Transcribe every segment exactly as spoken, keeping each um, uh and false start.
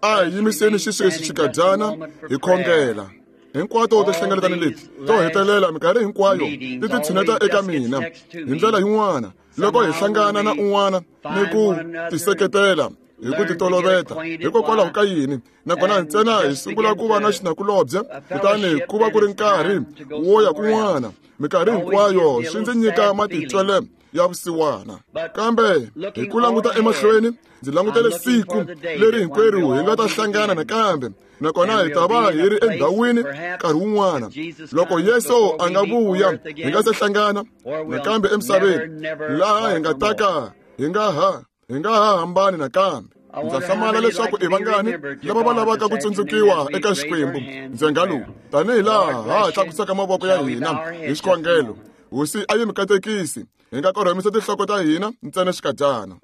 A hi yimiseni xisweswi xikadyana hi khongela. Hinkwato tinhlengeletano leti to hetelela minkarhi hinkwayo ti ti tshineta eka mina hi ndlela yin'wana loko hi hlangana na un'wana ni ku tiseketela hi ku titoloveta. Hikokwalaho ka yini? Nakona ntsena hi sungula ku va na xinakulobye, kutani ku va ku ri nkarhi wo ya kun'wana. Minkarhi hinkwayo swi ndzi nyika matitwele ya vusiwana. Kambe hi ku languta emahlweni, ndzi langutele siku leri hinkwerhu hi nga ta hlangana nakambe, nakona hi ta va hi ri endhawini nkarhi wun'wana. Loko Yesu a nga vuya, hi nga se hlangana nakambe emisaveni, laha hi nga ta ka hi nga ha hi nga ha hambani nakambe. Ndza hlamala leswaku i vangani lava va lavaka ku tsundzukiwa eka Xikwembu ndzhenga lowu, tanihi laha ha tlakusaka mavoko ya hina hi xikhongelo. Hosi a yi mi katekisi. Hi nga korhamisa tinhloko ta hina ntsena xikadyana.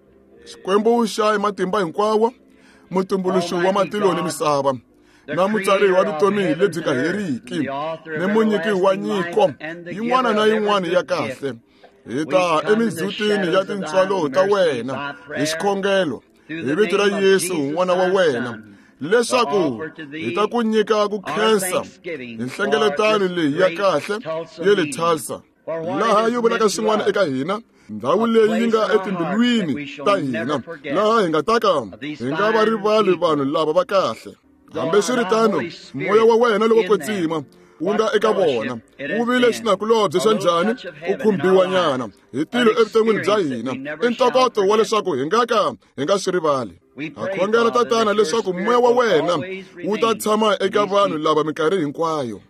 Xikwembu xa matimba hinkwawo, mutumbuluxi wa matilo ni misava, na mutsari wa vutomi lebyi nga heriki, ni munyiki wa nyiko yin'wana na yin'wana ya kahle, hi ta emindzhutini ya tintswalo ta wena hi xikhongelo hi vito ra Yesu n'wana wa wena, leswaku hi ta ku nyika ku khensa hi nhlengeletano leyi ya kahle ya le Tulsa, laha yi vulaka swin'wana eka hina, ndhawu leyi yi nga etimbilwini ta hina, laha hi nga ta ka hi nga va rivali vanhu lava va kahle. Hambiswiritano, moya wa wena lowo kwetsima wu nga eka vona wu vile xinakulobye xa njhani ku khumbiwa nyana hi tilo evuton'wini bya hina, i ntokoto wa leswaku hi nga ka hi nga swi rivali. Ha khongela Tatana leswaku moya wa wena wu ta tshama eka vanhu lava minkarhi hinkwayo,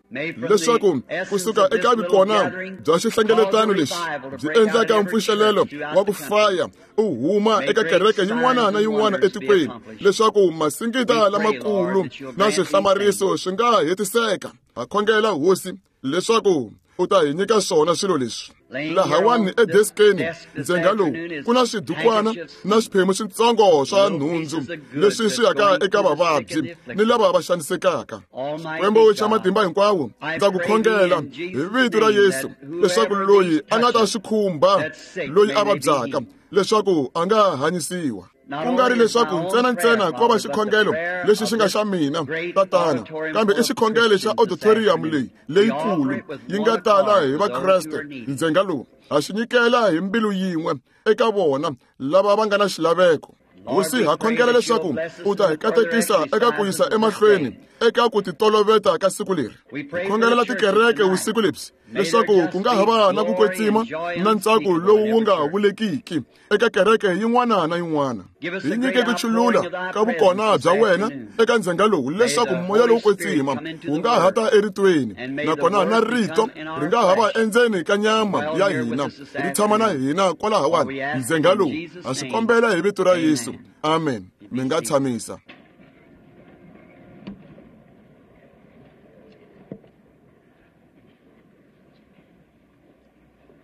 leswaku kusuka eka vikona bya xihlengeletano lexi byi endlaka mpfuxelelo wa ku faya u huma eka kereke yin'wana na yin'wana etikweni, leswaku masingita lamakulu na swihlamariso swi nga hetiseka. Ha khongela Hosi leswaku u ta hi nyika swona swilo leswi. Lahawani edeskeni ndzhenga lowu ku na swidukwana na swiphemu switsongo swa nhundzu leswi swi yaka eka vavabyi ni lava va xanisekaka. Xikwembu xa matimba hinkwawo, ndza ku khongela hi vito ra Yesu leswaku loyi a nga ta swi khumba loyi a vabyaka, leswaku a nga hanyisiwa. Ku nga ri leswaku ntsena ntsena ko va xikhongelo lexi xi nga xa mina Tatana, kambe i xikhongelo xa auditorium leyi leyikulu yi nga tala hi Vakreste ndzhenga lowu. Ha xi nyikela hi mbilu yin'we eka vona lava va nga na xilaveko. Hosi, ha khongela leswaku u ta hi katekisa eka ku yisa emahlweni eka ku titoloveta ka siku leri. Hi khongelela tikereke vusiku lebyi leswaku ku nga ha va na ku kwetsima na ntsako lowu wu nga vulekiki eka kereke yin'wana na yin'wana. Hi nyike ku chulula ka vukona bya wena eka ndzhenga lowu, leswaku moya lowu kwetsima wu nga ha ta eritweni, nakona na rito ri nga ha va endzeni ka nyama ya hina, ri tshama na hina kwalahawani ndzhenga lowu. Ha swi kombela hi vito ra Yesu. Amen. Mi nga tshamisa.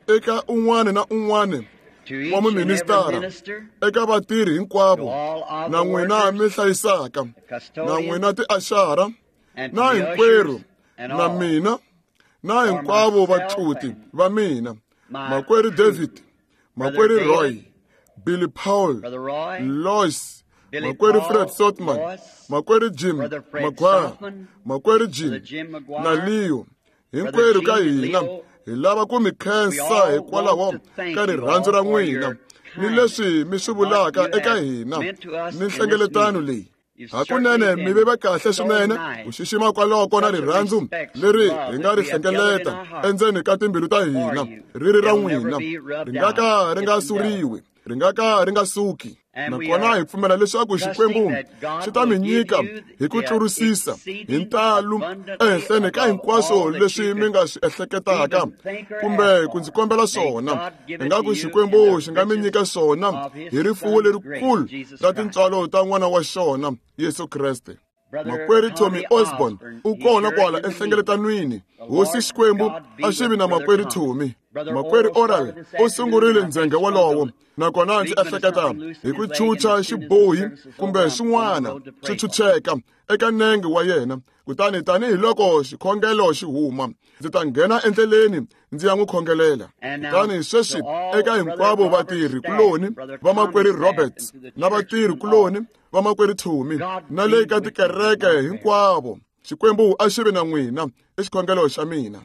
Eka un'wana na un'wana wa muministara, eka vatirhi hinkwavo, na n'wina mi hlayisaka, na n'wina tiaxara, na hinkwerhu, na mina, na hinkwavo vatluti va mina, makwerhu David, makwerhu Roy, Billy Paul, Lois, makwerhu Fred Sotman, makwerhu Jim Maguire, makwerhu Jim na Leo, hinkwerhu ka hina hi lava ku mi khensa hikwalaho ka rirhandzu ra n'wina ni leswi mi swi vulaka eka hina ni nhlengeletano leyi. Hakunene mi ve va kahle swinene ku xixima kwaloko na rirhandzu leri hi nga ri hlengeleta endzeni ka timbilu ta hina ri ri ra n'wina, ri nga ka ri nga suriwi, ri nga ka ri nga suki. Nakona hi pfumela leswaku Xikwembu xi ta mi nyika hi ku tlurisisa hi ntalu ehenhleni ka hinkwaswo leswi mi nga swi ehleketaka kumbe ku ndzi kombela swona. Ingaku Xikwembu xi nga mi nyika swona hi rifuwo lerikulu ra tintswalo ta n'wana wa xona Yesu Kreste. Makwerhu Tommy Osborne u kona kwala enhlengeletanweni. Hosi Xikwembu a xi vi na makwerhu Tommy. Makwerhu Oral u sungurile ndzhenga wolowo, nakona ndzi ehleketa hi ku chucha xibohi kumbe swin'wana swi chucheka eka nenge wa yena. Kutani tanihiloko xikhongelo xi huma, ndzi ta nghena endleleni ndzi ya n'wi khongelela. Kutani sweswi eka hinkwavo vatirhi kuloni va makwerhu Roberts na vatirhi kuloni vamakwerhu Thumi na le ka tikereke hinkwavo. Xikwembu a xi vi na n'wina i xikhongelo xa mina.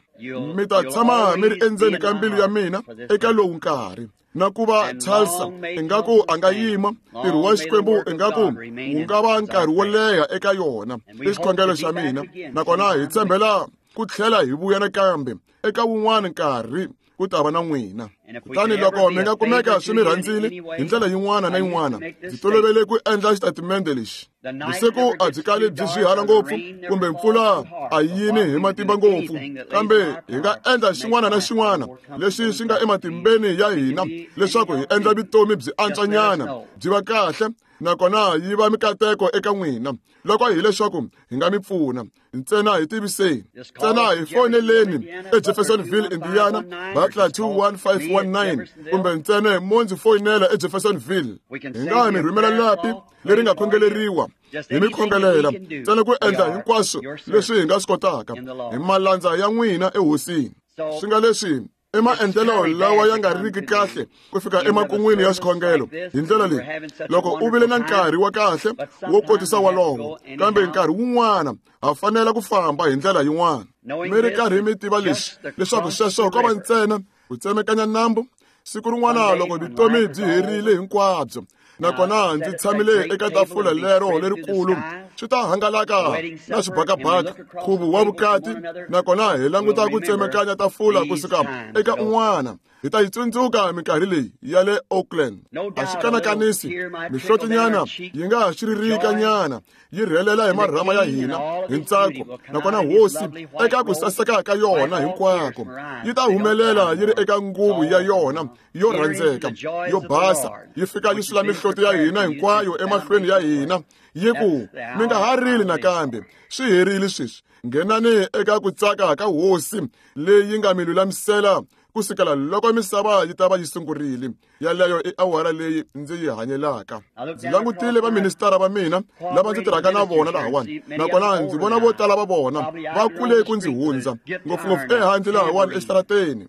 Mi ta tshama mi ri endzeni ka mbilu ya mina eka lowu nkarhi. Na ku va Tulsa ingaku a nga yima ntirho wa Xikwembu ingaku wu nga va nkarhi wo leha eka yona i xikhongelo xa mina. Nakona hi tshembela ku tlhela hi vuya nakambe eka wun'wana nkarhi ku ta va na n'wina. Kutani loko mi nga kumeka swi mi rhandzile hi ndlela yin'wana na yin'wana, ndzi tolovele ku endla xitatimende lexi. Vusiku a byi kali byi swihala ngopfu kumbe mpfula a yini hi matimba ngopfu, kambe hi nga endla xin'wana na xin'wana lexi xi nga ematimbeni ya hina leswaku hi endla vutomi byi antswanyana, byi va kahle, nakona yi va mikateko eka n'wina. Loko hi leswaku hi nga mi pfuna, ntsena hi tiviseni, ntsena hi foneleni eJeffersonville, Indiana, Butler two one five one nine, kumbe ntsena mo ndzi foyinela eJeffersonville. Hi nga mi rhumela lapi leri nga khongeleriwa hi mi khongelela, ntsena ku endla hinkwaswo leswi hi nga swi kotaka hi malandza ya n'wina ehosini. Swi nga leswi i maendlelo lawa ya nga riki kahle ku fika emakun'wini ya xikhongelo hi ndlela leyi. Loko u vile na nkarhi wa kahle wo kotisa walowo, kambe nkarhi wun'wana ha fanela ku famba hi ndlela yin'wana. Mi ri karhi mi tiva leswi, leswaku sweswo ko va ntsena ku tsemekanya nambu. Siku rin'wana loko vutomi byi herile hinkwabyo, nakona ndzi tshamile eka tafula lero lerikulu, swi ta hangalaka na xibakabaka, nkhuvo wa vukati, nakona hi languta ku tsemekanya tafula kusuka eka un'wana. Hi ta yi tsundzuka minkarhi leyi ya le Oakland. A xi kanakanisi, mihlotinyana yi nga ha xiririkanyana yi rhelela hi marhama ya hina hi ntsako, nakona hosi eka ku saseka ka yona hinkwako yi ta humelela yi ri eka nguvu ya yona yo rhandzeka yo basa, yi fika yi sula mihloti ya hina hinkwayo emahlweni ya hina, yi ku mi nga ha rili nakambe, swi herile sweswi. Nghenani eka ku tsaka ka hosi leyi nga mi lulamisela kusukela loko misava yi ta va yi sungurile. Yaleyo i awara leyi ndzi yi hanyelaka. Ndzi langutile vaministara va mina lava ndzi tirhaka na vona lahawani, nakona ndzi vona vo tala va vona va kule ku ndzi hundza, ngopfungopfu ehandle lahawani exitarateni,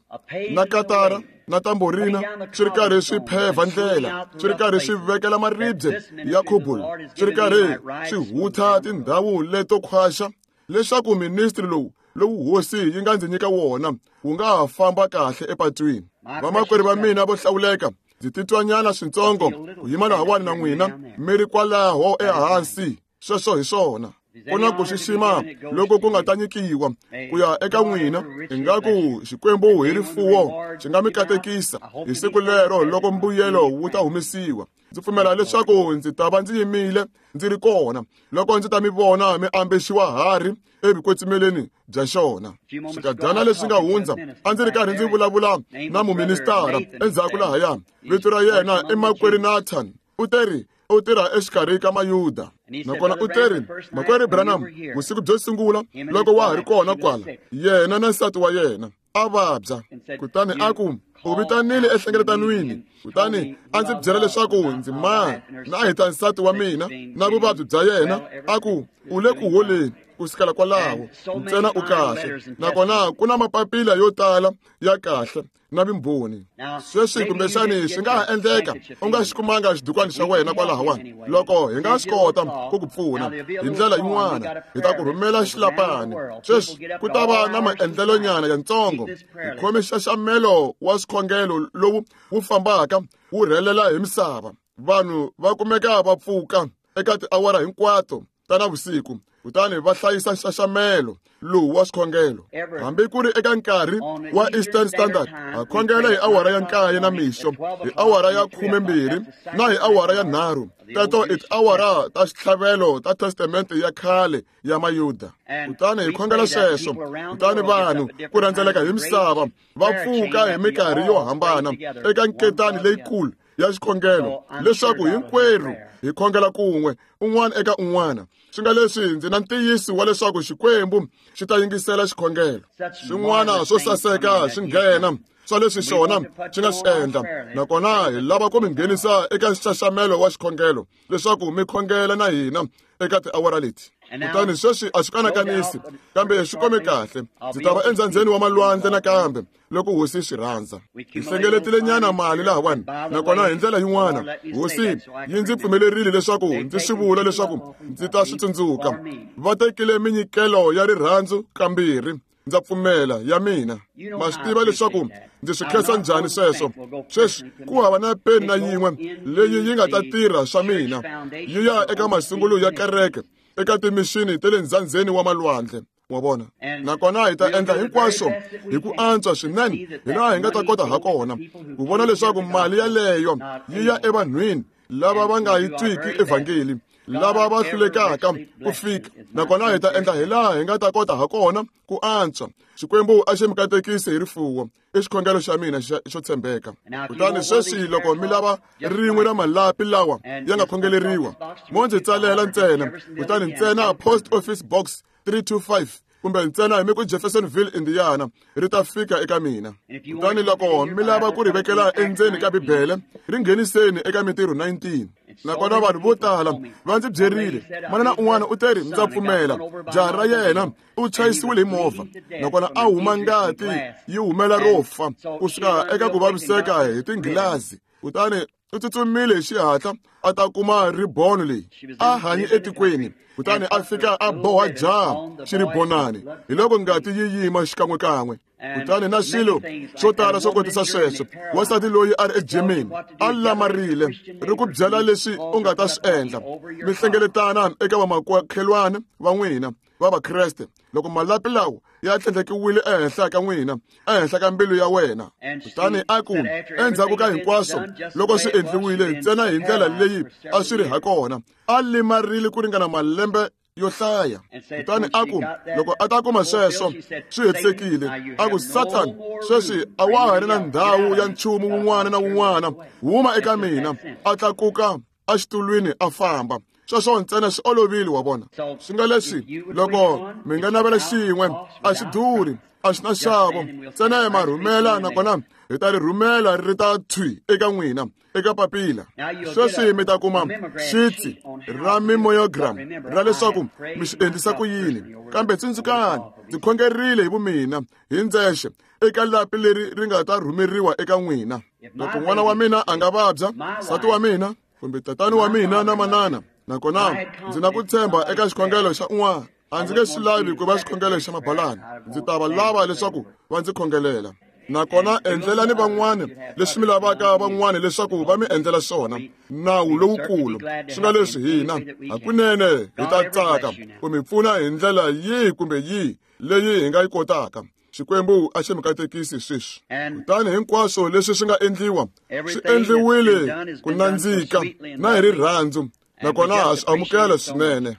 na katara na tamborina swi ri karhi swi phevha ndlela, swi ri karhi swi vekela maribye ya khubul, swi ri karhi swi hutha tindhawu leto khwaxa, leswaku ministri lowu lowu hosi yi nga ndzi nyika wona wu nga ha famba kahle epatwini. Vamakwerhu va mina vo hlawuleka, ndzi titwanyana swintsongo ku yima lahawani na n'wina mi ri kwalaho ehansi. Sweswo hi swona. Ku na ku xixima loko ku nga ta nyikiwa ku ya eka n'wina, ingaku Xikwembu hi rifuwo xi nga mi katekisa hi siku lero loko mbuyelo wu ta humesiwa. Ndzi pfumela leswaku ndzi ta va ndzi yimile ndzi ri kona loko ndzi ta mi vona mi ambexiwa harhi evukwetsimeleni bya xona. Swikadyana leswi nga hundza a ndzi ri karhi ndzi vulavula na muministara endzhaku lahaya. Vito ra yena i makwerhu Nathan. U teri u tirha exikarhi ka Mayuda. Nakona u teri, makwerhu Branham, vusiku byo sungula loko wa ha ri kona kwala, yena na nsati wa yena a vabya. Kutani a ku u vitanile ehlengeletanin'wini, kutani a ndzi byela leswaku ndzi mani na hi ta nsati wa mina na vuvabyi bya yena. A ku u le ku holeni kusukela kwalaho, ntsena u kahle. Nakona ku na mapapila yo tala ya kahle na vumbhoni. Sweswi kumbexani swi nga ha endleka u nga xi kumanga xidukwani xa wena kwalahawani. Loko hi nga swi kota ku ku pfuna hi ndlela yin'wana, hi ta ku rhumela xilapani. Sweswi ku ta va na maendlelonyana yantsongo. Hi khome nxaxamelo wa swikhongelo lowu wu fambaka wu rhelela hi misava. Vanhu va kumeka va pfuka eka tiawara hinkwato ta navusiku, kutani va hlayisa nxaxamelo lowu wa swikhongelo. Hambi ku ri eka nkarhi wa Eastern Standard, ha khongela hi awara ya nkaye na mixo, hi awara ya khumembirhi na hi awara ya nharhu. Teto i tiawara ta xitlhavelo ta Testamente ya khale ya Mayuda. Kutani hi khongela sweswo, kutani vanhu ku rhendzeleka hi misava va pfuka hi minkarhi yo hambana eka nketani leyikulu ya xikhongelo, leswaku hinkwerhu hi khongela kun'we, un'wana eka un'wana. Swi nga leswi ndzi na ntiyiso wa leswaku Xikwembu xi ta yingisela xikhongelo. Swin'wana swo saseka swi nghena swa leswi xona xi nga swi endla. Nakona hi lava ku mi nghenisa eka nxaxamelo wa xikhongelo leswaku mi khongela na hina eka tiawara leti. Kutani sweswi a swi kanakanisi, kambe swi kome kahle. Ndzi ta va endzandzeni wa malwandle nakambe loko hosi swi rhandza. Hi hlengeletile nyana mali lahawani, nakona hi ndlela yin'wana hosi yi ndzi pfumelerile leswaku ndzi swi vula leswaku ndzi ta swi tsundzuka. Va tekile minyikelo ya rirhandzu kambirhi, ndza pfumela ya mina. Ma swi tiva leswaku ndzi swi khensa njhani sweswo. Sweswi ku hava na peni na yin'we leyi yi nga ta tirha swa mina, yi ya eka masungulo ya kereke, eka timixini ta le ndzandzeni wa malwandle. Wa vona? Nakona hi ta endla hinkwaswo hi ku antswa swinene hi laha hi nga ta kota ha kona ku vona leswaku mali yaleyo yi ya evanhwini lava va nga yi twiki evhangeli, lava va hlulekaka ku fika. Nakona hi ta endla hi laha hi nga ta kota ha kona ku antswa. Xikwembu a xi mi katekisi hi rifuwo, i xikhongelo xa mina xo tshembeka. Kutani sweswi loko mi lava rin'we ra malapi lawa ya nga khongeleriwa, mo ndzi tsalela ntsena, kutani ntsena Post Office Box three two five kumbe ntsena hi mi ku Jeffersonville, Indiana, ri ta fika eka mina. Kutani loko mi lava ku ri vekela endzeni ka Bibele, ri ngheniseni eka Mintirho nineteen. Nakona vanhu vo tala va ndzi byerile, manana un'wana u teri, ndza pfumela jaha ra yena u chayisiwile hi movha, nakona a huma ngati yi humela ro fa kusuka eka ku vaviseka hi tinghilazi. Kutani u tsutsumile hi xihatla a ta kuma ribono leyi a hanyi etikweni, kutani a fika a boha jaha xiribonani, hi loko ngati yi yima xikan'wekan'we. Kutani na swilo swo tala swo kotisa sweswo. Wansati loyi a ri eGermany a lamarile ri ku byela leswi u nga ta swi endla. Mi hlengeletana eka vamakhelwana va n'wina va Vakreste loko malapi lawa ya tlhandlekiwile ehenhla ka n'wina, ehenhla ka mbilu ya wena. Kutani a ku endzhaku ka hinkwaswo loko swi endliwile ntsena hi ndlela leyi a swi ri ha kona, a limarile ku ringana malembe yo hlaya. Kutani a ku loko a ta kuma sweswo swi hetisekile, a ku Satan, sweswi a wa ha ri na ndhawu ya nchumu wun'wana na wun'wana, huma eka mina. A tlakuka exitulwini a famba. Sweswo ntsena swi olovile, wa vona. Swi nga leswi loko mi nga navela xin'we, a xi durhi, a xi na nxavo, ntsena hi ma rhumela, nakona hi ta ri rhumela ri ta thwi eka n'wina eka papila. Sweswi mi ta kuma xitsi ra mimoyogram ra leswaku mi swi endlisa ku yini. Kambe tsundzukani, ndzi khongerile hi vumina hi ndzexe eka lapi leri ri nga ta rhumeriwa eka n'wina. Loko n'wana wa mina a nga vabya, nsati wa mina kumbe tatani wa mina na manana, nakona ndzi na ku tshemba eka xikhongelo xa un'wana, a ndzi nge swi lavi ku va xikhongelo xa mabalani, ndzi ta va lava leswaku va ndzi khongelela. Nakona endlelani van'wana leswi mi lavaka van'wana leswaku va mi endlela swona, nawu lowukulu. Swi nga leswi hina hakunene hi ta tsaka ku mi pfuna hi ndlela yihi kumbe yihi leyi hi nga yi kotaka. Xikwembu a xi mi katekisi sweswi. Kutani hinkwaswo leswi swi nga endliwa swi endliwile ku nandzika na hi rirhandzu, nakona ha swi amukela swinene.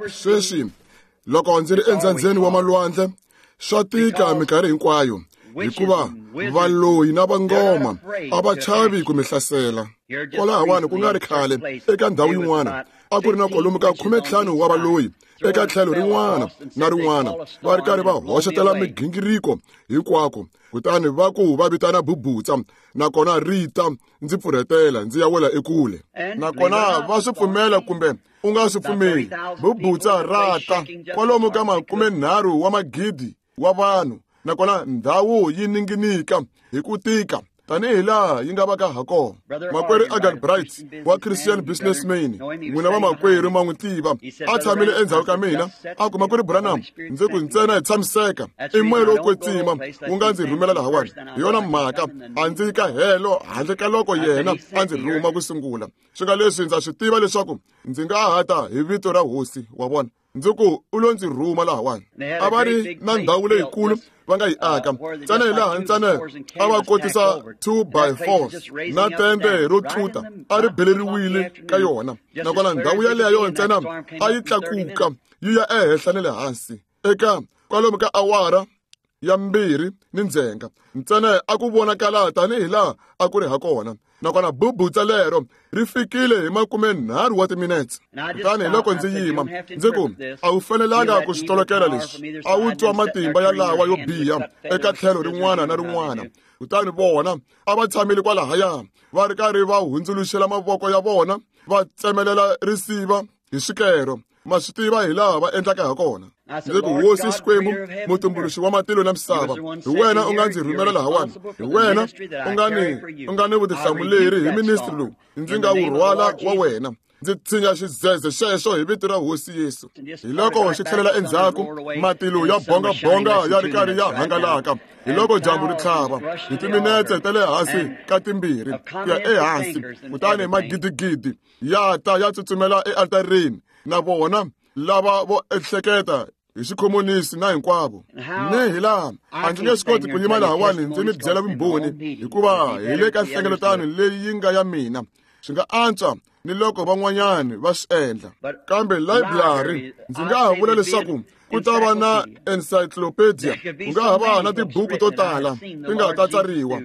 Sweswi loko ndzi ri endzandzeni wa malwandle, swa tika minkarhi hinkwayo, hikuva valoyi na vangoma a va chavi ku mi hlasela. Kwalahawani ku nga ri khale eka ndhawu yin'wana a ku ri na kwalomu ka khumentlhanu wa valoyi eka tlhelo rin'wana na rin'wana, va ri karhi va hoxetela migingiriko hinkwako. Kutani va ku va vitana bubutsa, nakona ri ta ndzi pfurhetela ndzi ya wela ekule. Nakona va swi pfumela kumbe u nga swi pfumeli, bubutsa ra ta kwalomu ka makumenharhu wa magidi wa vanhu, nakona ndhawu yi ninginika hi ku tika tanihi laha yi nga vaka ha kona. Makwerhu Agan Bright wa Christian Businessman, n'wina va makwerhu ma n'wi tiva, a tshamile endzhaku ka mina, a ku makwerhu Branham, ndzi ku ntsena hi tshamiseka, i moya lowo kwetsima wu nga ndzi rhumela lahawani. Hi yona mhaka a ndzi ka helo handle ka loko yena a ndzi rhuma ku sungula. Swi nga leswi ndza swi tiva leswaku ndzi nga ha ta hi vito ra hosi, wa vona. Ndzi ku u lo ndzi rhuma lahawani. A va ri na ndhawu leyikulu va nga yi aka ntsena hi laha ntsena a va kotisa two by fours na tende ro tluta a ri beleriwile ka yona, nakona ndhawu yaleyo ntsena a yi tlakuka yi ya ehenhla na le hansi eka kwalomu ka awara ya mbirhi ni ndzhenga ntsena a ku vonakala tanihi laha a ku ri ha kona nakona bubutsa lero ri fikile hi makumenharhu wa timinetse kutani hi loko ndzi yima ndzi ku a wu fanelanga ku swi tolokela leswi a wu twa matimba ya lawa yo biha eka tlhelo rin'wana na rin'wana kutani vona a va tshamile kwalahaya va ri karhi va hundzuluxela mavoko ya vona va tsemelela risiva hi swikero ma swi tiva hi laha va endlaka ha kona ndzi ku hosi Xikwembu mutumbuluxi wa matilo na misava hi wena u nga ndzi rhumela lahawani hi wena u nga ni u nga ni vutihlamuleri hi ministry lowu ndzi nga wu rhwala wa wena ndzi tshinya xidzedze xexo hi vito ra hosi Yesu hi loko xi tlhelela endzhaku matilo ya bongabonga ya ri karhi ya hangalaka hi loko dyambu ri tlhava hi timinetse ta le hansi ka timbirhi ku ya ehansi kutani magidigidi ya ta ya tsutsumela ealtarini na vona lava vo ehleketa hi xikhomonisi na hinkwavo ni hi laha a ndzi nge swi koti ku yima lahawani ndzi mi byela vumbhoni hikuva hi le ka nhlengeletano leyi yi nga ya mina swi nga antswa ni loko van'wanyani va swi endla kambe library ndzi nga ha vula leswaku ku ta va na encyclopedia ku nga ha va na tibuku to tala ti nga ta tsariwa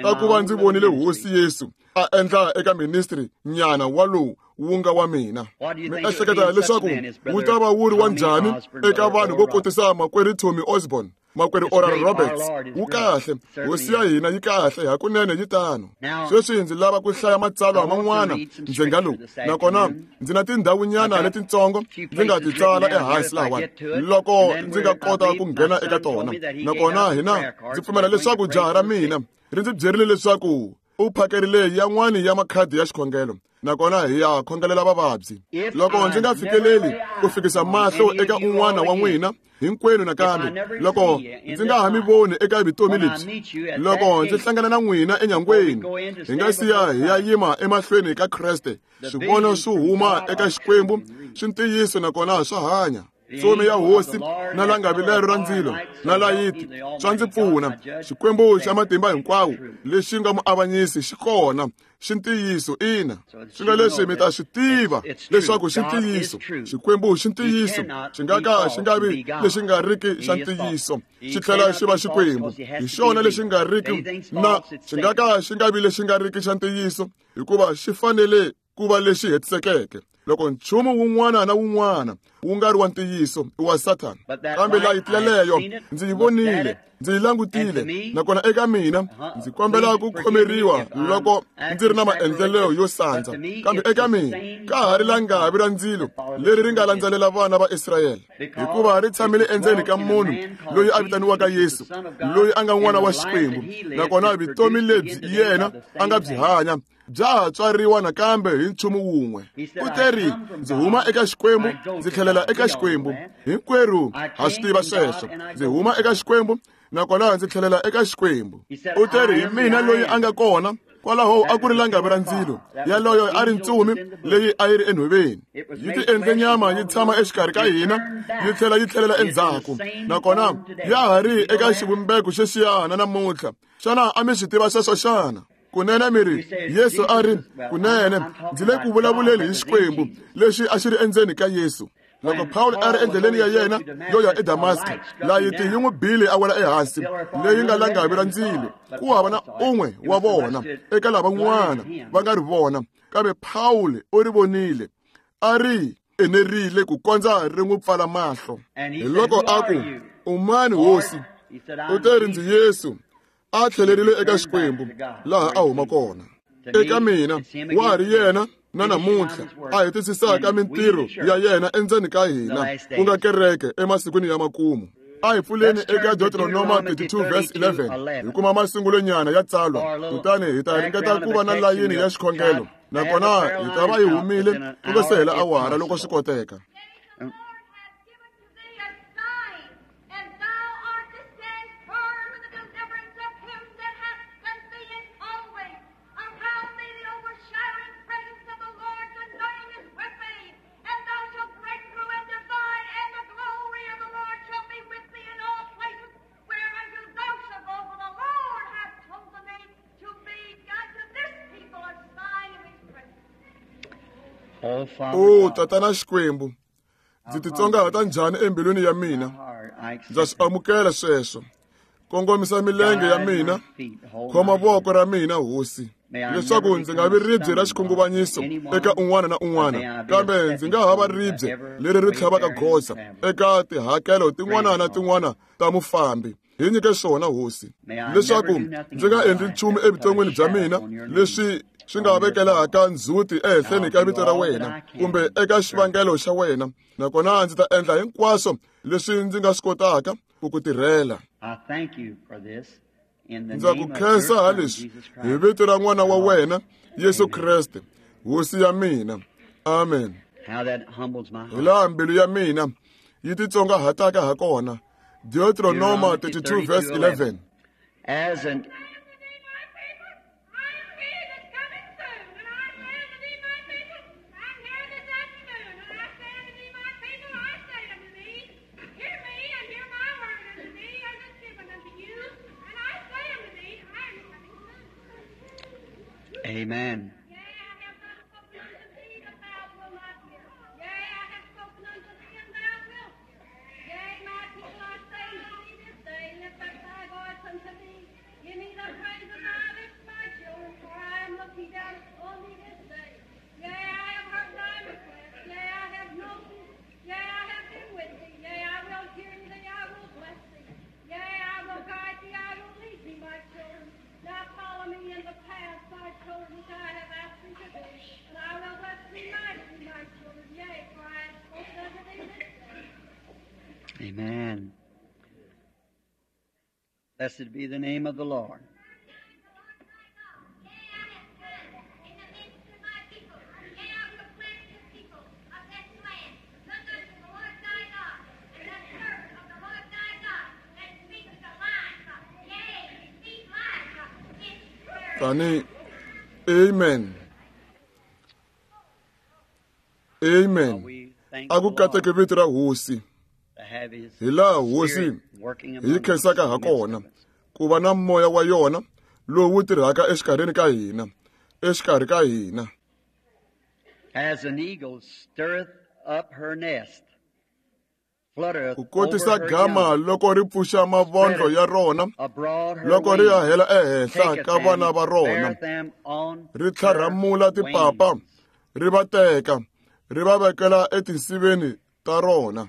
ta ku va ndzi vonile hosi Yesu a endla eka ministry nyana wa lowu wu nga wa mina mi ehleketa leswaku wu ta va wu ri wa njhani eka vanhu vo kotisa makwerhu Tommy Osborne makwerhu Oral Roberts wu kahle hosi ya hina yi kahle hakunene yi tano sweswi ndzi lava ku hlaya matsalwa man'wana ndzhenga lowu nakona ndzi na tindhawunyana letitsongo ndzi nga ti tsala ehansi lahawani loko ndzi nga kota ku nghena eka tona nakona hina ndzi pfumela leswaku jaha ra mina ri ndzi byerile leswaku u phakerile yan'wani ya makhadi ya xikhongelo nakona hi ya khongelela vavabyi loko ndzi nga fikeleli ku fikisa mahlo eka un'wana wa n'wina hinkwenu nakambe loko ndzi nga ha mi voni eka vutomi lebyi loko ndzi hlangana na n'wina enyangweni hi nga siya hi ya yima emahlweni ka Kreste swivono swi huma eka Xikwembu swi ntiyiso nakona swa hanya ntsumi ya hosi na langavi lero ra ndzilo na layiti swa ndzi pfuna Xikwembu xa matimba hinkwawo lexi nga muavanyisi xi kona xi ntiyiso ina swi nga leswi mi ta swi tiva leswaku xi ntiyiso Xikwembu xi ntiyiso xi nga ka xi nga vi lexi nga riki xa ntiyiso xi tlhela xi va Xikwembu hi xona lexi nga riki na xi nga ka xi nga vi lexi nga riki xa ntiyiso hikuva xi fanele ku va lexi hetisekeke loko nchumu wun'wana na wun'wana wu nga ri wa ntiyiso i wa Sathana kambe layiti yaleyo ndzi yi vonile ndzi yi langutile nakona eka mina ndzi kombela ku khomeriwa loko ndzi ri na maendlelo yo sandza kambe eka mina ka ha ri langavi ra ndzilo leri ri nga landzelela vana va Israyele hikuva ri tshamile endzeni ka munhu loyi a vitaniwaka Yesu loyi a nga n'wana wa Xikwembu nakona vutomi lebyi yena a nga byi hanya bya ha tswariwa nakambe hi nchumu wun'we u teri ndzi huma eka Xikwembu ndzi tlhelela eka Xikwembu hinkwerhu ha swi tiva sweswo ndzi huma eka Xikwembu nakona ndzi tlhelela eka Xikwembu u teri hi mina loyi a nga kona kwalaho a ku ri langavi ra ndzilo yaloyo a ri ntsumi leyi a yi ri enhoveni yi ti endle nyama yi tshama exikarhi ka hina yi tlhela yi tlhelela endzhaku nakona ya ha ri eka xivumbeko xexiyana namuntlha xana a mi swi tiva sweswo xana kunene mi ri Yesu a ri kunene ndzi le ku vulavuleni hi Xikwembu lexi a xi ri endzeni ka Yesu loko Pawulo a ri endleleni ya yena yo ya eDamaska layiti yi n'wi bile a wela ehansi leyi nga langavi ra ndzilo ku hava na un'we wa vona eka lavan'wana va nga ri vona kambe Pawulo u ri vonile a ri enerile ku kondza ri n'wi pfala mahlo hi loko a ku u mani hosi u te ri ndzi Yesu a tlhelerile eka Xikwembu laha a huma kona eka mina wa ha ri yena na namuntlha a hetisisaka mintirho ya yena endzeni ka hina ku nga kereke emasikwini ya makumu a hi pfuleni eka Deuteronoma thirty-two verse eleven hi kuma masungulonyana ya tsalwa kutani hi ta ringeta ku va na layini ya xikhongelo nakona hi ta va hi humile ku nga se hela awara loko swi koteka O Tatana Xikwembu ndzi titsongahata njhani embilwini ya mina ndza swi amukela sweswo Kongomisa milenge ya mina, khoma voko ra mina hosi, leswaku ndzi nga vi ribye ra xikhunguvanyiso eka un'wana na un'wana, kambe ndzi nga ha va ribye leri ri tlhavaka goza eka tihakelo tin'wana na tin'wana ta mufambi. Hi nyike swona hosi, leswaku ndzi nga endli nchumu evuton'wini bya mina leswi swi nga vekelaka ndzhuti ehenhleni ka vito ra wena kumbe eka xivangelo xa wena, nakona ndzi ta endla hinkwaswo leswi ndzi nga swi kotaka ku ku tirhela. Ndza ku khensa ha leswi hi vito ra n'wana wa wena Yesu Kreste, hosi ya mina. Amen. Hi laha mbilu ya mina yi titsongahataka ha kona. Deuteronomy thirty-two verse eleven. As an Amen. Amen. Blessed be the name of the Lord. Tani, amen. Amen. A ku kateke vito ra hosi. Hi laha hosi hi khensaka ha kona ku va na moya wa yona lowu tirhaka exikarhini ka hina, exikarhi ka hina. As an eagle stirreth up her nest, fluttereth ku kotisa over her gama young, loko ri pfuxa mavondlo ya rona, abroad her loko ri ya wings, hela ehenhla taketh ka vana them, va rona, beareth them on ri her tlharhamula tipapa, wings. ri va teka, ri va vekela etinsiveni ta rona.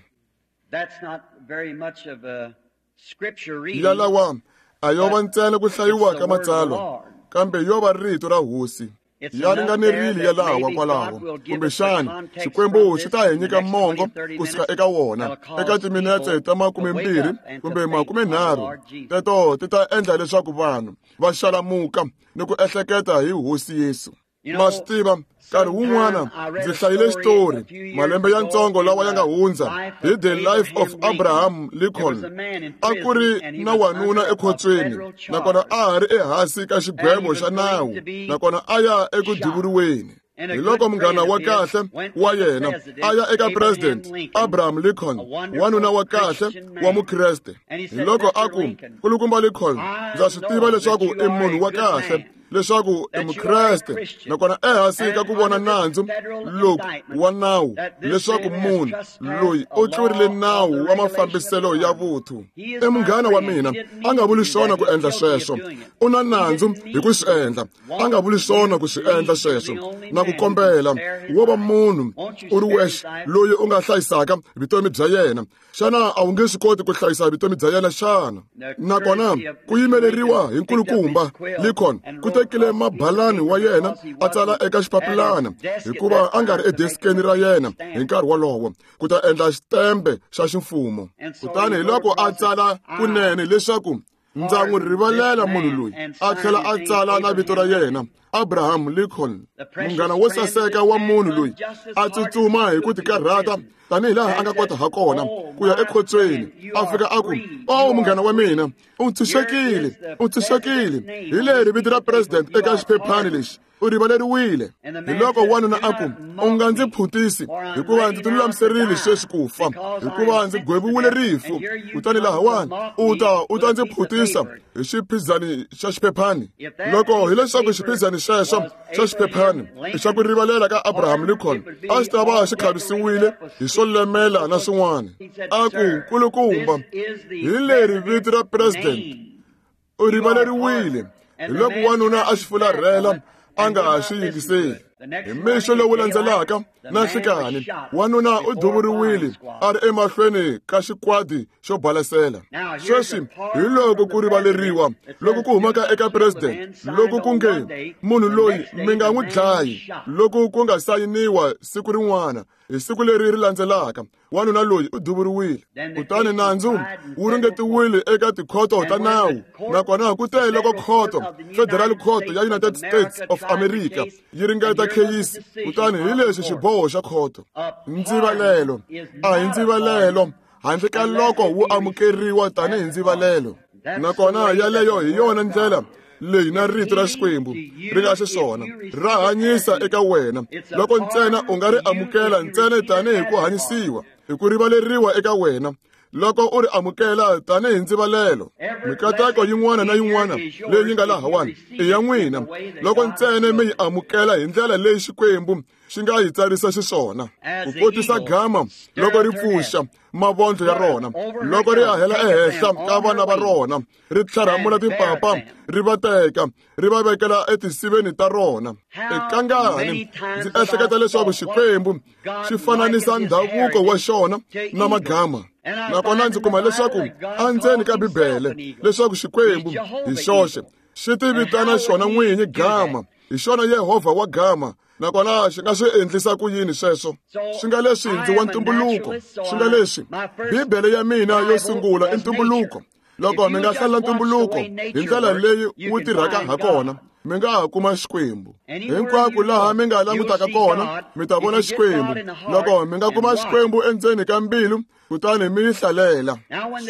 That's not very much of a scripture reading. Yalawa a yo va ntsena ku hlayiwa It's ka the word of the matsalwa, Lord. kambe yo va rito ra hosi. It's Ya enough ringanerile there ya that lawa maybe kwalaho. God will give us the Kumbexana context Xikwembu from xi this ta hi in the nyika next mongo twenty, thirty kusuka minutes eka wona that'll cause eka timinetse people ta to makume wake mbirhi up and to kumbe think makume on the nharhu. Lord Jesus. Teto ti ta endla leswaku vanhu va xalamuka ni ku ehleketa hi hosi Yesu. You Ma know, swi tiva, nkarhi wun'wana sometime I read ndzi a hlayile story xitori a few years malembe ya ago ntsongo in lawa ya nga the hundza life hi of The Life of Abraham Lincoln. Abraham There was Lincoln. a man in A ku ri prison and he na was wanuna under a ekhotsweni, federal nakona charge. a ha ri ehansi ka And he xigwevo was xa going nawu, to be nakona a ya eku shot. duvuriweni. And a Hi good loko munghana friend wa of his kahle went wa to the yena president, a ya eka Abraham president Lincoln, Abraham Lincoln, a wonderful wanuna wa kahle Christian wa man. Mukreste. And he Hi said, loko a Mister ku, Lincoln, Nkulukumba Lincoln, I ndza swi tiva know that leswaku you i are munhu a wa good kahle, man, leswaku i that you are a Mukreste, Christian, nakona ehansi ka and ku vona under this nandzu federal loku indictment, wa nawu that this leswaku man has munhu trespassed loyi a u tlurile law of nawu the wa regulation of the mafambiselo ya army. vuthu. He is I my munghana wa friend. He mina, didn't a mean nga to vuli do swona that. ku He's endla guilty of sweswo. doing it. U na He nandzu didn't hi mean ku to swi do it. endla, a nga Want vuli swona you ku swi to endla leave to the sweswo. only Na ku man who can kombela spare his wo va life. munhu Won't you u ri spare his wexe life? loyi u nga hlayisaka vutomi bya yena. Xana a wu nge swi koti ku hlayisa vutomi bya yena xana? The Nakona courtesy of ku Mister yimeleriwa Lincoln hi picked up his nkulukumba quill Lincoln and ku wrote tekile across a piece of mabalani wa paper yena because he a tsala wasn't eka at his xipapilana desk at hikuva that a nga ri time to make an edeskeni ra official yena hi stamp. nkarhi wolowo ku ta endla xitembe xa ximfumo. And so Kutani he hi wrote loko a across it, tsala I kunene leswaku ndza n'wi pardon this rivalela munhu man loyi, and a sign tlhela his a name tsala na vito ra Abraham yena Lincoln. Abraham Lincoln, The precious munghana wo friend of saseka this wa man munhu run loyi just as a hard as he tsutsuma hi ku could to the tikarhata prison tanihi laha a and nga kota said, ha kona Oh, ku ya my ekhotsweni, friend, you a are fika a ku, free. "Oh You munghana are wa free. mina, u Here ntshunxekile, is the u ntshunxekile." president's name Hi on leri this vito piece ra of paper. president You eka are xiphephani pardoned. lexi, u rivaleriwile. And the Hi man loko said, wanuna Do a ku, not "U mock nga ndzi me, phutisi, for I'm hikuva ready ndzi ti now to lulamiserile die, sweswi ku fa, because I hikuva am ndzi sentenced to gweviwile death. rifu. And here you Kutani come to lahawani mock u me ta u with ta a ndzi piece of phutisa paper. hi xiphizani xa xiphephani." If that Loko piece of hileswaku paper xiphizani xexo was xa xiphephani Abraham i xa ku Lincoln's rivalela ka Abraham pardon, Lincoln, it would be a xi ta va all xi decorated khavisiwile up with hi swo lemela na swin'wana. He said, A ku, Sir, "Nkulukumba, this is the hi leri vito ra president's president name U rivaleriwile. Hi loko wanuna a xi fularhela a nga ha xi yingiseli. Hi mixo lowu landzelaka na nhlikani, wanuna u duvuriwile a ri emahlweni ka xikwadi xo balasela. Sweswi hi loko ku rivaleriwa loko ku humaka eka president, loko ku nge munhu loyi mi nga n'wi dlayi, loko ku nga sayiniwa siku rin'wana, hi siku leri ri landzelaka, wanuna loyi u duvuriwile. Kutani nandzu wu ringetiwile eka tikhoto ta nawu, nakona ku te loko khoto, Federal Court ya United States of America, yi ringeta kheyisi, kutani hi lexi xiboho xa khoto. Ndzivalelo a hi ndzivalelo handle ka loko wu amukeriwa tanihi ndzivalelo. Nakona yaleyo hi yona ndlela leyi na rito ra Xikwembu ri nga xiswona, ra hanyisa eka wena loko ntsena u nga ri amukela ntsena tanihi ku hanyisiwa, hi ku rivaleriwa eka wena loko u ri amukela tanihi ndzivalelo. Mikateko yin'wana na yin'wana leyi yi nga lahawani i ya n'wina loko ntsena mi yi amukela hi ndlela leyi Xikwembu xi nga yi tsarisa xiswona. Ku kotisa gama loko ri pfuxa mavondlo ya rona, loko ri hahela ehenhla ka vana va rona, ri tlharhamula timpapa, ri va teka, ri va vekela etisiveni ta rona. Ekangani ndzi ehleketa leswaku Xikwembu xi fananisa ndhavuko wa xona na magama. Nakona ndzi kuma leswaku endzeni ka Bibele leswaku Xikwembu hi xoxe xi ti vitana xona n'winyi gama, hi xona Yehovha wa gama. Nakona xi nga swi endlisa ku yini sweswo? Swi nga leswi ndzi wa ntumbuluko, swi nga leswi Bibele ya mina yo sungula i ntumbuluko. Loko mi nga hlalela ntumbuluko hi ndlela leyi wu tirhaka ha kona, mi nga ha kuma Xikwembu. Hinkwako laha mi nga langutaka kona, mi ta vona Xikwembu. Loko mi nga kuma Xikwembu endzeni ka mbilu, kutani mi yi hlalela.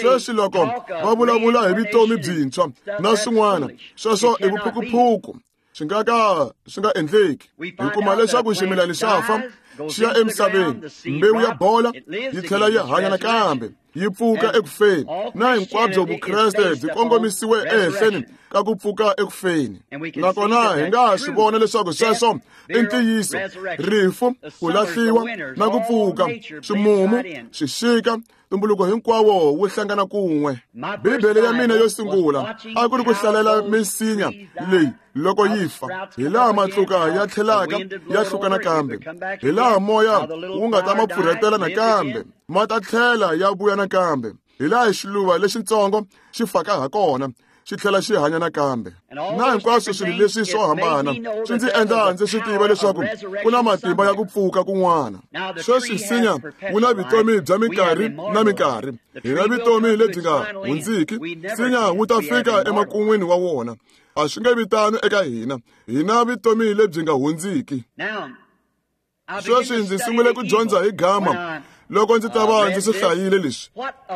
Sweswi loko va vulavula hi vutomi byintshwa na swin'wana, sweswo i vuphukuphuku. Swi nga ka swi nga endleki. Hi kuma leswaku ximilani xa fa, xi ya emisaveni, mbewu ya bola yi tlhela yi hanya nakambe, yi pfuka ekufeni. Na hinkwabyo Vukreste byi kongomisiwe ehenhleni ka ku pfuka ekufeni. Nakona hi nga swi vona leswaku sweswo i ntiyiso. Rifu, ku lahliwa na ku pfuka, swimumu, xixika, ntumbuluko hinkwawo wu hlangana kun'we. Bibele ya mina yo sungula a ku ri ku hlalela misinya leyi loko yi fa, hi laha matluka ya tlhelaka ya hluka nakambe, hi laha moya wu nga ta ma pfurhetela nakambe, ma ta tlhela ya vuya nakambe, hi laha xiluva lexitsongo xi faka ha kona, xi tlhela xi hanya nakambe. Na hinkwaswo swilo leswi swo hambana swi ndzi endla ndzi swi tiva leswaku ku na matimba ya ku pfuka kun'wana. Sweswi nsinya wu na vutomi bya minkarhi na minkarhi, hi na vutomi lebyi nga hundziki. Nsinya wu ta fika emakun'wini wa wona. A swi nge vi tano eka hina, hi na vutomi lebyi nga hundziki. Sweswi ndzi sungule ku dyondza hi gama loko ndzi ta va ndzi swi hlayile leswi.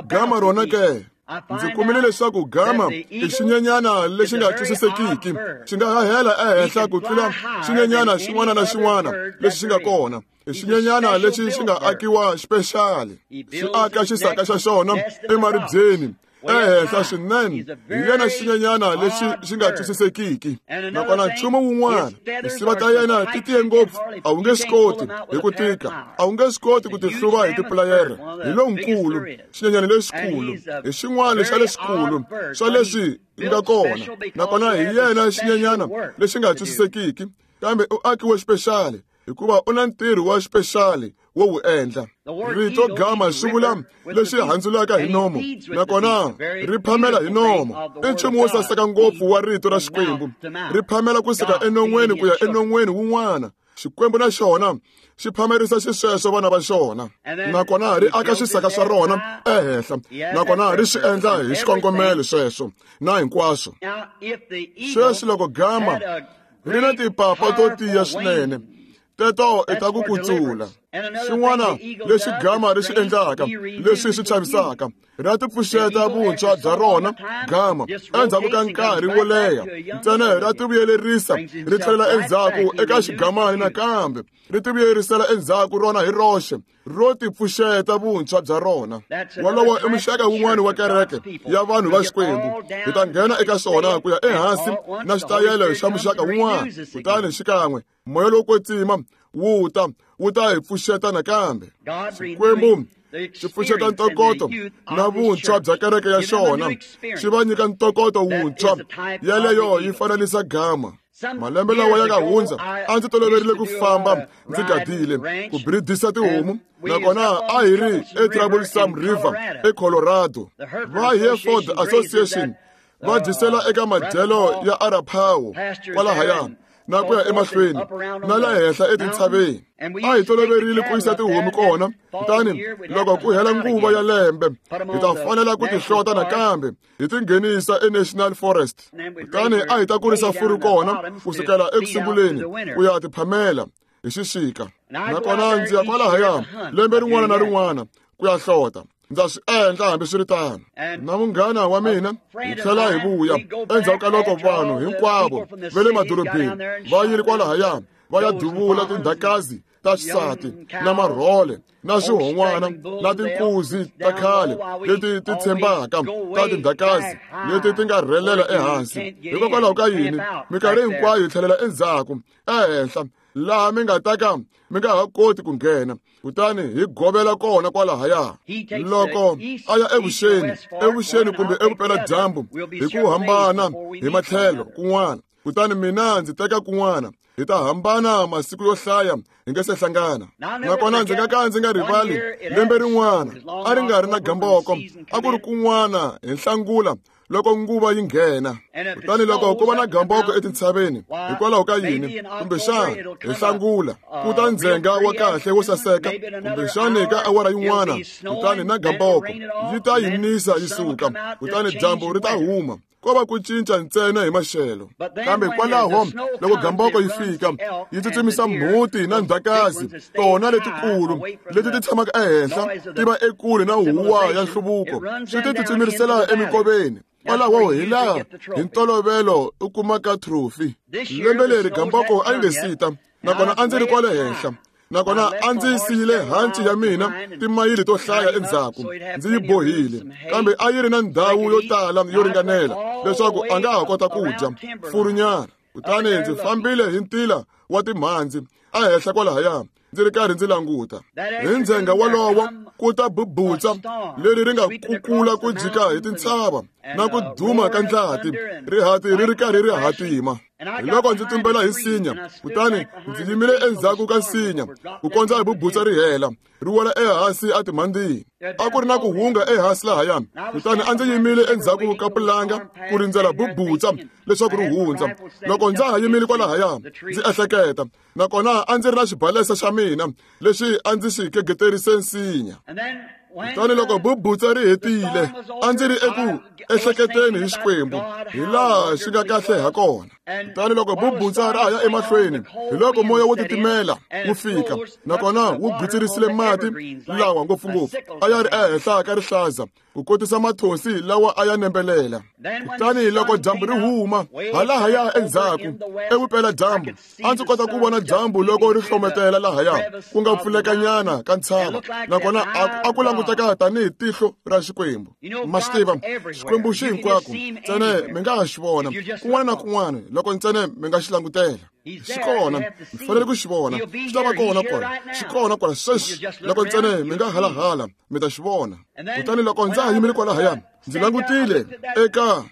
Gama rona ke, ndzi kumile leswaku gama i xinyenyana lexi nga twisisekiki, xi nga hahela ehenhla ku tlula xinyenyana xin'wana na xin'wana lexi xi nga kona. I xinyenyana lexi xi nga akiwa xipexali, xi aka xisaka xa xona emaribyeni ehenhla swinene. Hi yena xinyenyana lexi xi nga twisisekiki. Nakona nchumu wun'wana, tinsiva ta yena ti tiye ngopfu, a wu nge swi koti hi ku tika, a wu nge swi koti ku ti hluva hi tipulayere. Hi lonkulu, xinyenyana lexikulu, hi xin'wana xa lexikulu swa leswi nga kona. Nakona hi yena xinyenyana lexi nga twisisekiki, kambe u akiwe xipexali hikuva u na ntirho wa xipexali wo wu endla. Rito gama swi vula lexi handzulaka hi nomo, nakona ri phamela hi nomo. I nchumu wo saseka ngopfu wa rito ra Xikwembu, ri phamela kusuka enon'weni ku ya enon'weni wun'wana. Xikwembu na xona xi phamerisa xisweswo vana va xona, nakona ri aka xisaka swa rona ehenhla, nakona ri swi endla hi xikongomelo sweswo na hinkwaswo. Sweswi loko gama ri na timpapa to tiya swinene, teto i ta ku kutsula. Xin'wana lexi gama ri xi endlaka leswi swi chavisaka, ra ti pfuxeta vuntshwa bya rona gama endzhaku ka nkarhi wo leha ntsena, ra ti vuyelerisa ri tlhelela endzhaku eka xigamani nakambe, ri ti vuyerisela endzhaku rona hi roxe, ro ti pfuxeta vuntshwa bya rona. Wolowo i muxaka wun'wana wa kereke ya vanhu va Xikwembu. Hi ta nghena eka swona ku ya ehansi na xitayele xa muxaka wun'wana, kutani xikan'we moya lowo kwetsima wu ta wu ta hi pfuxeta nakambe. Xikwembu xi pfuxeta ntokoto na vuntshwa bya kereke ya xona, xi va nyika ntokoto wuntshwa. Yeleyo yi fanelisa gama. Malembe lawa ya nga hundza a ndzi toloverile ku famba ndzi gadile ku bridisa tihomu, nakona a hi ri eTroublesome River eColorado. Va Hereford Association va dyisela eka madyelo ya Arapaho kwalahaya na ku ya emahlweni na la henhla etintshaveni. A hi toloverile ku yisa tihomu kona, kutani loko ku hela nguva ya lembe hi ta fanela ku ti hlota nakambe hi ti nghenisa eNational Forest. Kutani a hi ta kurisa furu kona kusukela ekusunguleni ku ya ti phamela hi xixika. Nakona ndzi ya kwalahaya lembe rin'wana na rin'wana ku ya hlota. Ndza swi endla hambiswiritano. Na munghana wa mina hi tlhela hi vuya endzhaku ka loko vanhu hinkwavo va le madorobeni va yile kwalahaya va ya duvula tindhakazi ta xisati na marhole na swihon'wana na tinkuzi ta khale leti ti tshembaka ta tindhakazi leti ti nga rhelela ehansi. Hikokwalaho ka yini minkarhi hinkwayo hi tlhelela endzhaku ehenhla laha mi nga ta ka mi nga ha koti ku nghena, kutani hi govela kona kwalahaya. Loko a ya evuxeni evuxeni kumbe evupeladyambu hi ku hambana hi matlhelo kun'wana, kutani mina ndzi teka kun'wana, hi ta hambana masiku yo hlaya hi nge se hlangana. Nakona ndzi nga ka ndzi nga rivali lembe rin'wana a ri nga ri na gamboko, a ku ri kun'wana hi Nhlangula loko nguva yi nghena. Kutani loko ku va na gamboko etintshaveni, hikwalaho ka yini kumbexana hi Nhlangula ku ta ndzhenga wa kahle wo saseka, kumbexana ka awara yin'wana, kutani na gamboko yi ta yi nisa yi suka, kutani dyambu ri ta huma. Ko va ku cinca ntsena hi maxelo. Kambe kwalaho loko gamboko yi fika yi tsutsumisa mhuti na ndzhakazi tona letikulu leti ti tshamaka ehenhla ti va ekule na huwa ya nhluvuko, swi ti tsutsumirisela emikoveni. Kwalaho hi laha hi ntolovelo u kumaka trophy. Lembe leri gamboko a yi nge sita, nakona a ndzi ri kwale henhla, nakona a ndzi siyile hanci ya mina timayili to hlaya endzhaku, ndzi yi bohile, kambe a yi ri na ndhawu yo tala yo ringanela leswaku a nga ha kota ku dya furunyana. Kutani ndzi fambile hi ntila wa timhandzi ehenhla kwalahaya ndzi ri karhi ndzi languta. Hi ndzhenga wolowo ku ta bubutsa leri ri nga kukula ku jika hi tintshava na ku duma ka ndlati, rihati ri ri karhi ri hatima. Hi loko ndzi tumbela hi nsinya, kutani ndzi yimile endzhaku ka nsinya ku kondza hi bubutsa ri hela ri wela ehansi etimhandzini. A ku ri na ku hunga ehansi lahaya, kutani a ndzi yimile endzhaku ka pulanga ku rindzela bubutsa leswaku ri hundza. Loko ndza ha yimile kwalahaya ndzi ehleketa, nakona a ndzi ri na xibalesa xa mina lexi a ndzi xi kegeterise nsinya. Kutani loko bubutsa ri hetile, a ndzi ri eku ehleketeni hi Xikwembu hi laha xi nga kahle ha kona. Kutani loko bubutsa ra ya emahlweni, hi loko moya wo titimela wu fika, nakona wu gwitsirisile mati lawa ngopfungopfu a ya ri ehenhla ka rihlaza ku kotisa mathonsi lawa a ya nembelela. Kutani loko dyambu ri huma halahaya endzhaku evupeladyambu, a ndzi kota ku vona dyambu loko ri hlometela lahaya ku nga pfulekanyana ka ntshava, nakona a ku languteka tanihi tihlo ra Xikwembu. Ma swi tiva, Xikwembu xi hinkwako, ntsena mi nga ha xi vona kun'wana na kun'wana loko ntsena mi nga xi langutela. Xi kona, mi fanele ku xi vona, xi ta va kona kwala, xi kona kwala sweswi. Loko ntsena mi nga halahala mi ta xi vona. Kutani loko ndza ha yimile kwalahaya ndzi langutile eka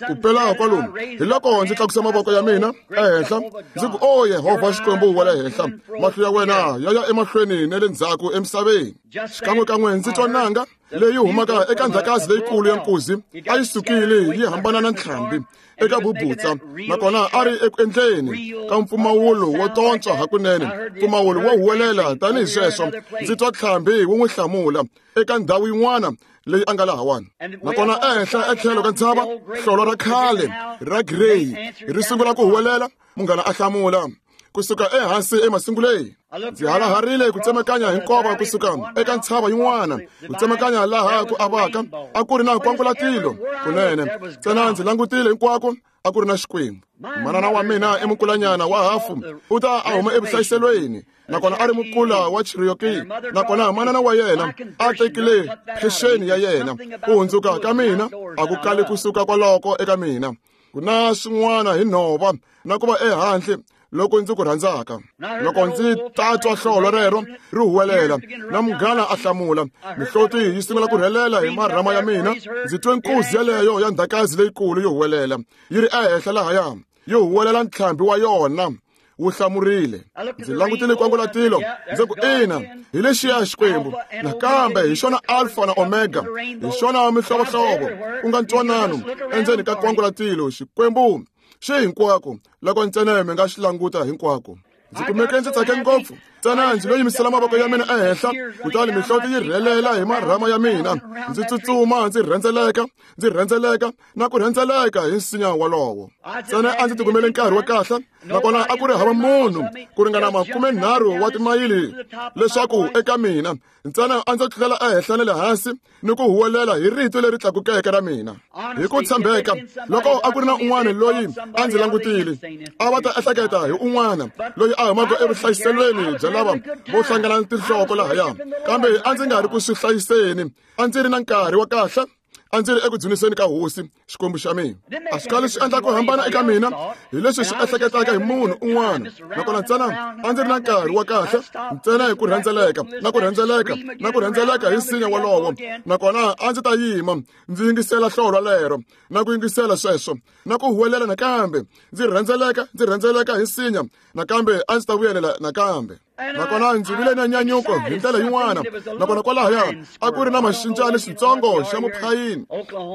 ku pela kwalomu, hi loko ndzi tlakusa mavoko ya mina ehenhla ndzi ku, o Yehovha Xikwembu wa le henhla, mahlo ya wena ya ya emahlweni na le ndzhaku emisaveni. Xikan'wekan'we ndzi twa nanga leyi humaka eka ndzhakazi leyikulu ya nkuzi a yi sukile yi hambana na ntlhambi eka bubutsa, nakona a ri eku endleni ka mpfumawulo wo tontswa hakunene, mpfumawulo wo huwelela tanihi sweswo. Ndzi twa ntlhambi wu n'wi hlamula eka ndhawu yin'wana leyi a nga lahawani, nakona ehenhla etlhelo ka ntshava hlolo ra khale ra grey ri sungula ku huwelela, munghana a hlamula kusuka ehansi emasunguleni. Ndzi halaharile ku tsemakanya hi nkova kusuka eka ntshava yin'wana ku tsemakanya laha ku avaka a ku ri na nkwangulatilo kunene. Ntsena ndzi langutile hinkwako, a ku ri na Xikwembu. Manana wa mina i mukulanyana wa hafu, u ta a huma evuhlayiselweni, nakona a ri mukula wa Cherokee, nakona manana wa yena a tekile phexeni ya yena. Ku hundzuka ka mina a ku kali kusuka kwaloko eka mina. Ku na swin'wana hi nhova na ku va ehandle loko ndzi ku rhandzaka. Loko ndzi ta twa hlolo rero ri huwelela na munghana a hlamula, mihloti yi sungula ku rhelela hi marhama ya mina. Ndzi twe nkuzi yeleyo ya ndhakazi leyikulu yi huwelela yi ri ehenhla lahaya, yi huwelela ntlhambi wa yona wu hlamurile. Ndzi langutile kwangulatilo ndzi ku ina, hi lexiya Xikwembu. Nakambe hi xona Alpha na Omega, hi xona mihlovohlovo ku nga ntwanano endzeni ka kwangulatilo. Xikwembu xi hinkwako loko ntsena mi nga xi languta hinkwako. Ndzi kumeke ndzi tsake ngopfu ntsena ndzi lo yimisela mavoko ya mina ehenhla, kutani mihloti yi rhelela hi marhama ya mina. Ndzi tsutsuma ndzi rhendzeleka ndzi rhendzeleka na ku rhendzeleka hi nsinya wolowo. Ntsena a ndzi tikumele nkarhi wa kahle, nakona a ku ri hava munhu ku ringana makumenharhu wa timayili leswaku eka mina. Ntsena a ndzi tlulela ehenhla na le hansi ni ku huwelela hi rito leri tlakukeke ra mina. Hi ku tshembeka, loko a ku ri na un'wana loyi a ndzi langutile, a va ta ehleketa hi un'wana loyi a humaka evuhlayiselweni bya lava vo hlangana tinhloko lahaya. Kambe a ndzi nga ri ku swi hlayiseni, a ndzi ri na nkarhi wa kahle, a ndzi ri eku dzuniseni ka hosi Xikwembu xa mina. A swi kali swi endla ku hambana eka mina hi leswi swi ehleketaka hi munhu un'wana. Nakona ntsena a ndzi ri na nkarhi wa kahle, ntsena hi ku rhendzeleka na ku rhendzeleka na ku rhendzeleka hi nsinya wolowo. Nakona a ndzi ta yima ndzi yingisela hlolwa lero na ku yingisela sweswo na ku huwelela nakambe, ndzi rhendzeleka ndzi rhendzeleka hi nsinya nakambe, a ndzi ta vuyelela nakambe. Nakona ndzi vile na nyanyuko hi ndlela yin'wana. Nakona kwalahaya a ku ri na maxinjani xitsongo xa muphayini.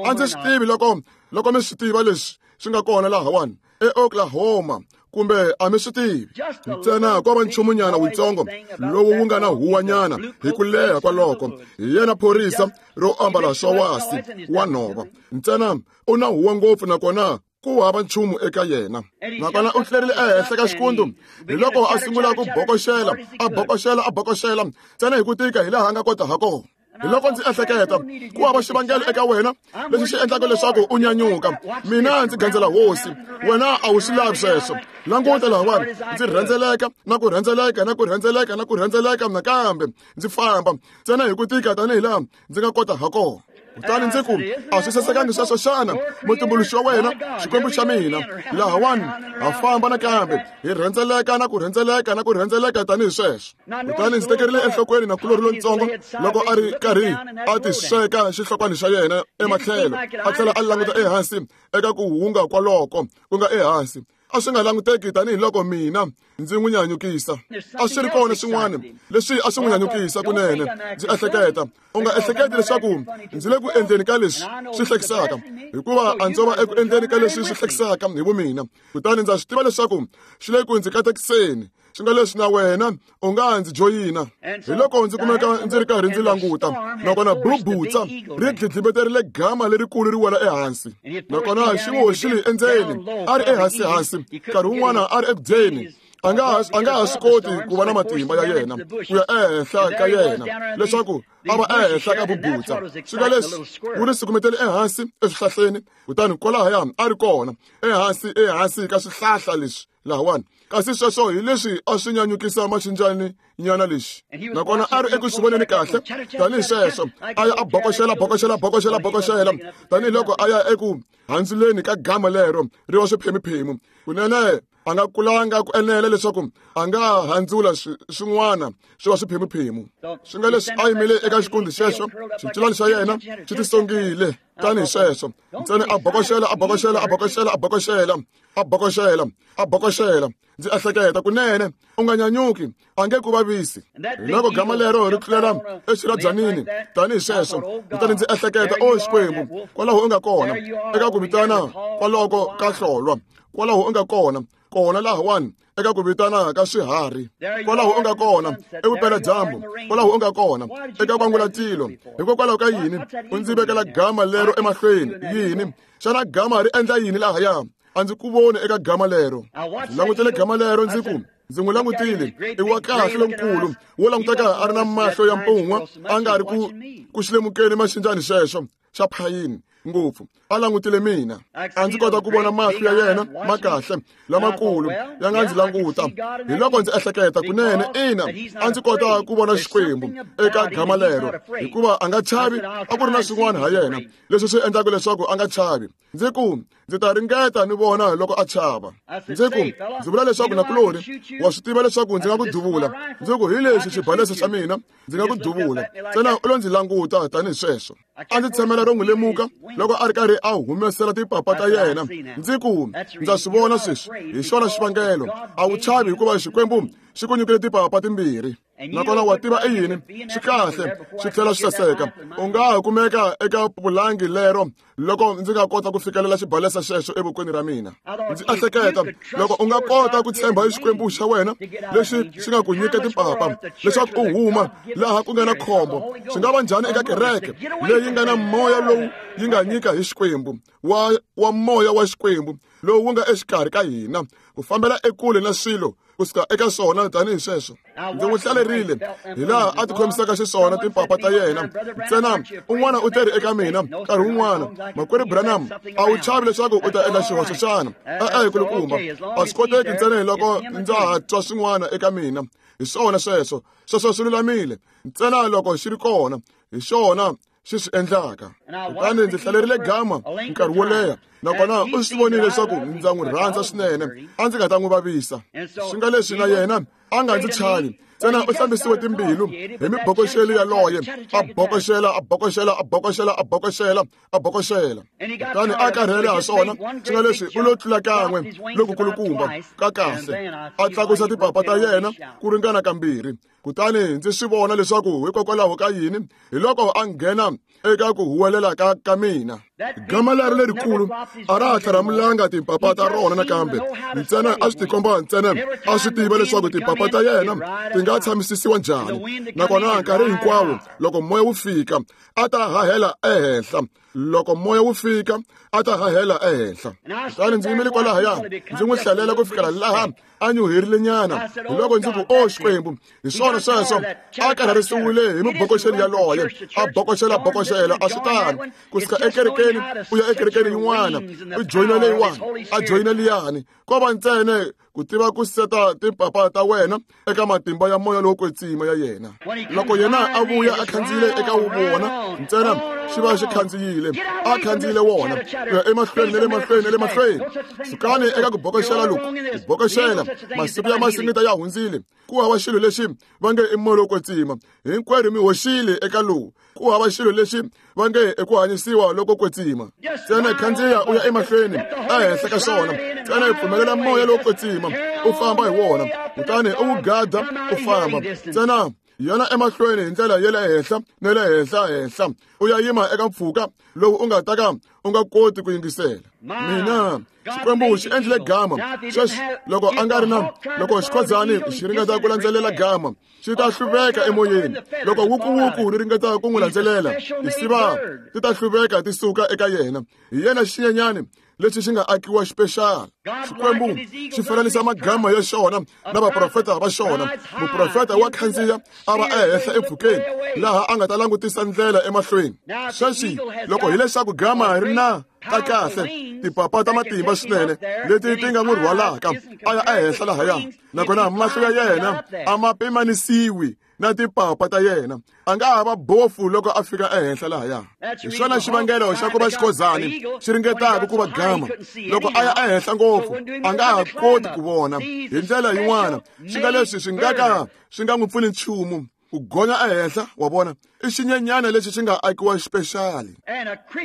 A ndzi swi tivi loko loko mi swi tiva leswi swi nga kona lahawani eOklahoma kumbe a mi swi tivi. Ntsena ko va nchumunyana wutsongo lowu wu nga na huwanyana hi ku leha kwaloko. Hi yena phorisa ro ambala swa wasi wa nhova. Ntsena u na huwa ngopfu nakona ku hava nchumu eka yena. Nakona u tlherile ehenhla ka xikundu hi loko a sungula ku bokoxela a bokoxela a bokoxela ntsena hi ku tika hi laha a nga kota ha kona. Hi loko ndzi ehleketa ku hava xivangelo eka wena lexi xi endlaka leswaku u nyanyuka. Mina ndzi gandzela hosi, wena a wu swi lavi sweswo. Languta lahawani, ndzi rhendzeleka na ku rhendzeleka na ku rhendzeleka na ku rhendzeleka nakambe, ndzi famba ntsena hi ku tika tanihi laha ndzi nga kota ha kona. Kutani ndzi ku a swi sasekangi sweswo xana, mutumbuluxi wa wena Xikwembu xa mina. Lahawani ha famba nakambe hi rhendzeleka na ku rhendzeleka na ku rhendzeleka tanihi sweswo. Kutani ndzi tekerile enhlokweni na kulori lontsongo loko a ri karhi a ti sweka xihlokwani xa yena ematlhelo, a tlhela a languta ehansi eka ku hunga kwaloko ku nga ehansi. A swi nga languteki tanihiloko mina ndzi n'wi nyanyukisa. A swi ri kona swin'wana leswi a swi n'wi nyanyukisa kunene. Ndzi ehleketa, u nga ehleketi leswaku ndzi le ku endleni ka leswi swi hlekisaka, hikuva a ndzo va eku endleni ka leswi swi hlekisaka hi vumina. Kutani ndza swi tiva leswaku xi le ku ndzi katekiseni, swi nga leswi na wena u nga ndzi joyina. Hi loko ndzi kumeka ndzi ri karhi ndzi languta, nakona bubutsa ri dlidlibeterile gama lerikulu ri wela ehansi. Nakona xi hoxile endzeni, a ri ehansi-hansi, nkarhi wun'wana a ri eku dyeni. A nga a nga ha swi koti ku va na matimba ya yena ku ya ehenhla ka yena leswaku a va ehenhla ka bubutsa. Swi nga leswi wu ri sukumetele ehansi eswihlahleni, kutani kwalahaya a ri kona ehansi ehansi ka swihlahla leswi lahawani. Kasi sweswo hi leswi a swi nyanyukisa maxinjani nyana lexi. Nakona a ri eku swi voneni kahle tanihi sweswo, a ya a bokoxela bokoxela bokoxela bokoxela tanihiloko a ya eku handzuleni ka gama lero ri wa swiphemiphemu. Kunene a nga kulanga ku enela leswaku a nga handzula swin'wana swi va swiphemuphemu. Swi nga leswi a yimile eka xikundi xexo, xincilani xa yena xi tisongile tanihi sweswo. Ntsena a bokoxela a bokoxela a bokoxela a bokoxela a bokoxela a bokoxela. Ndzi ehleketa kunene u nga nyanyuki, a nge ku vavisi. Hi loko gama lero ri tlulela exirhabyanini tanihi sweswo, kutani ndzi ehleketa, o Xikwembu, kwalaho u nga kona eka ku vitana kwaloko ka hlolwa, kwalaho u nga kona kona lahawani eka ku vitana ka swiharhi, kwalaho u nga kona evupeladyambu, kwalaho u nga kona eka kwangulatilo. Hikokwalaho ka yini u ndzi vekela gama lero emahlweni? Yini xana gama ri endla yini lahaya? A ndzi ku voni eka gama lero. Ndzi langutele gama lero ndzi ku ndzi n'wi langutile, i wa kahle lonkulu wo languteka a ri na mahlo ya mpun'wa, a nga ri ku ku xilemukeni maxinjani xexo xa phayini ngopfu. a langutile mina. A ndzi kota ku vona mahlo ya yena ma kahle lamakulu ya nga ndzi languta. Hi loko ndzi ehleketa kunene, ina, a ndzi kota ku vona Xikwembu eka gama lero, hikuva a nga chavi. A ku ri na swin'wana ha yena leswi swi endlaka leswaku a nga chavi. Ndzi ku ndzi ta ringeta ni vona loko a chava. Ndzi ku ndzi vula leswaku nakulori wa swi tiva leswaku ndzi nga ku duvula. Ndzi ku hi lexi xibalesa xa mina, ndzi nga ku duvula. Ntsena u lo ndzi languta tanihi sweswo. A ndzi tshamela ro n'wi lemuka loko a ri karhi a humesela tipapa ta yena. Ndzi ku ndza swi vona sweswi, hi xona xivangelo a wu chavi, hikuva Xikwembu xi ku nyikile tipapa timbirhi. Nakona wa tiva i yini, swi kahle swi tlhela swi saseka. U nga ha kumeka eka pulangi lero loko ndzi nga kota ku fikelela xibalesa xexo evokweni ra mina. Ndzi ehleketa loko u nga kota ku tshemba Xikwembu xa wena lexi xi nga ku nyika tipapa leswaku u huma laha ku nga na khombo, swi nga va njhani eka kereke leyi nga na moya lowu yi nga nyika hi Xikwembu, wa wa moya wa Xikwembu lowu wu nga exikarhi ka hina, ku fambela ekule na swilo kusuka eka swona tanihi sweswo. Ndzi n'wi hlalerile hi laha a tikhomisaka xiswona timpapa ta yena. Ntsena un'wana u teri eka mina nkarhi wun'wana, makwerhu Branham, a wu chavi leswaku u ta endla xihoxo xana? E-e, kulukumba, a swi koteki ntsena hi loko ndza ha twa swin'wana eka mina. Hi swona sweswo, sweswo swi lulamile ntsena loko xi ri kona, hi xona xi swi endlaka. Kutani ndzi hlalerile gama nkarhi wo leha, nakona u swi vonile leswaku ndza n'wi rhandza swinene, a ndzi nga ta n'wi vavisa. Swi nga leswi na yena a nga ndzi chavi. Ntsena u hlambisiwe timbilu hi mibokoxelo yaloye, a bokoxela, a bokoxela, a bokoxela, a bokoxela, a bokoxela. Kutani a karhele ha swona, swi nga leswi u lo tlula kan'we lokukulukumba ka kahle, a tlakusa tipapa ta yena ku ringana kambirhi. Kutani ndzi swi vona leswaku hikokwalaho ka yini, hi loko a nghena eka ku huwelela ka ka mina. Gama leri lerikulu a ra ha tlharamulanga timpapa ta rona nakambe. Ntsena a swi tikomba ntsena a swi tiva leswaku timpapa ta yena ti nga tshamisisiwa njhani. Nakona nkarhi hinkwawo loko moya wu fika a ta hahela ehenhla. Loko moya wu fika a ta hahela ehenhla. Kutani ndzi yimile kwalahaya ndzi n'wi hlalela ku fikela laha a nyuherile nyana. Hi loko ndzi ku o Xikwembu, hi swona sweswo. A karharisiwile hi mibokoxelo yaloye, a bokoxela bokoxela, a swi tano kusuka ekerekeni u ya ekerekeni yin'wana, u joyina leyiwani, a joyina liyani. Ko va ntsena ku tiva ku seta timpapa ta wena eka matimba ya moya lowo kwetsima ya yena. Loko yena a vuya a khandziyile eka wona ntsena xi va xi khandziyile, a khandziyile wona ku ya emahlweni na le mahlweni na le mahlweni. Sukani eka ku bokoxela loku, ku bokoxela masiku ya masingita ya hundzile. Ku hava xilo lexi va nge i moya lowo kwetsima, hinkwerhu mi hoxile eka lowu. Ku hava xilo lexi va nge i ku hanyisiwa loko kwetsima. Ntsena khandziya u ya emahlweni ehenhla ka xona, ntsena hi pfumelela moya lowo kwetsima u famba hi wona, kutani u wu gada u famba. Ntsena yona emahlweni hi ndlela ya le henhla na le henhla henhla, u ya yima eka mpfhuka lowu u nga ta ka u nga koti ku yingisela. Mina Xikwembu xi endlile gama sweswi. Loko a nga ri na loko xikhodzani xi ringeta ku landzelela gama, xi ta hluveka emoyeni. Loko wukuwuku ri ringeta ku n'wi landzelela, tisiva ti ta hluveka ti suka eka yena. Hi yena xinyenyani lexi xi nga akiwa xipexala. Xikwembu xi fananisa magama ya xona na vaprofeta va xona. Muprofeta wa khandziya a va ehenhla empfhukeni laha a nga ta langutisa ndlela emahlweni. Sweswi loko hileswaku gama ri na ta kahle tipapa ta matimba swinene leti ti nga n'wi rhwalaka a ya ehenhla lahaya, nakona mahlo ya yena a ma pimanisiwi na tipapa ta yena. A nga ha va bofu loko a fika ehenhla lahaya. Hi xona xivangelo xa ku va xikhozani xi ringetaka ku va gama. Loko a ya ehenhla ngopfu a nga ha koti ku vona. Hi ndlela yin'wana swi nga leswi swi nga ka swi nga n'wi pfuni nchumu ku gonya ehenhla. Wa vona, i xinyenyana lexi xi nga akiwa xipexali.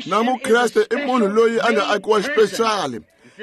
Na mukreste i munhu loyi a nga akiwa xipexali.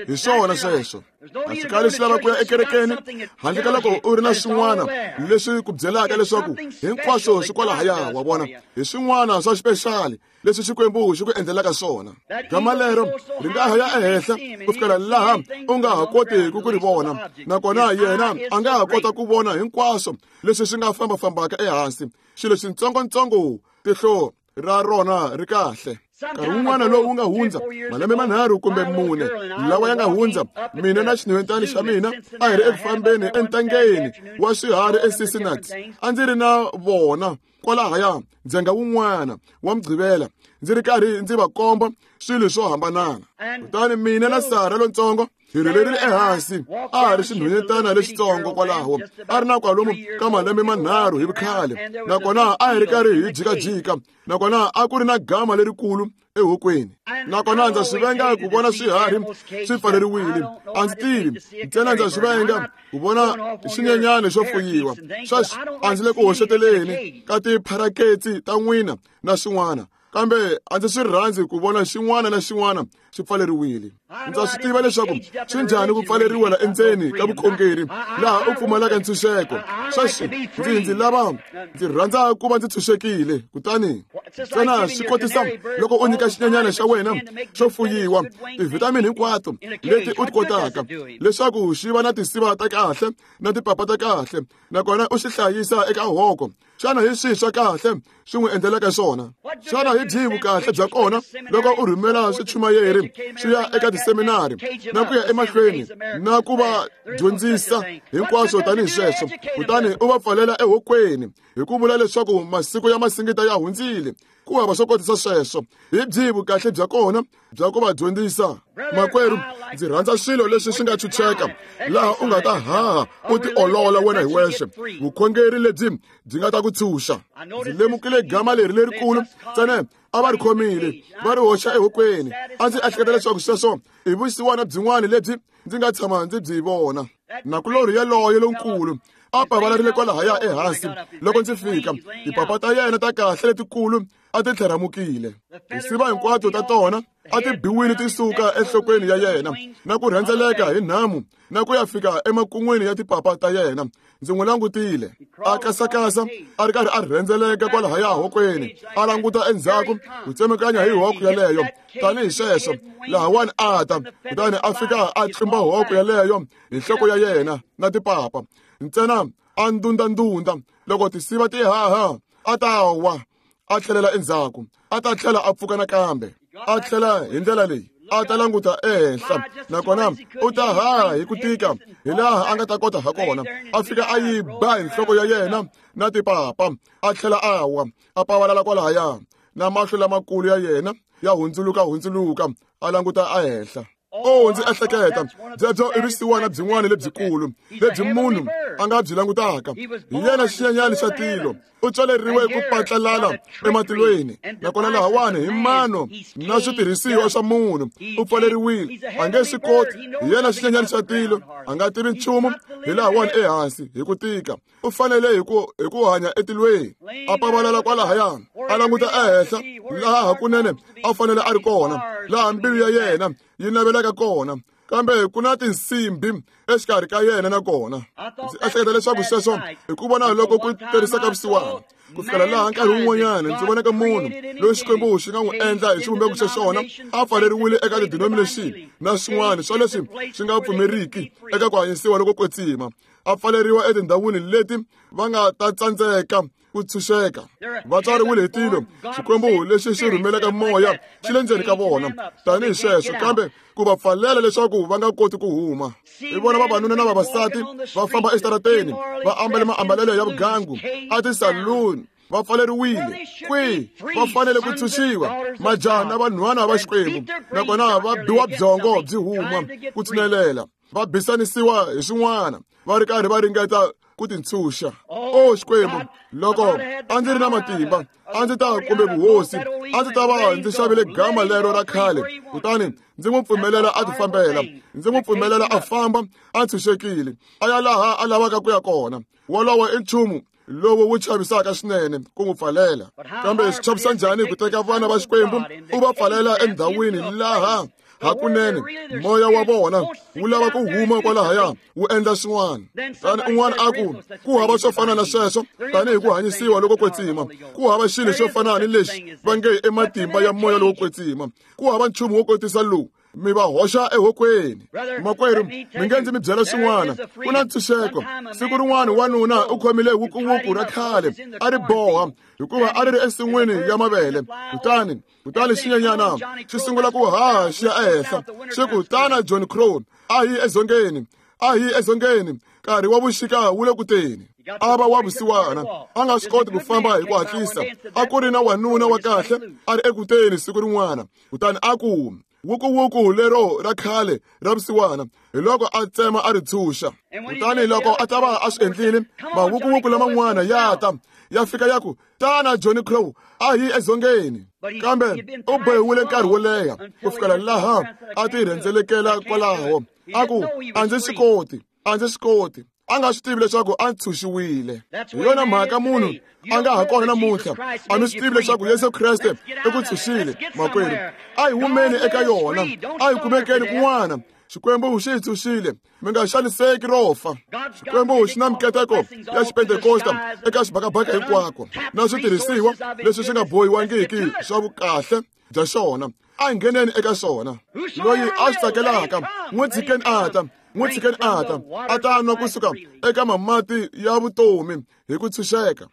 Hi swona sweswo. A swi kali swi lava ku ya ekerekeni handle ka loko u ri na swin'wana leswi ku byelaka leswaku hinkwaswo swi kwalahaya. Wa vona, hi swin'wana swa xipexali leswi Xikwembu xi ku endlelaka swona. Gama lero ri nga ha ya ehenhla ku fikela laha u nga ha kotiki ku ri vona, nakona yena a nga ha kota ku vona hinkwaswo leswi swi nga fambafambaka ehansi. Xilo xitsongotsongo tihlo ra rona ri kahle. Nkarhi wun'wana lowu wu nga hundza malembe manharhu kumbe mune lawa ya nga hundza, mina na xinhwentana xa mina a hi ri eku fambeni entangeni wa swiharhi eCincinnati. A ndzi ri na vona kwalahaya ndzhenga wun'wana wa Mugqivela, ndzi ri karhi ndzi va komba swilo swo hambanana. Kutani mina na Sara lontsongo hi rhelerile ehansi, a ha ri xinhwanyetana lexitsongo kwalaho, a ri na kwalomu ka malembe manharhu hi vukhale, nakona a hi ri karhi hi jikajika, nakona a ku ri na gama lerikulu ehokweni. Nakona ndza swi venga ku vona swiharhi swi pfaleriwile. A ndzi tivi ntsena, ndza swi venga ku vona xinyenyana xo fuyiwa. Sweswi a ndzi le ku hoxeteleni ka tipharaketsi ta n'wina na swin'wana, kambe a ndzi swi rhandzi ku vona xin'wana na xin'wana swi pfaleriwile. Ndza swi tiva leswaku swi njhani ku pfaleriwa endzeni ka vukhongeri laha u pfumalaka ntshunxeko. Sweswi ndzi ndzi lava ndzi rhandza ku va ndzi tshunxekile. Kutani ntsena swi kotisa loko u nyika xinyenyana xa wena xo fuyiwa tivhitamini hinkwato leti u ti kotaka leswaku xi va na tinsiva ta kahle na tipapa ta kahle, nakona u xi hlayisa eka hoko. Xana hi swihi swa kahle swi n'wi endlelaka swona? Xana hi byihi vukahle bya kona loko u rhumela swichumayeri swi ya eka tiseminari na ku ya emahlweni na ku va dyondzisa hinkwaswo tanihi sweswo, kutani u va pfalela ehokweni hi ku vula leswaku masiku ya masingita ya hundzile? Ku hava swo kotisa sweswo. Hi byihi vukahle bya kona bya ku va dyondzisa? Makwerhu, ndzi rhandza swilo leswi swi nga chucheka laha u nga ta haha u tiolola wena hi wexe, vukhongeri lebyi byi nga ta ku tshunxa. Ndzi lemukile gama leri lerikulu ntsena a va ri khomile va ri hoxa ehokweni. A ndzi ehleketa leswaku sweswo i vusiwana byin'wana lebyi ndzi nga tshama ndzi byi vona. Nakulorhi yaloye lonkulu a pavalarile kwalahaya ehansi loko ndzi fika, tipapa ta yena ta kahle letikulu a ti tlheramukile, tinsiva hinkwato ta tona a ti biwile ti suka enhlokweni ya yena na ku rhendzeleka hi nhamu na ku ya fika emakun'wini ya tipapa ta yena. Ndzi n'wi langutile a kasakasa a ri karhi a rhendzeleka kwalahaya hokweni, a languta endzhaku ku tsemekanya hi hoko yaleyo tanihi sweswo. Lahawani a ta, kutani a fika a tlumba hoko yaleyo hi nhloko ya yena na tipapa ntsena, a ndundandunda. Loko tinsiva ti haha a ta wa, a tlhelela endzhaku, a ta tlhela a pfuka nakambe, a tlhela hi ndlela leyi a ta languta ehenhla, nakona u ta haha hi ku tika hi laha a nga ta kota ha kona. A fika a yi ba hi nhloko ya yena na tipapa, a tlhela a wa, a pavalala kwalahaya, na mahlo lamakulu ya yena ya hundzuluka hundzuluka, a languta ehenhla. O, ndzi ehleketa byebyo i vusiwana byin'wana lebyikulu lebyi munhu a nga byi langutaka. Hi yena xinyenyana xa tilo, u tswaleriwe ku patlalala ematilweni, nakona lahawani hi mano na switirhisiwa swa munhu u pfaleriwile, a nge swi koti. Hi yena xinyenyana xa tilo, a nga tivi nchumu hi lahawani ehansi hi ku tika. U fanele hi ku hi ku hanya etilweni, a pavalala kwalahaya, a languta ehenhla laha hakunene a fanele a ri kona, laha mbilu ya yena yi navelaka kona. Kambe ku na tinsimbhi exikarhi ka yena na kona. Ndzi ehleketa leswaku sweswo hi ku vona loko ku tirhisa ka vusiwana ku fikela laha nkarhi wun'wanyana ndzi vonaka munhu loyi Xikwembu xi nga n'wi endla hi xivumbeko xa xona a pfaleriwile eka ti-denomination na swin'wana swa leswi swi nga pfumeriki eka ku hanyisiwa loko kwetsima, a pfaleriwa etindhawini leti va nga ta tsandzeka ku tshunxeka. Va tswariwile hi tilo, Xikwembu lexi xi rhumelaka moya xi le ndzeni ka vona tanihi sweswo, kambe ku va pfalela leswaku va nga koti ku huma. Hi vona vavanuna na vavasati va famba exitarateni va ambale maambalelo ya vugangu a tisaluni, va pfaleriwile kwihi? Va fanele ku tshunxiwa, majaha na vanhwana va Xikwembu, nakona va biwa byongo byi huma ku tshinelela, va bisanisiwa hi swin'wana, va ri karhi va ringeta ku tintshunxa. O Xikwembu, loko a ndzi ri na matimba a ndzi ta kumbe vuhosi, a ndzi ta va ndzi xavile gama lero ra khale, kutani ndzi n'wi pfumelela a tifambela, ndzi n'wi pfumelela a famba a tshunxekile, a ya laha a lavaka ku ya kona. Wolowo i nchumu lowu wu chavisaka swinene ku n'wi pfalela. Kambe swi chavisa njhani ku teka vana va Xikwembu u va pfalela endhawini laha hakunene moya wa vona wu lava ku huma kwalahaya wu endla swin'wana. Tani un'wana a ku ku hava swo fana na sweswo tanihi ku hanyisiwa loko kwetsima, ku hava xilo xo fana ni lexi va nge i matimba ya moya lowo kwetsima, ku hava nchumu wo kotisa lowu mi va hoxa ehokweni. Makwerhu, mi nge ndzi mi byela swin'wana, ku na ntshunxeko. Siku rin'wana wanuna u khomile wukuwuku ra khale a ri boha hikuva a ri ri ensin'wini ya mavele. Kutani kutani xinyenyana xi sungula ku haha xi ya ehenhla, xi ku, tana John Crow, a hi edzongeni, a hi edzongeni, nkarhi wa vuxika wu le ku teni. A va wa vusiwana, a nga swi koti ku famba hi ku hatlisa. A ku ri na wanuna wa kahle a ri ekuteni siku rin'wana, kutani a ku, wukuwuku lero ra khale ra vusiwana. Hi loko a tsema a ri tshunxa. Kutani loko a ta va a swi endlile, mawukuwuku laman'wana ya ta ya fika ya ku, tana Johnny Crow, a hi edzongeni. Kambe u bohiwile nkarhi wo leha ku fikela laha a ti rhendzelekela kwalaho. A ku, a ndzi swi koti, a ndzi swi koti. A nga swi tivi leswaku a ntshunxiwile. Hi yona mhaka munhu a nga ha kona namuntlha, a mi swi tivi leswaku Yesu Kreste i ku ntshunxile. Makwerhu, a hi humeni eka yona, a hi kumekeni kun'wana. Xikwembu xi hi ntshunxile, mi nga xaniseki ro fa. Xikwembu xi na mikateko ya xipentekosta eka xibakabaka hinkwako, na switirhisiwa leswi swi nga bohiwangiki swa vukahle bya xona. A hi ngheneni eka xona. Loyi a swi tsakelaka, n'wi tshikeni a ta, n'wi tshikeni a ta, a ta nwa kusuka eka mamati ya vutomi hi ku tshunxeka.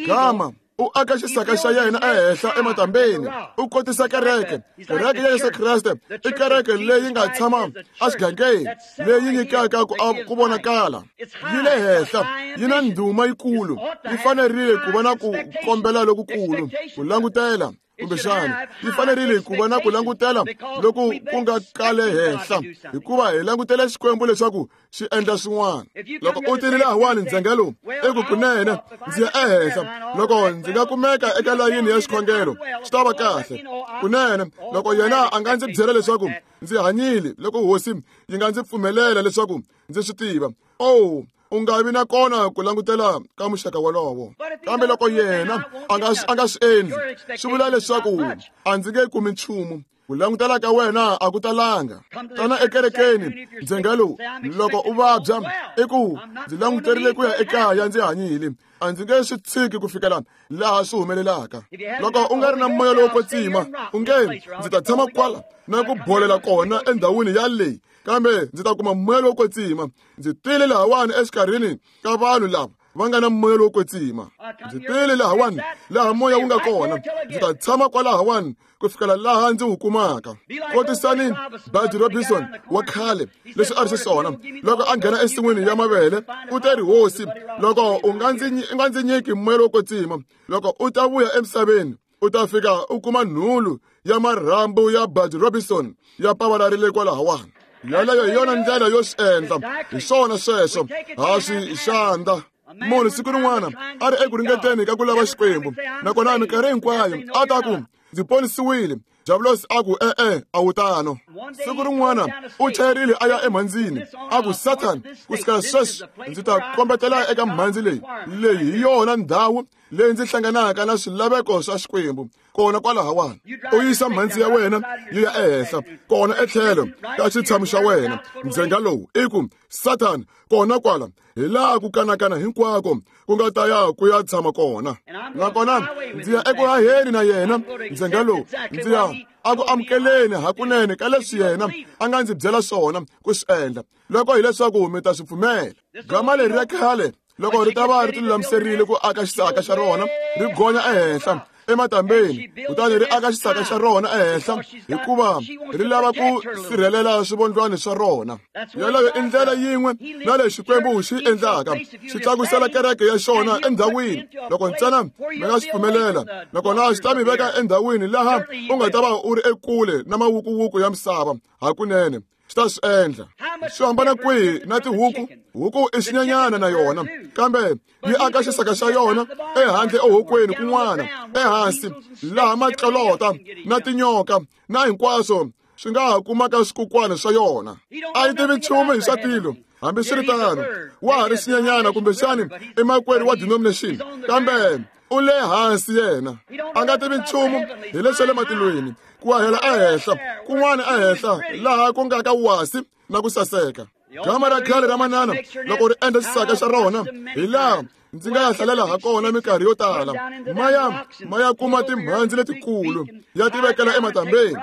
Gama u aka xisaka xa yena ehenhla ematambeni, u kotisa kereke. Kereke ya Yesu Kreste i kereke leyi nga tshama exigangeni, leyi nyikaka ku ku vonakala. Yi le henhla, yi na ndhuma yikulu, yi fanerile ku va na ku kombela lokukulu, ku langutela. Kumbexana yi fanerile ku va na ku langutela loku ku nga kale henhla, hikuva hi langutela Xikwembu leswaku xi endla swin'wana. Loko u tile lahawani ndzhenga lowu, i ku kunene ndzi ya ehenhla. Loko ndzi nga kumeka eka layini ya xikhongelo, swi ta va kahle. Kunene loko yena a nga ndzi byela leswaku ndzi hanyile, loko hosi yi nga ndzi pfumelela leswaku ndzi swi tiva, oh, u nga vi na kona ku langutela ka muxaka wolowo. Kambe loko yena a nga a nga swi endli, swi vula leswaku a ndzi nge kumi nchumu. Ku langutela ka wena a ku talanga. Tana ekerekeni ndzhenga lowu, loko u vabya, i ku ndzi languterile ku ya ekaya ndzi hanyile, a ndzi nge swi tshiki ku fikela laha swi humelelaka. Loko u nga ri na moya lowo kwetsima, u nge ndzi ta tshama kwala na ku bolela kona endhawini ya leyi, kambe ndzi ta kuma moya lowo kwetsima. Ndzi tile lahawani exikarhini ka vanhu lava va nga na moya lowo kwetsima. Ndzi tile lahawani laha moya wu nga kona, ndzi ta tshama kwalahawani ku fikela laha ndzi wu kumaka. Kotisani Bud Robinson wa khale leswi a ri xiswona loko a nghena ensin'wini ya mavele, u te ri, hosi, loko u nga ndzi u nga ndzi nyiki moya lowo kwetsima, loko u ta vuya emisaveni, u ta fika u kuma nhulu ya marhambu ya Bud Robinson ya pavalarile kwalahawani. Yaleyo hi yona ndlela yo swi endla. Hi swona sweswo, ha swi xandla. Munhu siku rin'wana a ri eku ringeteni ka ku lava Xikwembu, nakona minkarhi hinkwayo a ta ku, ndzi ponisiwile. Diabulosi a ku, e-e, a wu tano. Siku rin'wana u chayerile a ya emhandzini, a ku, Satan, ku sukela sweswi ndzi ta kombetela eka mhandzi leyi. Leyi hi yona ndhawu leyi ndzi hlanganaka na swilaveko swa Xikwembu. Kona kwalahawani, u yisa mhandzi ya wena yi ya ehenhla, kona etlhelo ka xitshamo xa wena. Ndzhenga lowu i ku, Satan, kona kwala, hi laha ku kanakana hinkwako ku nga ta ya ku ya tshama kona. Nakona ndzi ya eku haheni na yena ndzhenga lowu, ndzi ya a ku amukeleni hakunene ka leswi yena a nga ndzi byela swona ku swi endla, loko hileswaku mi ta swi pfumela. Gama leri ra khale loko ri ta va ri tilulamiserile ku aka xisaka xa rona, ri gonya ehenhla ematambeni, kutani ri aka xisaka xa rona ehenhla, hikuva ri lava ku sirhelela swivondlwana swa rona. Yaleyo i ndlela yin'we na leyi Xikwembu xi endlaka, xi tlakusela kereke ya xona endhawini. Loko ntsena mi nga swi pfumelela, nakona xi ta mi veka endhawini laha u nga ta va u ri ekule na mawukuwuku ya misava hakunene. Xi ta swi endla. Swi hambana kwihi na tihuku? Huku i xinyenyana na yona, kambe yi aka xisaka xa yona ehandle ehokweni kun'wana, ehansi laha matlolota na tinyoka na hinkwaswo swi nga ha kumaka swikukwana swa yona. A yi tivi nchumu hi swa tilo. Hambiswiritano, wa ha ri xinyenyana kumbexani i makwerhu wa denomination, kambe u le hansi yena. A nga tivi nchumu hi leswi le matilweni, ku hahela ehenhla kun'wana ehenhla laha ku nga ka wasi na ku saseka. Gama ra khale ra manana loko ri endla xisaka xa rona, hi laha ndzi nga ya hlalela ha kona minkarhi yo tala. Ma ya ma ya kuma timhandzi letikulu ya ti vekela ematambeni,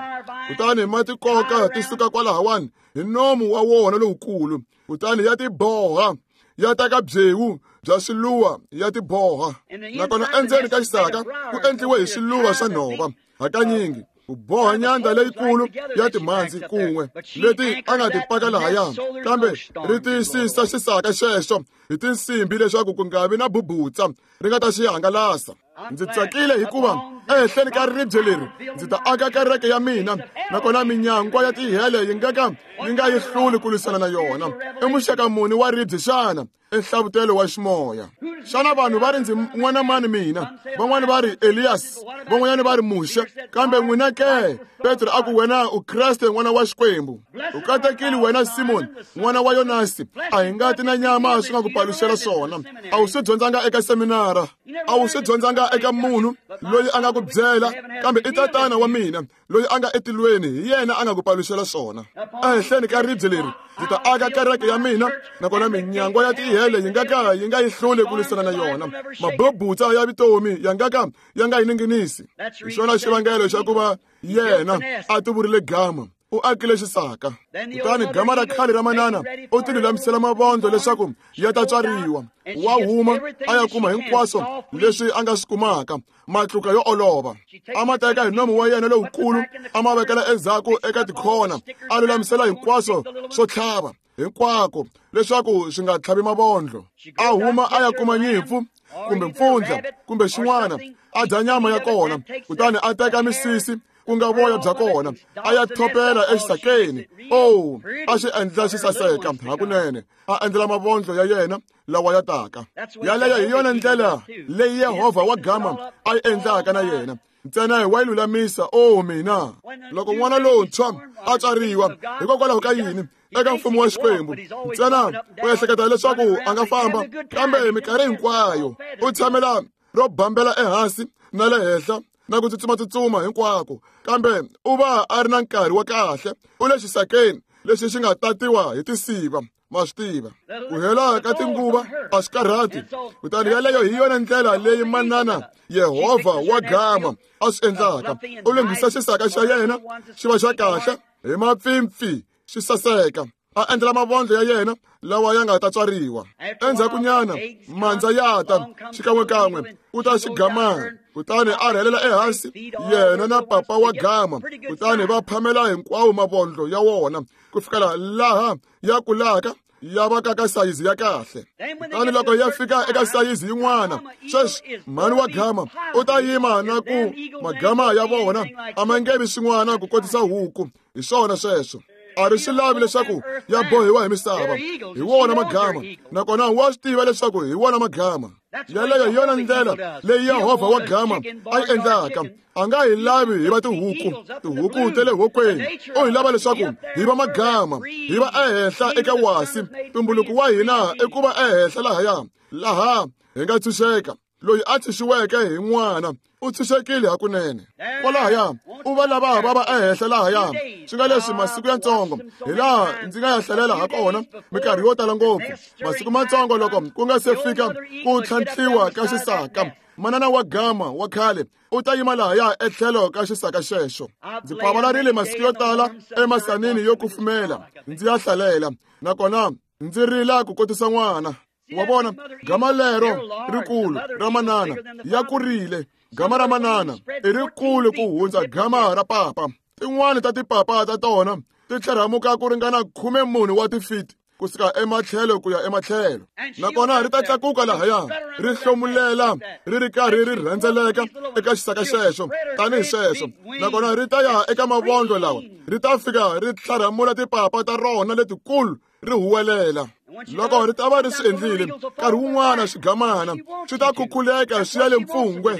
kutani ma ti koka ti suka kwalahawani hi nomu wa wona lowukulu, kutani ya ti boha, ya teka byewu bya swiluva ya ti boha. Nakona endzeni ka xisaka ku endliwe hi swiluva swa nhova, hakanyingi ku boha nyandza leyikulu ya timhandzi kun'we leti a nga ti paka lahaya, kambe ri tiyisisa xisaka xexo hi tinsimbi leswaku ku nga vi na bubutsa ri nga ta xi hangalasa. Ndzi tsakile hikuva ehenhleni ka ribye leri ndzi ta aka kereke ya mina, nakona minyangwa ya tihele yi nga ka yi nga yi hluli ku lwisana na yona. I muxaka muni wa ribye xana? I nhlavutelo wa ximoya. Xana vanhu va ri ndzi n'wana mani mina? Van'wani va ri Elias, van'wanyana va ri Muxe, kambe n'wina ke? Petro a ku wena u Kreste n'wana wa Xikwembu. U katekile wena Simoni n'wana wa Yonasi, a hi ngati na nyama swi nga ku paluxela swona. A wu swi dyondzanga eka seminara, a wu swi dyondzanga eka munhu loyi a nga ku byela, kambe i tatana wa mina loyi a nga etilweni, hi yena a nga ku paluxela swona. Ehenhleni ka ribye leri ndzi ta aka kereke ya mina, nakona minyangwa ya tihele yi nga ka yi nga yi hluli ku lwisana na yona. Mabubutsa ya vutomi ya nga ka ya nga yi ninginisi. Hi xona xivangelo xa ku va yena a tivurile gama, u akile xisaka. Kutani gama ra khale ra manana u ti lulamisela mavondlo leswaku ya ta tswariwa. Wa huma a ya kuma hinkwaswo leswi a nga swi kumaka, matluka yo olova. A ma teka hi nomu wa yena lowukulu, a ma vekela endzhaku eka tikhona, a lulamisela hinkwaswo swo tlhava hinkwako leswaku swi nga tlhavi mavondlo. A huma a ya kuma nyimpfu kumbe mpfundla kumbe xin'wana, a dya nyama ya kona, kutani a teka misisi ku nga voya bya kona, a ya thopela exisakeni. Oh, a xi endla xi saseka hakunene, a endlela mavondlo ya yena lawa ya taka. Yaleyo hi yona ndlela leyi Yehovha wa gama a yi endlaka na yena. Ntsena hi wa yi lulamisa. Oh mina, loko n'wana lontshwa a tswariwa, hikokwalaho ka yini eka mfumo wa Xikwembu ntsena u ehleketa leswaku a nga famba, kambe minkarhi hinkwayo u tshamela ro bambela ehansi na le henhla na ku tsutsuma-tsutsuma hinkwako, kambe u va a ri na nkarhi wa kahle. U le xisakeni lexi xi nga tatiwa hi tisiva, ma swi tiva. Ku hela ka tinguva a swi karhati. Kutani yaleyo hi yona ndlela leyi manana Yehovha wa gama a swi endlaka. U lunghisa xisaka xa yena xi va xa kahle hi mapfimpfi, xi saseka, a endlela mavondlo ya yena lawa ya nga ta tswariwa. Endzhakunyana mandza ya ta xikan'wekan'we u ta xigamana, kutani a rhelela ehansi yena na papa wa gama, kutani va phamela hinkwawo mavondlo ya wona ku fikela laha ya kulaka ya va ka ka sayizi ya kahle. Kutani loko ya fika eka sayizi yin'wana, sweswi mhani wa gama u ta yima na ku magama ya vona a ma nge vi swin'wana ku kotisa huku. Hi swona sweswo. A ri swi lavi leswaku ya bohiwa hi misava. Hi wona magama, nakona wa swi tiva leswaku hi wona magama. Yaleyo hi yona ndlela leyi Yehovha wa gama a yi endlaka. A nga hi lavi hi va tihuku, tihuku ta le hokweni. U hi lava leswaku hi va magama, hi va ehenhla eka wasi. Tumbuluko wa hina i ku va ehenhla lahaya, laha hi nga tshunxeka. Loyi a tshunxiweke hi n'wana u tshunxekile hakunene. Kwalahaya u va lava va va ehenhla lahaya. Swi nga leswi masiku yatsongo hi laha ndzi nga ya hlalela ha kona minkarhi yo tala ngopfu. Masiku matsongo loko ku nga se fika ku tlhantlhiwa ka xisaka, manana wa gama wa khale u ta yima lahaya etlhelo ka xisaka xexo. Ndzi pavalarile masiku yo tala emasanini yo kufumela ndzi ya hlalela, nakona ndzi rila ku kotisa n'wana. Wa vona gama lero rikulu ra manana ya kurile. Gama ra manana i rikulu ku hundza gama ra papa. Tin'wani ta tipapa ta tona ti tlherhamuka ku ringana khume mune wa tifiti kusuka ematlhelo ku ya ematlhelo, nakona ri ta tlakuka lahaya ri hlomulela ri ri karhi ri rhendzeleka eka xisaka xexo tanihi sweswo, nakona ri ta ya eka mavondlo lawa ri ta fika ri tlharhamula tipapa ta rona letikulu ri huwelela. Loko ri ta va ri swi endlile, nkarhi wun'wana xigamana swi ta khukhuleka swi ya le mpfungwe.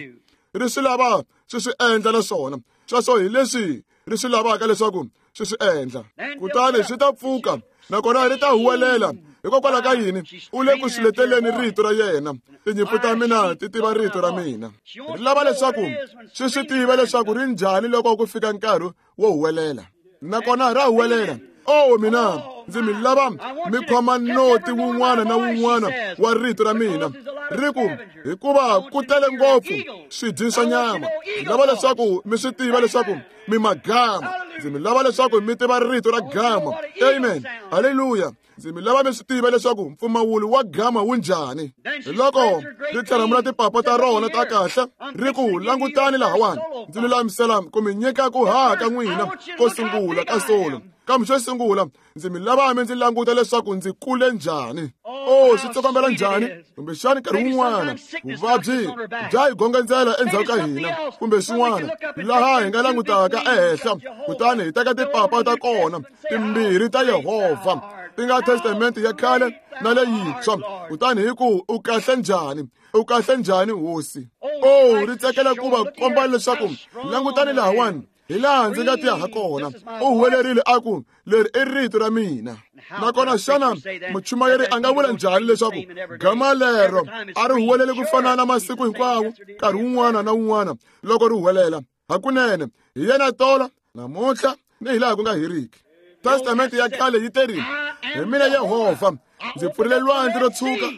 Ri swi lava swi swi endla naswona sweswo hi leswi ri swi lavaka leswaku swi swi endla. Kutani swi ta pfuka, nakona ri ta huwelela. Hikokwalaho ka yini? U le ku swi leteleni rito ra yena. Tinyimpfu ta mina ti tiva rito ra mina. Ri lava leswaku swi swi tiva leswaku ri njhani loko ku fika nkarhi wo huwelela, nakona ra huwelela. O mina ndzi mi lava mi khoma noti wun'wana na wun'wana wa rito ra mina ri ku hikuva ku tele ngopfu swidyi swa nyama. Ndzi lava leswaku mi swi tiva leswaku mi magama. Ndzi mi lava leswaku mi tiva rito ra gama. Amen, haleluya. Ndzi mi lava mi swi tiva leswaku mpfumawulo wa gama wu njhani. Loko ri tlharamula tipapa ta rona ta kahle ri ku langutani lahawani, ndzi lulamisela ku mi nyika ku haha ka n'wina ko sungula ka solo. Kambe xo sungula ndzi mi lava mi ndzi languta leswaku ndzi kule njhani. O swi tsokombela njhani, kumbexani nkarhi wun'wana vuvabyi bya hi gongondzela endzhaku ka hina kumbe swin'wana laha hi nga langutaka ehenhla kutani hi teka tipapa ta kona timbirhi ta Yehovha ti nga testamente ya khale na leyintshwa, kutani hi ku u kahle njhani, u kahle njhani hosi. O ri tsakela ku va komba leswaku langutani lahawani hi laha ndzi nga tiya ha kona. U huwelerile a ku leri i rito ra mina. Nakona xana muchumayeri a nga vula njhani leswaku gama lero a ri huweleli ku fana na masiku hinkwawo nkarhi wun'wana na wun'wana loko ri huwelela? Hakunene hi yena tolo namuntlha ni hi laha ku nga heriki. Testamente ya khale yi terile, hi mina Yehovha ndzi pfurile lwandle ro tshuka,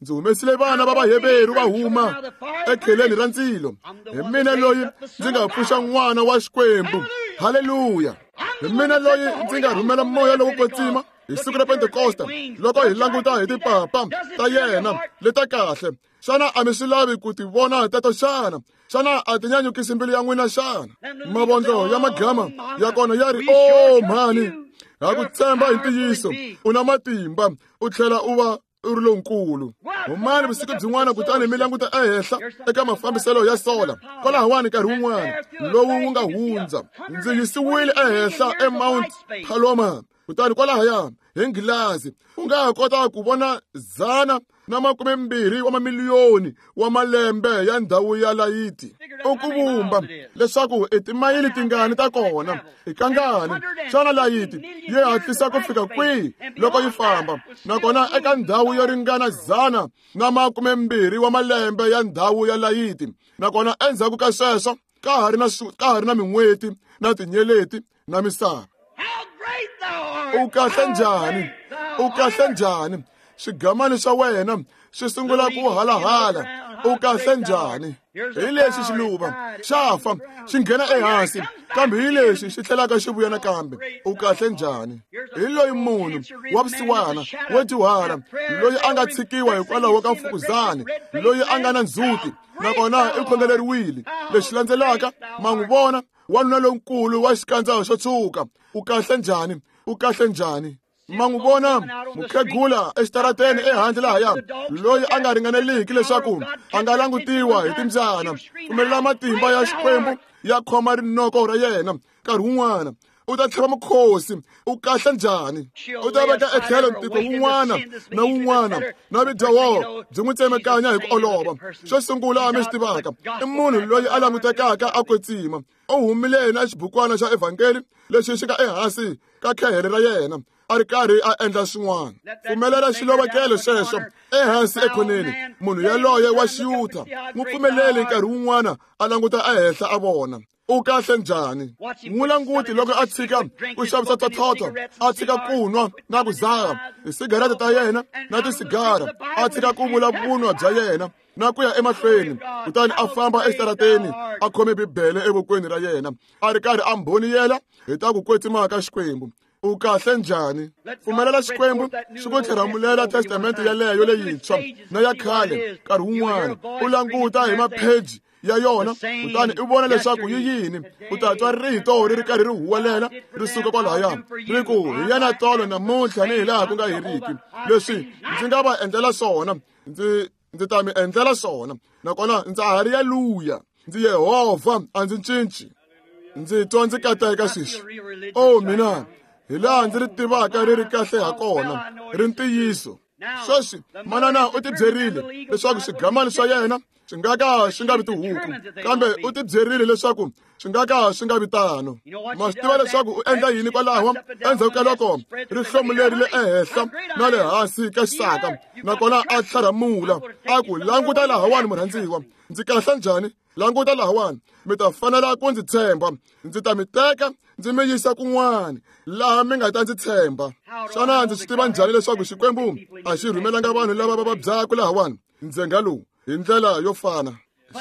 ndzi humesile vana va Vaheveru va huma ekheleni ra ndzilo. Hi mina loyi ndzi nga pfuxa n'wana wa Xikwembu. Haleluya. Hi mina loyi ndzi nga rhumela moya lowo kwetsima hi siku ra Pentekosta loko hi languta hi tipapa ta yena leta kahle. Xana a mi swi lavi ku ti vona teto xana? Xana a ti nyanyukisi mbilu ya n'wina xana? Mavondlo ya magama ya kona ya ri, o mhani, ha ku tshemba hi ntiyiso, u na matimba u tlhela u va u ri lonkulu. Humani vusiku byin'wana kutani mi languta ehenhla eka mafambiselo ya sola kwalahawani nkarhi wun'wana lowu wu nga hundza. Ndzi yisiwile ehenhla eMount Palomar, kutani kwalahaya hi nghilazi u nga ha kota ku vona dzana na makume mbirhi wa mamiliyoni wa malembe ya ndhawu ya layiti. U ku vumba leswaku i timayili tingani ta kona, i kangani xana layiti yi hatlisa ku fika kwihi loko yi famba, nakona eka ndhawu yo ringana dzana na makume mbirhi wa malembe ya ndhawu ya layiti, nakona endzhaku ka sweswo ka ha ri na ka ha ri na min'weti na tinyeleti na misava. U kahle njhani, u kahle njhani, swigamani swa wena swi sungula ku halahala. U kahle njhani. Hi lexi xiluva xa fa xi nghena ehansi, kambe hi lexi xi tlhelaka xi vuya nakambe. U kahle njhani. Hi loyi munhu wa vusiwana wo dyuhala loyi a nga tshikiwa hikwalaho ka mfukuzani, loyi a nga na ndzhuti nakona i khongeleriwile. Lexi landzelaka ma n'wi vona wanuna lonkulu wa xikandza xo tshuka. U kahle njhani, u kahle njhani. Ma n'wi vona mukhegula exitarateni ehandle lahaya loyi a nga ringaneliki leswaku a nga langutiwa hi timbyana. Pfumelela matimba ya Xikwembu ya khoma rinoko ra yena nkarhi wun'wana u ta tlhava mukhosi. U kahle njhani. U ta veka etlhelo ntiko wun'wana na wun'wana na vudyoho byi n'wi tsemekanya hi ku olova. Xo sungula mi swi tivaka i munhu loyi a langutekaka a kwetsima. U humile na xibukwana xa evhangeli lexi xi nga ehansi ka khehele ra yena a ri karhi a endla swin'wana. Pfumelela xilovekelo xexo ehansi ekhoneni. Munhu yaloye wa xiyutha n'wi pfumeleli nkarhi wun'wana a languta ehenhla a vona. U kahle njhani. N'wi languti loko a tshika ku xavisa thothotho, a tshika ku nwa na ku dzaha tisigarete ta yena na tisigara, a tshika ku vula vunwa bya yena na ku ya emahlweni, kutani a famba exitarateni a khome Bibele evokweni ra yena a ri karhi a mbhoniyela hi ta ku kwetsima ka Xikwembu. U kahle njhani. Pfumelela Xikwembu xi ku tlheramulela testamente yaleyo leyintshwa na ya khale nkarhi wun'wana. U languta hi mapheji ya yona kutani u vona leswaku yi yini. U ta twa rito ri ri karhi ri huwelela ri suka kwalahaya ri ku, hi yena tolo namuntlha ni hi laha ku nga heriki. Leswi ndzi nga va endlela swona ndzi ndzi ta mi endlela swona, nakona ndza ha ri yaluya. Ndzi Yehovha a ndzi cinci. Ndzi twa ndzi kateka sweswi. O mina hi laha ndzi ri tivaka ri ri kahle ha kona, ri ntiyiso. Sweswi manana u tibyerile leswaku swigamani swa yena Swi nga ka swi nga vi tihuku, kambe u ti byerile leswaku swi nga ka swi nga vi tano. Ma swi tiva leswaku u endla yini kwalaho endzhaku ka loko ri hlomulerile ehenhla na le hansi ka xisaka, nakona a tlharhamula a ku, languta lahawani murhandziwa, ndzi kahle njhani? Languta lahawani, mi ta fanela ku ndzi tshemba. Ndzi ta mi teka ndzi mi yisa kun'wana laha mi nga ta ndzi tshemba. Xana ndzi swi tiva njhani leswaku Xikwembu a xi rhumelanga vanhu lava va vabyaka lahawani ndzhenga lowu hi ndlela yo fana?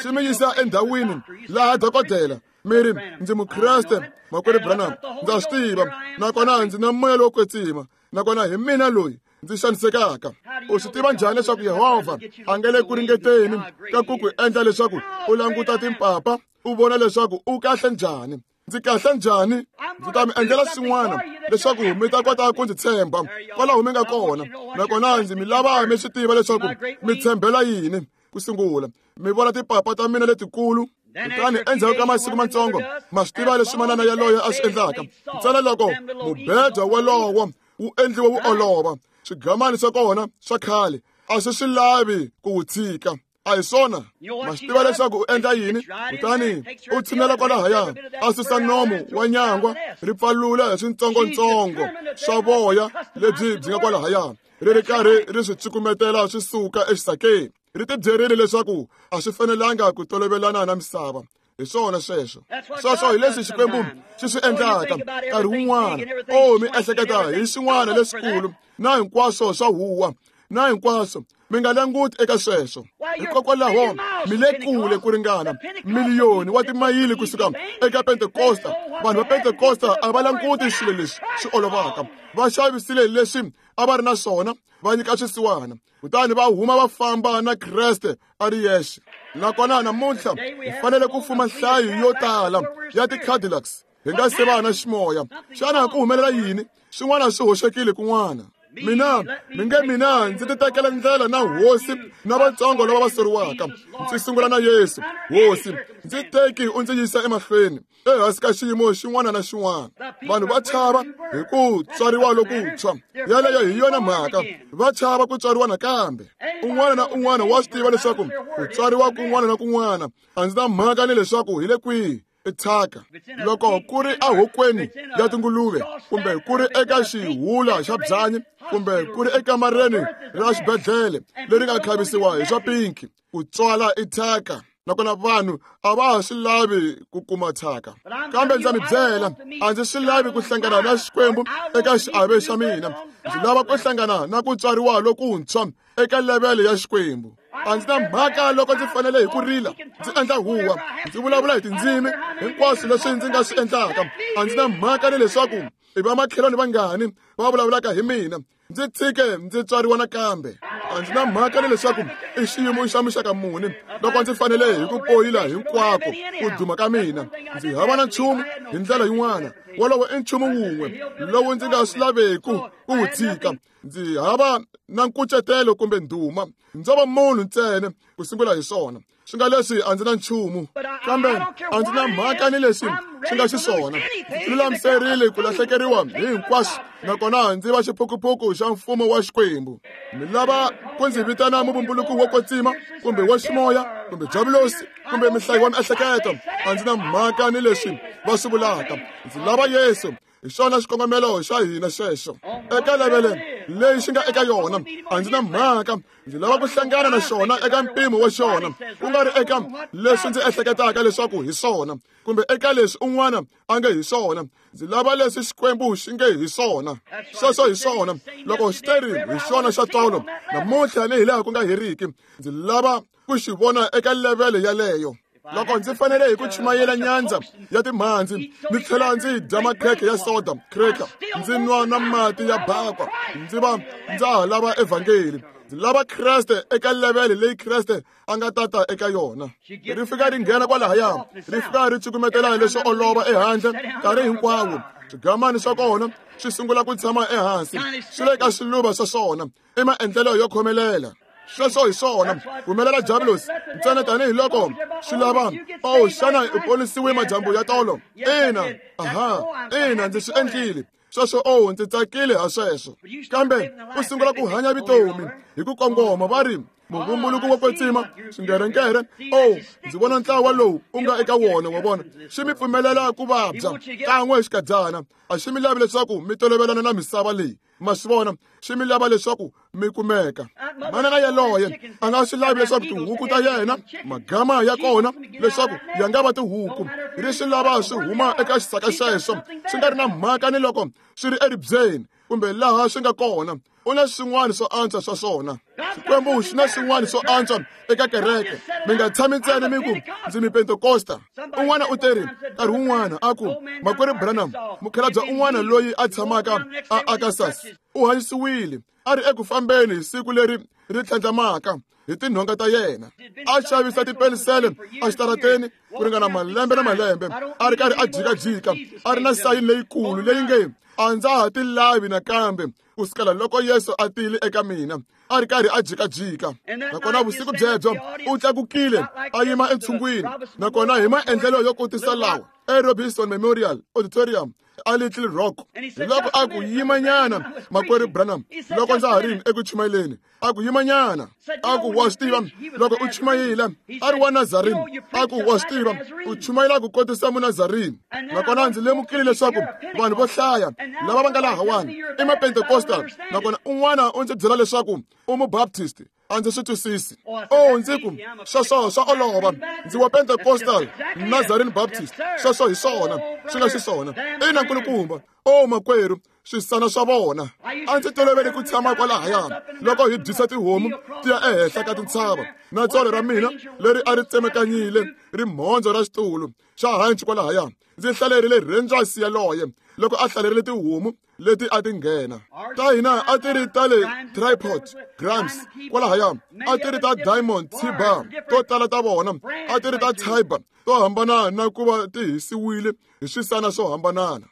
Xi mi yisa endhawini laha dokodela mi ri, ndzi Mukreste, makwerhu Branham, ndza swi tiva, nakona ndzi na moya lowo kwetsima, nakona hi mina loyi ndzi xanisekaka. U swi tiva njhani leswaku Yehovha a nga le ku ringeteni ka ku ku endla leswaku u languta timpapa u vona leswaku u kahle njhani? Ndzi kahle njhani? Ndzi ta mi endlela swin'wana leswaku mi ta kota ku ndzi tshemba kwalaho mi nga kona, nakona ndzi mi lava mi swi tiva leswaku mi tshembela yini. Ku sungula mi vona timpapa ta mina letikulu, kutani endzhaku ka masiku matsongo ma swi tiva leswi manana yaloye a swi endlaka. Ntsena loko mubedwa walowo wu endliwe wu olova, swigamani swa kona swa khale a swi swi lavi ku wu tshika. A hi swona? Ma swi tiva leswaku u endla yini? Kutani u tshinela kwalahaya, a susa nomu wa nyangwa, ri pfalula hi switsongotsongo swa voya lebyi byi nga kwalahaya, ri ri karhi ri swi cukumetela swi suka exisakeni. Ri ti byerile leswaku a swi fanelanga ku tolovelana na misava. Hi swona sweswo. Sweswo hi leswi Xikwembu xi swi endlaka nkarhi wun'wana. O, mi ehleketa hi swin'wana leswikulu na hinkwaswo swa huwa na hinkwaswo, mi nga languti eka sweswo. Hikokwalaho mi le kule ku ringana miliyoni wa timayili kusuka eka Pentekosta. Vanhu va Pentekosta a va languti swilo leswi swi olovaka. Va xavisile leswi a va ri na swona, va nyika swisiwana, kutani va huma va famba na Kreste a ri yexe. Nakona namuntlha hi fanele ku fuma nhlayo yo tala ya ti-Cadillacs hi nga se va na ximoya. Xana ku humelela yini? Swin'wana swi hoxekile kun'wana. Mina mi nge mina ndzi ti tekela ndlela na hosi na vatsongo lava va soriwaka. Ndzi sungula na Yesu, hosi, ndzi teki u ndzi yisa emahlweni ehansi ka xiyimo xin'wana na xin'wana. Vanhu va chava hi ku tswariwa lokuntshwa. Yaleyo hi yona mhaka, va chava ku tswariwa nakambe. Un'wana na un'wana wa swi tiva leswaku ku tswariwa kun'wana na kun'wana a ndzi na mhaka ni leswaku hi le kwihi i thyaka. Loko ku ri ehokweni ya tinguluve, kumbe ku ri eka xihula xa byanyi, kumbe ku ri ekamareni ra xibedhlele leri nga khavisiwa hi swa pinki, ku tswala i thyaka. Nakona vanhu a va ha swi lavi ku kuma thyaka. Kambe ndza mi byela, a ndzi swi lavi ku hlangana na Xikwembu eka xiave xa mina. Ndzi lava ku hlangana na ku tswariwa lokuntshwa eka levele ya Xikwembu. A ndzi na mhaka loko ndzi fanele hi ku rila, ndzi endla huwa, ndzi vulavula hi tindzimi, hinkwaswo leswi ndzi nga swi endlaka. A ndzi na mhaka ni leswaku i vamakhelwani vangani va vulavulaka hi mina. Ndzi tshike ndzi tswariwa nakambe. A ndzi na mhaka ni leswaku i xiyimo xa muxaka muni loko ndzi fanele hi ku poyila hinkwako ku duma ka mina. Ndzi hava na nchumu hi ndlela yin'wana. Wolowo i nchumu wun'we lowu ndzi nga swi laveku ku wu tshika. Ndzi hava na nkucetelo kumbe ndhuma. Ndzo va munhu ntsena ku sungula hi swona. Swi nga leswi a ndzi na nchumu, kambe a ndzi na mhaka ni leswi swi nga xiswona. Ndzi lulamiserile ku lahlekeriwa hi hinkwaswo, nakona ndzi va xiphukuphuku xa mfumo wa Xikwembu. Mi lava ku ndzi vitana muvumbuluki wo kwetsima, kumbe wa ximoya, kumbe javulosi, kumbe mihlayi wa miehleketo. A ndzi na mhaka ni leswi va swi vulaka. Ndzi lava Yesu. Hi xona xikongomelo xa hina xexo. Eka levele leyi xi nga eka yona, a ndzi na mhaka. Ndzi lava ku hlangana na xona eka mpimo wa xona, ku nga ri eka leswi ndzi ehleketaka leswaku hi swona, kumbe eka leswi un'wana a nge hi swona. Ndzi lava leswi Xikwembu xi nge hi swona. Sweswo hi swona. Loko xi teri hi xona xa tolo, namuntlha ni hi laha ku nga heriki, ndzi lava ku xi vona eka levele yaleyo. Loko ndzi fanele hi ku chumayela nyandza ya timhandzi, ni tlhela ndzi dya makhekhe ya soda cracker, ndzi nwa na mati ya bakwa, ndzi va ndza ha lava evhangeli. Ndzi lava Kreste eka levele leyi Kreste a nga tata eka yona. Ri fika ri nghena kwalahaya, ri fika ri cukumetela leswo olova ehandle nkarhi hinkwawo. Swigamani swa kona swi sungula ku tshama ehansi, swi le ka swiluva swa swona, i maendlelo yo khomelela. Sweswo hi swona. Humelela javulosi ntsena tanihiloko swi lava. O, xana u ponisiwe madyambu ya tolo? Ina, aha, ina, ndzi swi endlile sweswo. O, ndzi tsakile ha sweswo. Kambe u sungula ku hanya vutomi hi ku kongoma, va ri Muvumbuluko wo kwetsima swingerenkere oh ndzi vona ntlawa lowu u nga eka wona wa vona xi mi pfumelela ku vabya kan'we hi xikadzana a xi mi lavi leswaku mi tolovelana na misava leyi ma swi vona xi mi lava leswaku mi kumeka manana yaloye a nga swi lavi leswaku tihuku ta yena magama ya kona leswaku ya nga va tihuku ri swi lava swi huma eka xisaka xexo swi nga ri na mhaka ni loko swi ri eribyeni kumbe laha swi nga kona u na swin'wana swo antswa swa swona Xikwembu xi na swin'wana swo antswa eka kereke mi nga tshami ntsena mi ku ndzi mi Pentekosta un'wana u teri nkarhi wun'wana a ku makwerhu Branham mukhalabye un'wana loyi a tshamaka a Arkansas u hanyisiwile a ri eku fambeni hi siku leri ri tlhandlamaka hi tinhonga ta yena a xavisa tipenisele exitarateni ku ringana malembe na malembe a ri karhi a jikajika a ri na sayini leyikulu leyi nge a ndza ha ti lavi nakambe ku sukela loko Yesu a tile eka mina a ri karhi a jikajika nakona vusiku byebyo u tlakukile a yima entshungwini nakona hi maendlelo yo kotisa lawa eRobinson Memorial Auditorium a Little Rock hi loko a ku yimanyana makwerhu Branham loko ndza ha ri eku chumayeleni a ku yimanyana a ku wa swi tiva loko u chumayela a ri wa Nazarene a ku wa swi tiva u chumayela ku kotisa Munazarene nakona ndzi lemukile leswaku vanhu vo hlaya lava va nga lahawani i Mapentecostal nakona un'wana u ndzi byela leswaku u Mubaptist a ndzi swi twisisi oh ndzi ku sweswo swa olova ndzi wa Pentecostal Nazarene Baptist sweswo hi swona swi nga xiswona ina nkulukumba oh makwerhu swisana swa vona a ndzi tolovele ku tshama kwalahaya loko hi dyisa tihomu ti ya ehenhla ka tintshava na tsolo ra mina leri a ri tsemekanyile rimhondzo ra xitulu xa hanci kwalahaya ndzi hlalerile Rangers yaloye loko a hlalerile tihomu leti a ti nghena ta hina a ti ri ta le tripod grams kwalahaya a ti ri ta diamond tibar to tala ta vona a ti ri ta tiber to hambana na ku va ti hisiwile hi swisana swo hambanana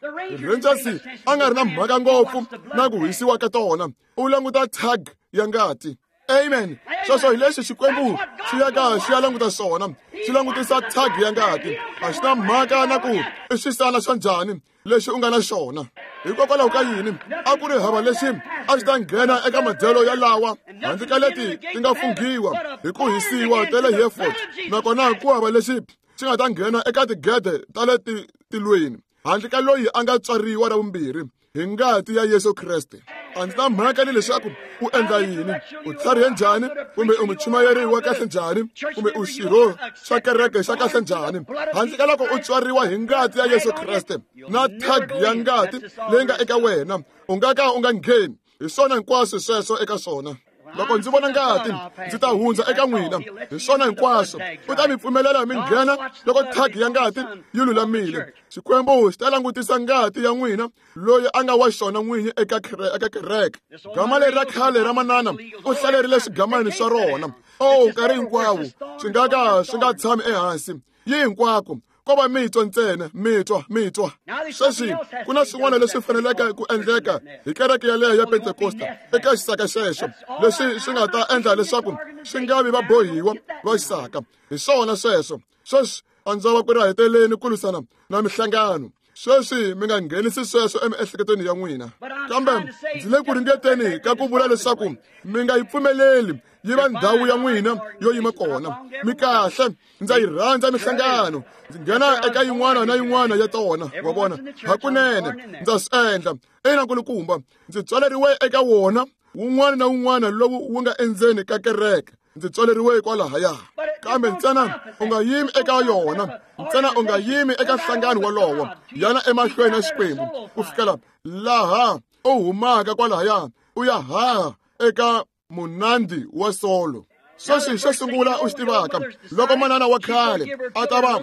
Rangers a nga ri na mhaka ngopfu na ku hisiwa ka tona u languta tag ya ngati amen sweswo hi lexi Xikwembu xi yaka xi ya languta swona xi langutisa tag ya ngati a xi na mhaka na ku i swisana swa njhani lexi u nga na xona hikokwalaho ka yini a ku ri hava lexi a xi ta nghena eka madyelo ya lawa handle ka leti ti nga funghiwa hi ku hisiwa ta le Hereford nakona ku hava lexi xi nga ta nghena eka tigede ta le tilweni handle ka loyi a nga tswariwa ra vumbirhi hi ngati ya Yesu Kreste a ndzi na mhaka ni leswaku u endla yini u tlharihe njhani kumbe u muchumayeri wa kahle njhani kumbe u xirho xa kereke xa kahle njhani handle ka loko u tswariwa hi ngati ya Yesu Kreste na tag ya ngati leyi nga eka wena u nga ka u nga ngheni hi swona hinkwaswo sweswo eka swona loko ndzi vona ngati ndzi ta hundza eka n'wina hi swona hinkwaswo u ta mi pfumelela mi nghena loko tag ya ngati yi lulamile Xikwembu xi ta langutisa ngati ya n'wina loyi a nga wa xona n'winyi eka eka kereke gama leri ra khale ra manana u hlalerile swigamani swa rona oh nkarhi hinkwawo swi nga ka swi nga tshami ehansi yi hinkwako ko va mitwa ntsena mitwa mitwa sweswi ku na swin'wana leswi faneleke ku endleka hi kereke yaleyo ya Pentekosta eka xisaka xexo leswi swi nga ta endla leswaku swi nga vi vabohiwa va xisaka hi swona sweswo sweswi a ndzi va ku ri heteleni ku lwisana na mihlangano sweswi mi nga nghenisi sweswo emiehleketweni ya n'wina kambe ndzi le ku ringeteni ka ku vula leswaku mi nga yi pfumeleli yi va ndhawu ya n'wina yo yima kona mi kahle ndza yi rhandza mihlangano ndzi nghena eka yin'wana na yin'wana ya tona wa vona hakunene ndza swi endla ina nkulukumba ndzi tswaleriwe eka wona wun'wana na wun'wana lowu wu nga endzeni ka kereke ndzi tswaleriwe kwalahaya kambe ntsena u nga yimi eka yona ntsena u nga yimi eka nhlangano wolowo yana emahlweni ya Xikwembu ku fikela laha u humaka kwalahaya u ya haha eka munandi wa solo sweswi xo sungula u xi tivaka loko manana wa khale a ta va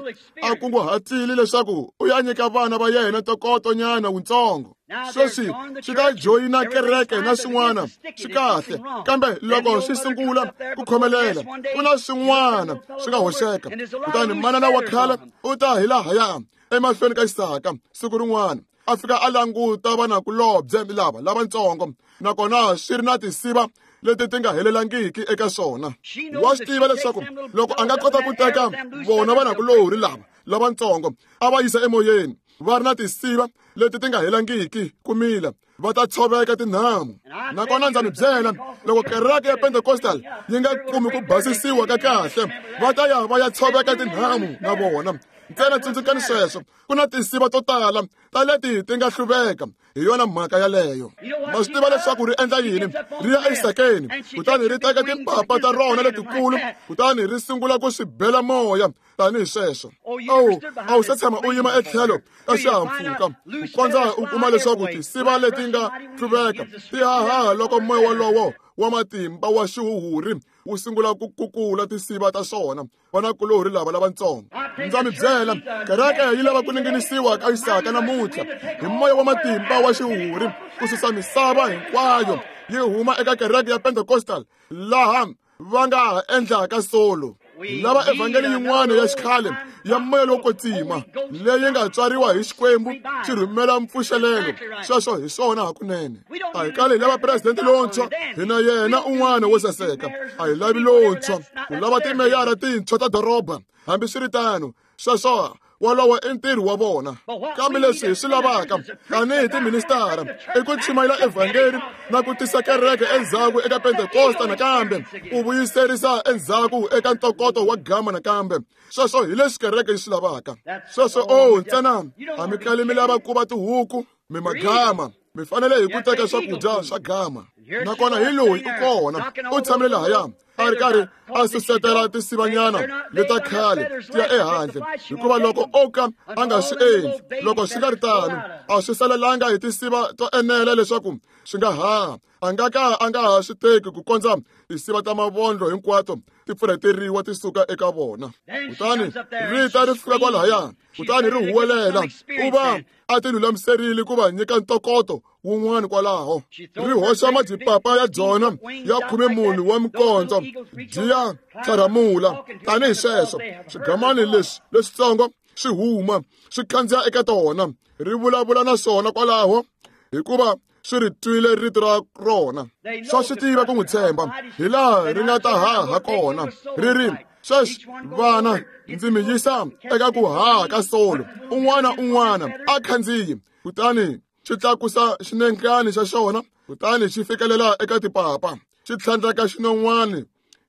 a kunguhatile leswaku u ya nyika vana va yena ntokotonyana wutsongo sweswi swi ta joyina kereke na swin'wana swi kahle kambe loko swi sungula ku khomelela ku na swin'wana swi nga hoxeka kutani manana wa khale u ta hi lahaya emahlweni ka xisaka siku rin'wana a fika a languta vanakulobye lava lavatsongo nakona swi ri na tinsiva leti ti nga helelangiki eka swona wa swi tiva leswaku loko a nga kota ku teka vona vanakulorhi lava lavatsongo a va yisa emoyeni va ri na tinsiva leti ti nga helangiki ku mila va ta tshoveka tinhamu. Nakona ndza mi byela, loko kereke ya Pentecostal yi nga kumi ku basisiwa ka kahle, va ta ya va ya tshoveka tinhamu na vona. Ntsena tsundzukani sweswo, ku na tinsiva to tala ta leti ti nga hluveka. Hi yona mhaka yaleyo. Ma swi tiva leswaku ri endla yini? Ri ya exisakeni, kutani ri teka timpapa ta rona letikulu, kutani ri sungula ku swi bela moya tanihi sweswo. Awu, a wu se tshama u yima etlhelo ka xihahampfhuka ku kondza u kuma leswaku tinsiva leti nga hluveka ti hahaha loko moya wolowo wa matimba wa xihuhuri wu sungula ku kukula tinsiva ta swona. Vanakulorhi lava lavatsongo, ndza mi byela, kereke yi lava ku ninginisiwa ka Isaka namuntlha hi moya wa matimba wa xihuhuri ku susa misava hinkwayo yi huma eka kereke ya Pentecostal laha va nga ha endlaka solo. Lava evhangeli yin'wana ya xikhale ya moya lowo kwetsima leyi nga tswariwa hi Xikwembu xi rhumela mpfuxelelo. Sweswo hi swona hakunene. A hi kali hi lava presidente lontshwa, hina yena un'wana wo saseka. A hi lavi lontshwa, ku lava timeyara tintshwa ta doroba. Hambiswiritano, sweswo wolowo i ntirho wa vona. Kambe leswi hi swi lavaka tanihi tiministara i ku chumayela evhangeli na ku tisa kereke endzhaku eka Pentekosta nakambe, ku vuyiserisa endzhaku eka ntokoto wa gama nakambe. Sweswo hi leswi kereke yi swi lavaka. Sweswo o ntsena a mi kali mi lava ku va tihuku, mi magama. Mi fanele hi ku teka swakudya swa gama. Nakona hi loyi u kona, u tshamile lahaya a ri karhi a susetela tinsivanyana leta khale ti ya ehandle, hikuva loko o ka a nga swi endli, loko swi nga ri tano, a swi salelanga hi tinsiva to enela leswaku swi nga haha. A nga ka a nga ha swi teki ku kondza tinsiva ta mavondlo hinkwato ti pfurheteriwa ti suka eka vona. Kutani ri ta ri fika kwalahaya, kutani ri huwelela. U va a ti lulamiserile ku va nyika ntokoto wun'wana kwalaho. Ri hoxa madipapa ya byona ya khumemune wa mikondzo byi ya tlharamula tanihi sweswo. Swigamani leswi leswitsongo swi huma swi khandziya eka tona, ri vulavula na swona kwalaho, hikuva swi ri twile rito ra rona. Swa swi tiva ku n'wi tshemba hi laha ri nga ta haha kona. Ri ri, sweswi vana, ndzi mi yisa eka ku haha ka solo. Un'wana un'wana a khandziyi. Kutani xi tlakusa xinenkani xa xona, kutani xi fikelela eka tipapa, xi tlhandleka xinon'wana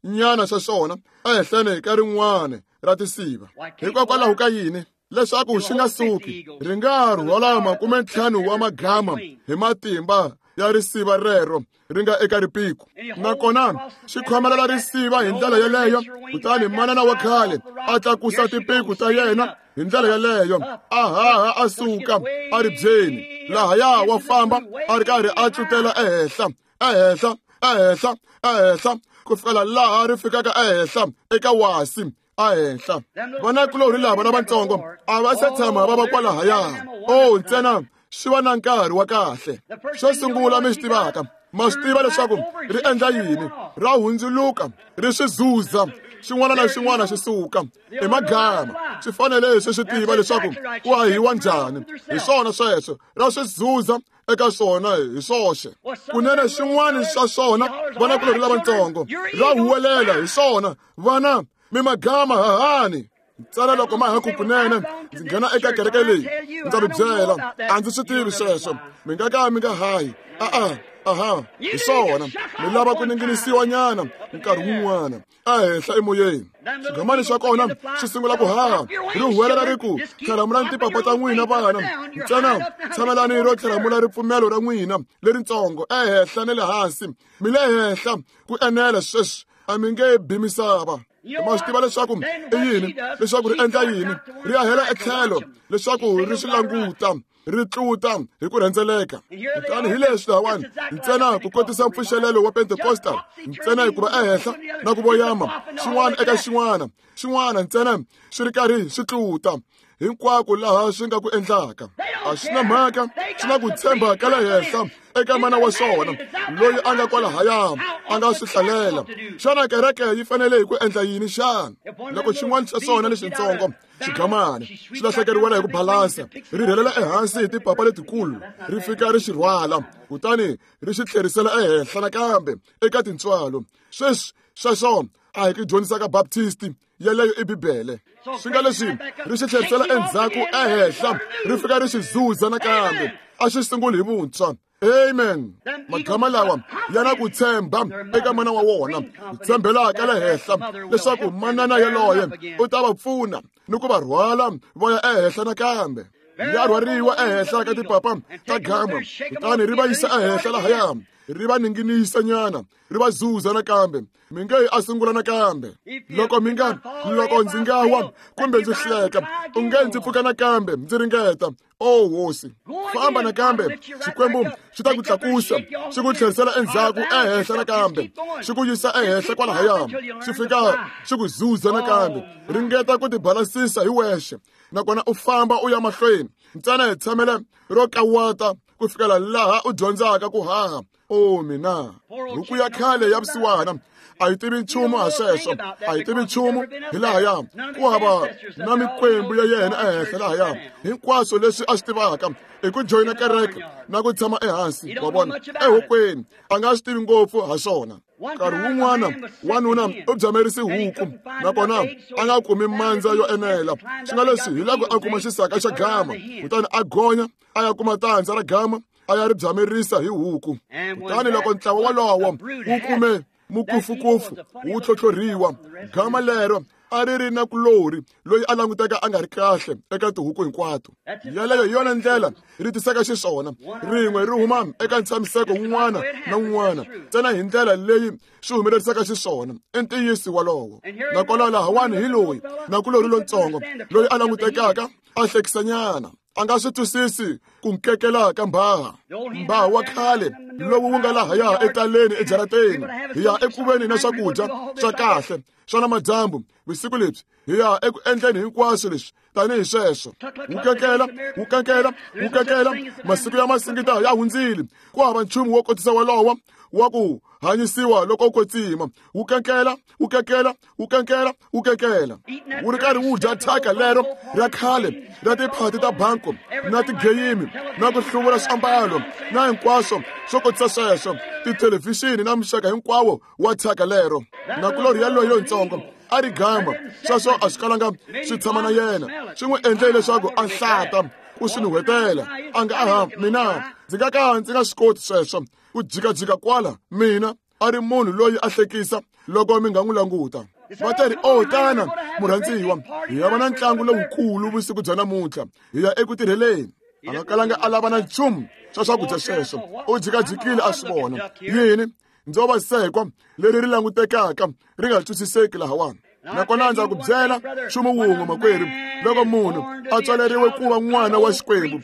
nyana xa xona ehenhleni ka rin'wana ra tinsiva. Hikokwalaho ka yini? Leswaku xi nga suki, ri nga rhwala makumentlhanu wa magama hi matimba ya risiva rero ri nga eka ripiku. Nakona xi khomelela risiva hi ndlela yeleyo, kutani manana wa khale a tlakusa tipiku ta yena hi ndlela yeleyo, a haha a suka a ri byeni. Lahaya wa famba a ri karhi a tlutela ehenhla, ehenhla, ehenhla, ehenhla, ku fikela laha ri fikaka ehenhla eka wasi ehenhla. Vanakulorhi lava lavatsongo a va se tshama va va kwalahaya. O ntsena swi va na nkarhi wa kahle. Xo sungula mi swi tivaka, ma swi tiva leswaku ri endla yini? Ra hundzuluka, ri swi zuza, xin'wana na xin'wana xi suka i magama. Swi fanele swi swi tiva leswaku ku hahiwa njhani. Hi swona sweswo, ra swi zuza eka swona hi swoxe. Kunene xin'wana xa swona, vanakulorhi lavatsongo, ra huwelela hi swona, vana mi magama hahani. Ntsena loko ma ha ku kunene ndzi nghena eka kereke leyi, ndza mi byela, a ndzi swi tivi sweswo. Mi nga ka mi nga hayi. A-a, aha, hi swona. Mi lava ku ninginisiwa nyana nkarhi wun'wana ehenhla emoyeni. Xigamani xa kona xi sungula ku haha, ri huwelela ri ku, tlharamulani tipapa ta n'wina vana, ntsena tshamelani ro tlharamula ripfumelo ra n'wina leritsongo ehenhla na le hansi. Mi le henhla ku enela sweswi, a mi nge bi misava. Ma swi tiva leswaku i yini, leswaku ri endla yini? Ri ya hela etlhelo leswaku ri swi languta, ri tluta hi ku rhendzeleka. Kutani hi leswi lahawani, ntsena ku kotisa mpfuxelelo wa Pentecostal, ntsena hikuva ehenhla na ku voyama xin'wana eka xin'wana, xin'wana ntsena swi ri karhi swi tluta hinkwako laha swi nga ku endlaka. A swi na mhaka, swi na ku tshemba ka le henhla eka mana wa swona loyi a nga kwalahaya a nga swi hlalela. Xana kereke yi fanele hi ku endla yini xana? Loko xin'wana xa swona lexitsongo xigamani xi lahlekeriwela hi ku balansa, ri rhelela ehansi hi tipapa letikulu, ri fika ri xi rhwala, kutani ri xi tlherisela ehenhla nakambe eka tintswalo. Sweswi sweswo a hi ku dyondzisa ka Baptist yeleyo i Bibele. Swi nga leswi ri xi tlherisela endzhaku ehenhla, ri fika ri xi zuza nakambe. A xi sunguli hi vuntshwa. Amen. Magama lawa ya na ku tshemba eka mana wa wona, ku tshembela ka le henhla leswaku manana yaloye u ta va pfuna ni ku va rhwala va ya ehenhla nakambe. Ya rhwariwa ehenhla ka tipapa ta gama, kutani ri va yisa ehenhla lahaya, ri va ninginisa nyana, ri va zuza nakambe. Mi nge a sungula nakambe. Loko mi nga loko ndzi nga wa kumbe ndzi hleka, u nge ndzi pfuka nakambe ndzi ringeta. O hosi, famba nakambe, Xikwembu xi ta ku tlakusa, xi ku tlherisela endzhaku ehenhla nakambe, xi ku yisa ehenhla kwalahaya, xi fika xi ku zuza nakambe. Ringeta ku tibalasisa hi wexe, nakona u famba u ya mahlweni. Ntsena hi tshamela ro kawata ku fikela laha u dyondzaka ku haha. O mina, huku ya khale ya vusiwana a yi tivi nchumu ha sweswo, a yi tivi nchumu hi lahaya. Ku hava na mikwembu ya yena ehenhla lahaya. Hinkwaswo leswi a swi tivaka i ku joyina kereke na ku tshama ehansi, wa vona, ehokweni. A nga swi tivi ngopfu ha swona. Nkarhi wun'wana wanuna u byamerise huku, nakona a nga kumi mandza yo enela. Swi nga leswi hi loko a kuma xisaka xa gama, kutani a gonya a ya kuma tandza ra gama, a ya ri byamerisa hi huku. Kutani loko ntlawa wolowo wu kume mukufukufu wu tlhotlhoriwa, gama lero a ri ri na kulori loyi a languteka a nga ri kahle eka tihuku hinkwato. Yaleyo hi yona ndlela ri tisaka xiswona, rin'we ri huma eka ntshamiseko wun'wana na wun'wana, ntsena hi ndlela leyi swi humelerisaka xiswona. I ntiyiso wolowo. Nakona lahawani hi loyi na kulori lontsongo loyi a langutekaka a hlekisanyana, a nga swi twisisi ku nkekela ka mbhaha. Mbhaha wa khale lowu wu nga lahaya etaleni ejarateni, hi ya ekuveni na swakudya swa kahle swa namadyambu vusiku lebyi, hi ya eku endleni hinkwaswo leswi tanihi sweswo. Wu kekela, wu kekela, wu kekela, masiku ya masingita ya hundzile. Ku hava nchumu wo kotisa wolowo wa ku hanyisiwa loko u kwetsima. Wu kenkela, wu kekela, wu kenkela, wu kekela, wu ri karhi wu dya thyaka lero ra khale ra tiphati ta banko na tigeyimi na ku hluvula swiambalo na hinkwaswo swo kotisa sweswo, tithelevhixini na muxaka hinkwawo wa thyaka lero. Nakulorhi yaloye lontsongo a ri gama, sweswo a swi kalanga swi tshama na yena, swi n'wi endle leswaku a hlata ku swi nuhwetela. A nga aha, mina ndzi nga ka ndzi nga swi koti sweswo ku jikajika kwala. Mina a ri munhu loyi a hlekisa loko mi nga n'wi languta. Va ta ri, o tana murhandziwa, hi ya va na ntlangu lowukulu vusiku bya namuntlha, hi ya eku tirheleni. A nga kalanga a lava na nchumu swa swakudya sweswo. U jikajikile a swi vona. Yini? Ndzo va sekwa leri ri langutekaka ri nga twisiseki lahawani. Nakona ndza ku byela nchumu wun'we makwerhu, loko munhu a tswaleriwe ku va n'wana wa Xikwembu,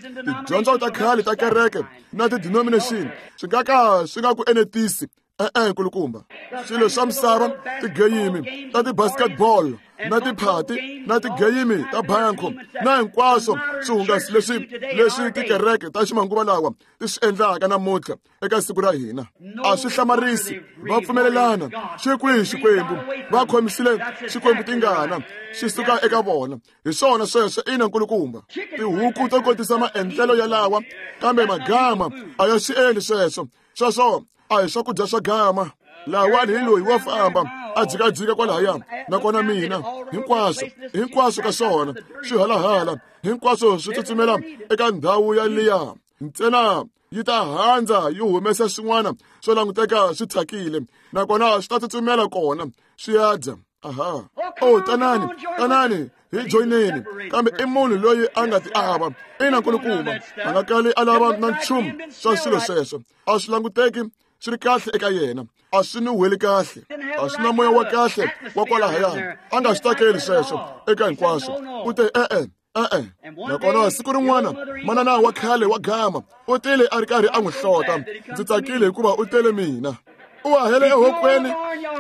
tidyondzo ta khale ta kereke na ti-denomination swi nga ka swi nga ku enetisi. E-e, nkulukumba. Swilo swa misava, tigeyimi ta ti-basketball na tiphati na tigeyimi ta banko na hinkwaswo swihungasi leswi leswi tikereke ta ximanguva lawa ti swi endlaka namuntlha eka siku ra hina, a swi hlamarisi. Va pfumelelana xi kwihi Xikwembu, va khomisile Xikwembu tingana xi suka eka vona. Hi swona sweswo, ina nkulukumba. Tihuku to kotisa maendlelo yalawa, kambe magama a ya swi endli sweswo. Sweswo a hi swakudya swa gama. Lahawani hi loyi wa famba a jikajika kwalahaya, nakona mina hinkwaswo hinkwaswo ka swona swi halahala, hinkwaswo swi tsutsumela eka ndhawu ya liya. Ntsena yi ta handza yi humesa swin'wana swo languteka swi thyakile, nakona swi ta tsutsumela kona swi ya dya. Aha, o tanani, tanani hi joyineni. Kambe i munhu loyi a nga ti ava. Ina nkulukumba, a nga kali a lava na nchumu swa swilo sweswo. A swi languteki swi ri kahle eka yena, a swi nuhweli kahle, a swi na moya wa kahle wa kwalahaya. A nga swi tsakeli sweswo eka hinkwaswo. U te e-e, e-e. Nakona siku rin'wana manana wa khale wa gama u tile a ri karhi a n'wi hlota. Ndzi tsakile hikuva u tele mina. U hahele ehokweni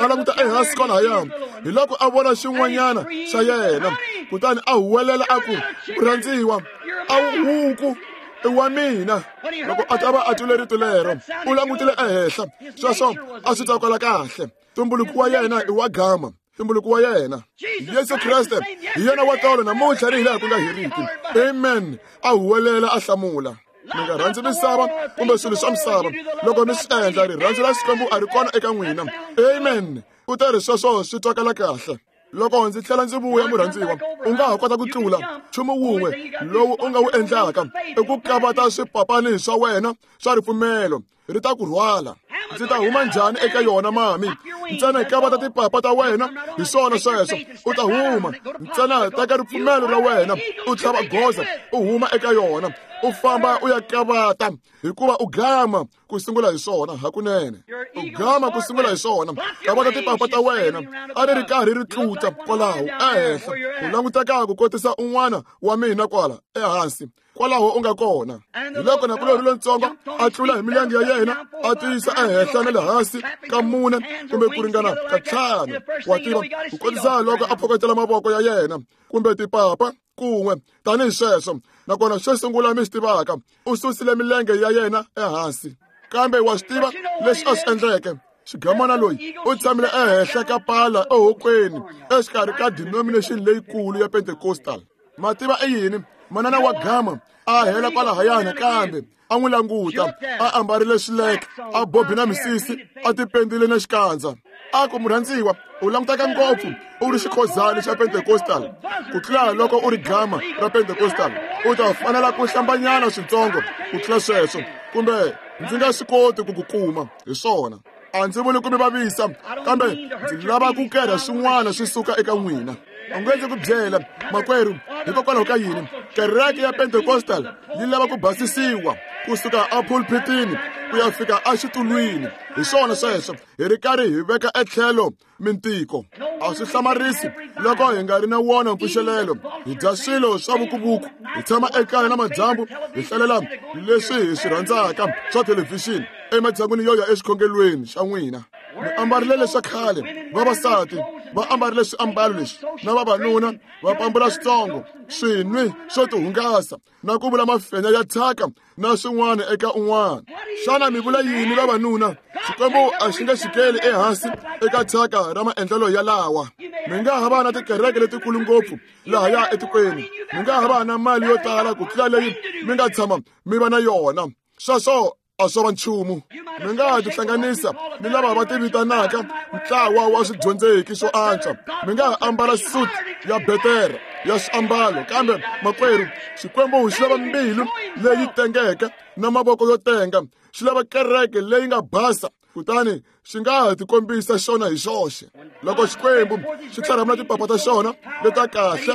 a languta ehansi kwalahaya, hi loko a vona xin'wanyana xa yena, kutani a huwelela a ku, murhandziwa, a wu huku i wa mina. Loko a ta va a twile rito lero, u langutile ehenhla, sweswo a swi tsakela kahle. Tumbuluko wa yena i wa gama, tumbuluko wa yena Yesu Kreste hi yena wa tolo namuntlha ni hi laha ku nga heriki. Amen. A huwelela a hlamula. Mi nga rhandzi misava kumbe swilo swa misava, loko mi swi endla rirhandzu ra Xikwembu a ri kona eka n'wina. Amen. U ta ri sweswo swi twakala kahle. Loko ndzi tlhela ndzi vuya murhandziwa, u nga ha kota ku tlula nchumu wun'we lowu u nga wu endlaka i ku kavata swipapani swa wena swa ripfumelo, ri ta ku rhwala. Ndzi ta huma njhani eka yona mami? Ntsena kavata tipapa ta wena, hi swona sweswo, u ta huma. Ntsena teka ripfumelo ra wena, u tlhava goza, u huma eka yona, u famba u ya kavata, hikuva u gama ku sungula hi swona hakunene. U gama ku sungula hi swona. Kavata tipapa ta wena, a ri ri karhi ri tluta kwalaho ehenhla, u languteka ku kotisa un'wana wa mina kwala ehansi, kwalaho u nga kona. Hi loko nakulorhi lontsongo a tlula hi milenge ya yena, a tiyisa ehenhla na le hansi ka mune kumbe ku ringana ka ntlhanu, wa tiva, ku kotisa loko a phokotela mavoko ya yena kumbe tipapa kun'we tanihi sweswo. Nakona xo sungula mi swi tivaka, u susile milenge ya yena ehansi. Kambe wa swi tiva leswi a swi endleke? Xigamana loyi u tshamile ehenhla ka pala ehokweni exikarhi ka denomination leyikulu ya Pentecostal. Mativa i yini? Manana wa gama a hela kwalahayana, kambe a n'wi languta, a ambarile swileke, a bobi na misisi, a tipendile na xikandza. A ku, murhandziwa, u languteka ngopfu u ri xikhozani xa Pentecostal ku tlula loko u ri gama ra Pentecostal. U ta fanela ku hlambanyana switsongo ku tlula sweswo, kumbe ndzi nga swi koti ku ku kuma hi swona. A ndzi vuli ku mi vavisa, kambe ndzi lava ku kerha swin'wana swi suka eka n'wina. U nge ndzi ku byela, makwerhu, hikokwalaho ka yini kereke ya Pentecostal yi lava ku basisiwa kusuka epulpitini ku ya fika exitulwini. Hi swona sweswo, hi ri karhi hi veka etlhelo mintiko. A swi hlamarisi loko hi nga ri na wona mpfuxelelo. Hi dya swilo swa vukuvuku, hi tshama ekaya na madyambu, hi hlalela leswi hi swi rhandzaka swa thelevhixini ematshan'wini yo ya exikhongelweni xa n'wina. Mi ambarile leswa khale, vavasati va ambarile swiambalo leswi, na vavanuna va pambula switsongo, swinwi swo tihungasa, na ku vula mafenya ya thyaka na swin'wana eka un'wana. Xana mi vula yini vavanuna? Xikwembu a xi nge xikeli ehansi eka thyaka ra maendlelo ya lawa. Mi nga ha va na tikereke letikulu ngopfu lahaya etikweni, mi nga ha va na mali yo tala ku tlula leyi mi nga tshama mi va na yona. Sweswo a swo va nchumu. Mi nga ha tihlanganisa ni lava va tivitanaka ntlawa wa swidyondzeki swo antswa. Mi nga ha ambala suit ya betere ya swiambalo, kambe makwerhu, Xikwembu xi lava mbilu leyi tengeke na mavoko yo tenga. Xi lava kereke leyi nga basa, kutani xi nga ha tikombisa xona hi xoxe. Loko Xikwembu xi tlharhamula tipapa ta xona leta kahle,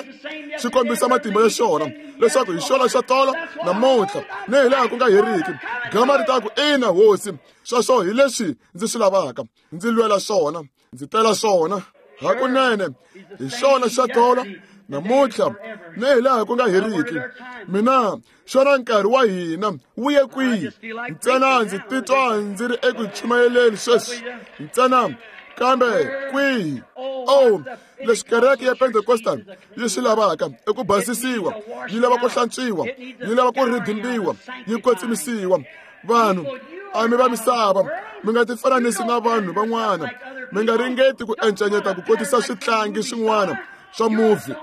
xi kombisa matimba ya xona leswaku hi xona xa tolo namuntlha ni hi laha ku nga heriki. Gama ri ta ku, ina hosi, sweswo hi leswi ndzi swi lavaka, ndzi lwela swona, ndzi tela swona. Hakunene hi xona xa tolo namuntlha ni hi laha ku nga heriki. Mina xona nkarhi wa hina wu ye kwihi? Ntsena ndzi titwa ndzi ri eku chumayeleni sweswi, ntsena kambe kwihi? Oh, leswi kereke ya Pentecostal yi swi lavaka i ku basisiwa, yi lava ku hlantswiwa, yi lava ku ridimbiwa, yi kwetsimisiwa. Vanhu a mi va misava, mi nga tifananisi na vanhu van'wana, mi nga ringeti ku encenyeta ku kotisa switlangi swin'wana swa movie.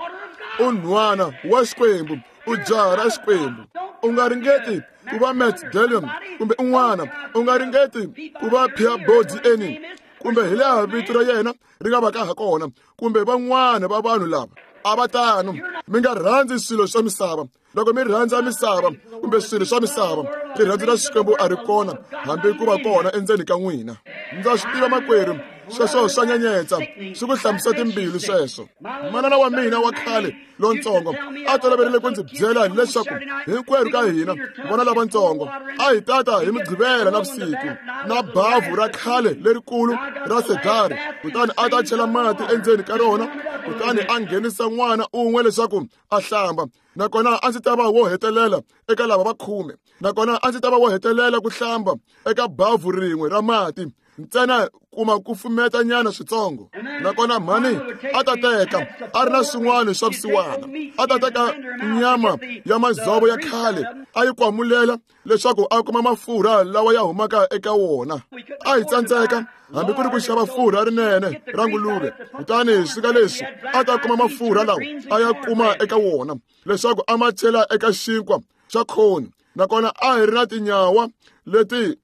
U nhwana wa Xikwembu, u jaha ra Xikwembu. U nga ringeti ku va Matt Dillon kumbe un'wana, u nga ringeti ku va Peabody Anning kumbe hi laha vito ra yena ri nga vaka ha kona, kumbe van'wana va vanhu lava a va tano. Mi nga rhandzi swilo swa misava. Loko mi rhandza misava kumbe swilo swa misava, rirhandzu ra Xikwembu a ri kona hambi ku va kona endzeni ka n'wina. Ndza swi tiva makwerhu, sweswo swa nyenyetsa, swi ku hlambisa timbilu sweswo. Manana wa mina wa khale lontsongo a toloverile ku ndzi byela leswaku hinkwerhu ka hina vana lavatsongo a hi tata hi Mugqivela na vusiku na bavhu ra khale lerikulu ra sedari, kutani a ta chela mati endzeni ka rona, kutani a nghenisa n'wana un'we leswaku a hlamba. Nakona a ndzi ta va wo hetelela eka lava va khume, nakona a ndzi ta va wo hetelela ku hlamba eka bavhu rin'we ra mati, ntsena kuma ku fumeta nyana switsongo. Nakona mhani a ta teka a ri na swin'wana swa vusiwana, a ta teka nyama ya madzovo ya khale a yi kwamulela leswaku a kuma mafurha lawa ya humaka eka wona. A hi tsandzeka hambi ku ri ku xava furha rinene ra nguluve, kutani swika leswi a ta kuma mafurha lawa a ya kuma eka wona leswaku a ma chela eka xinkwa xa khoni. Nakona a hi ri na tinyawa leti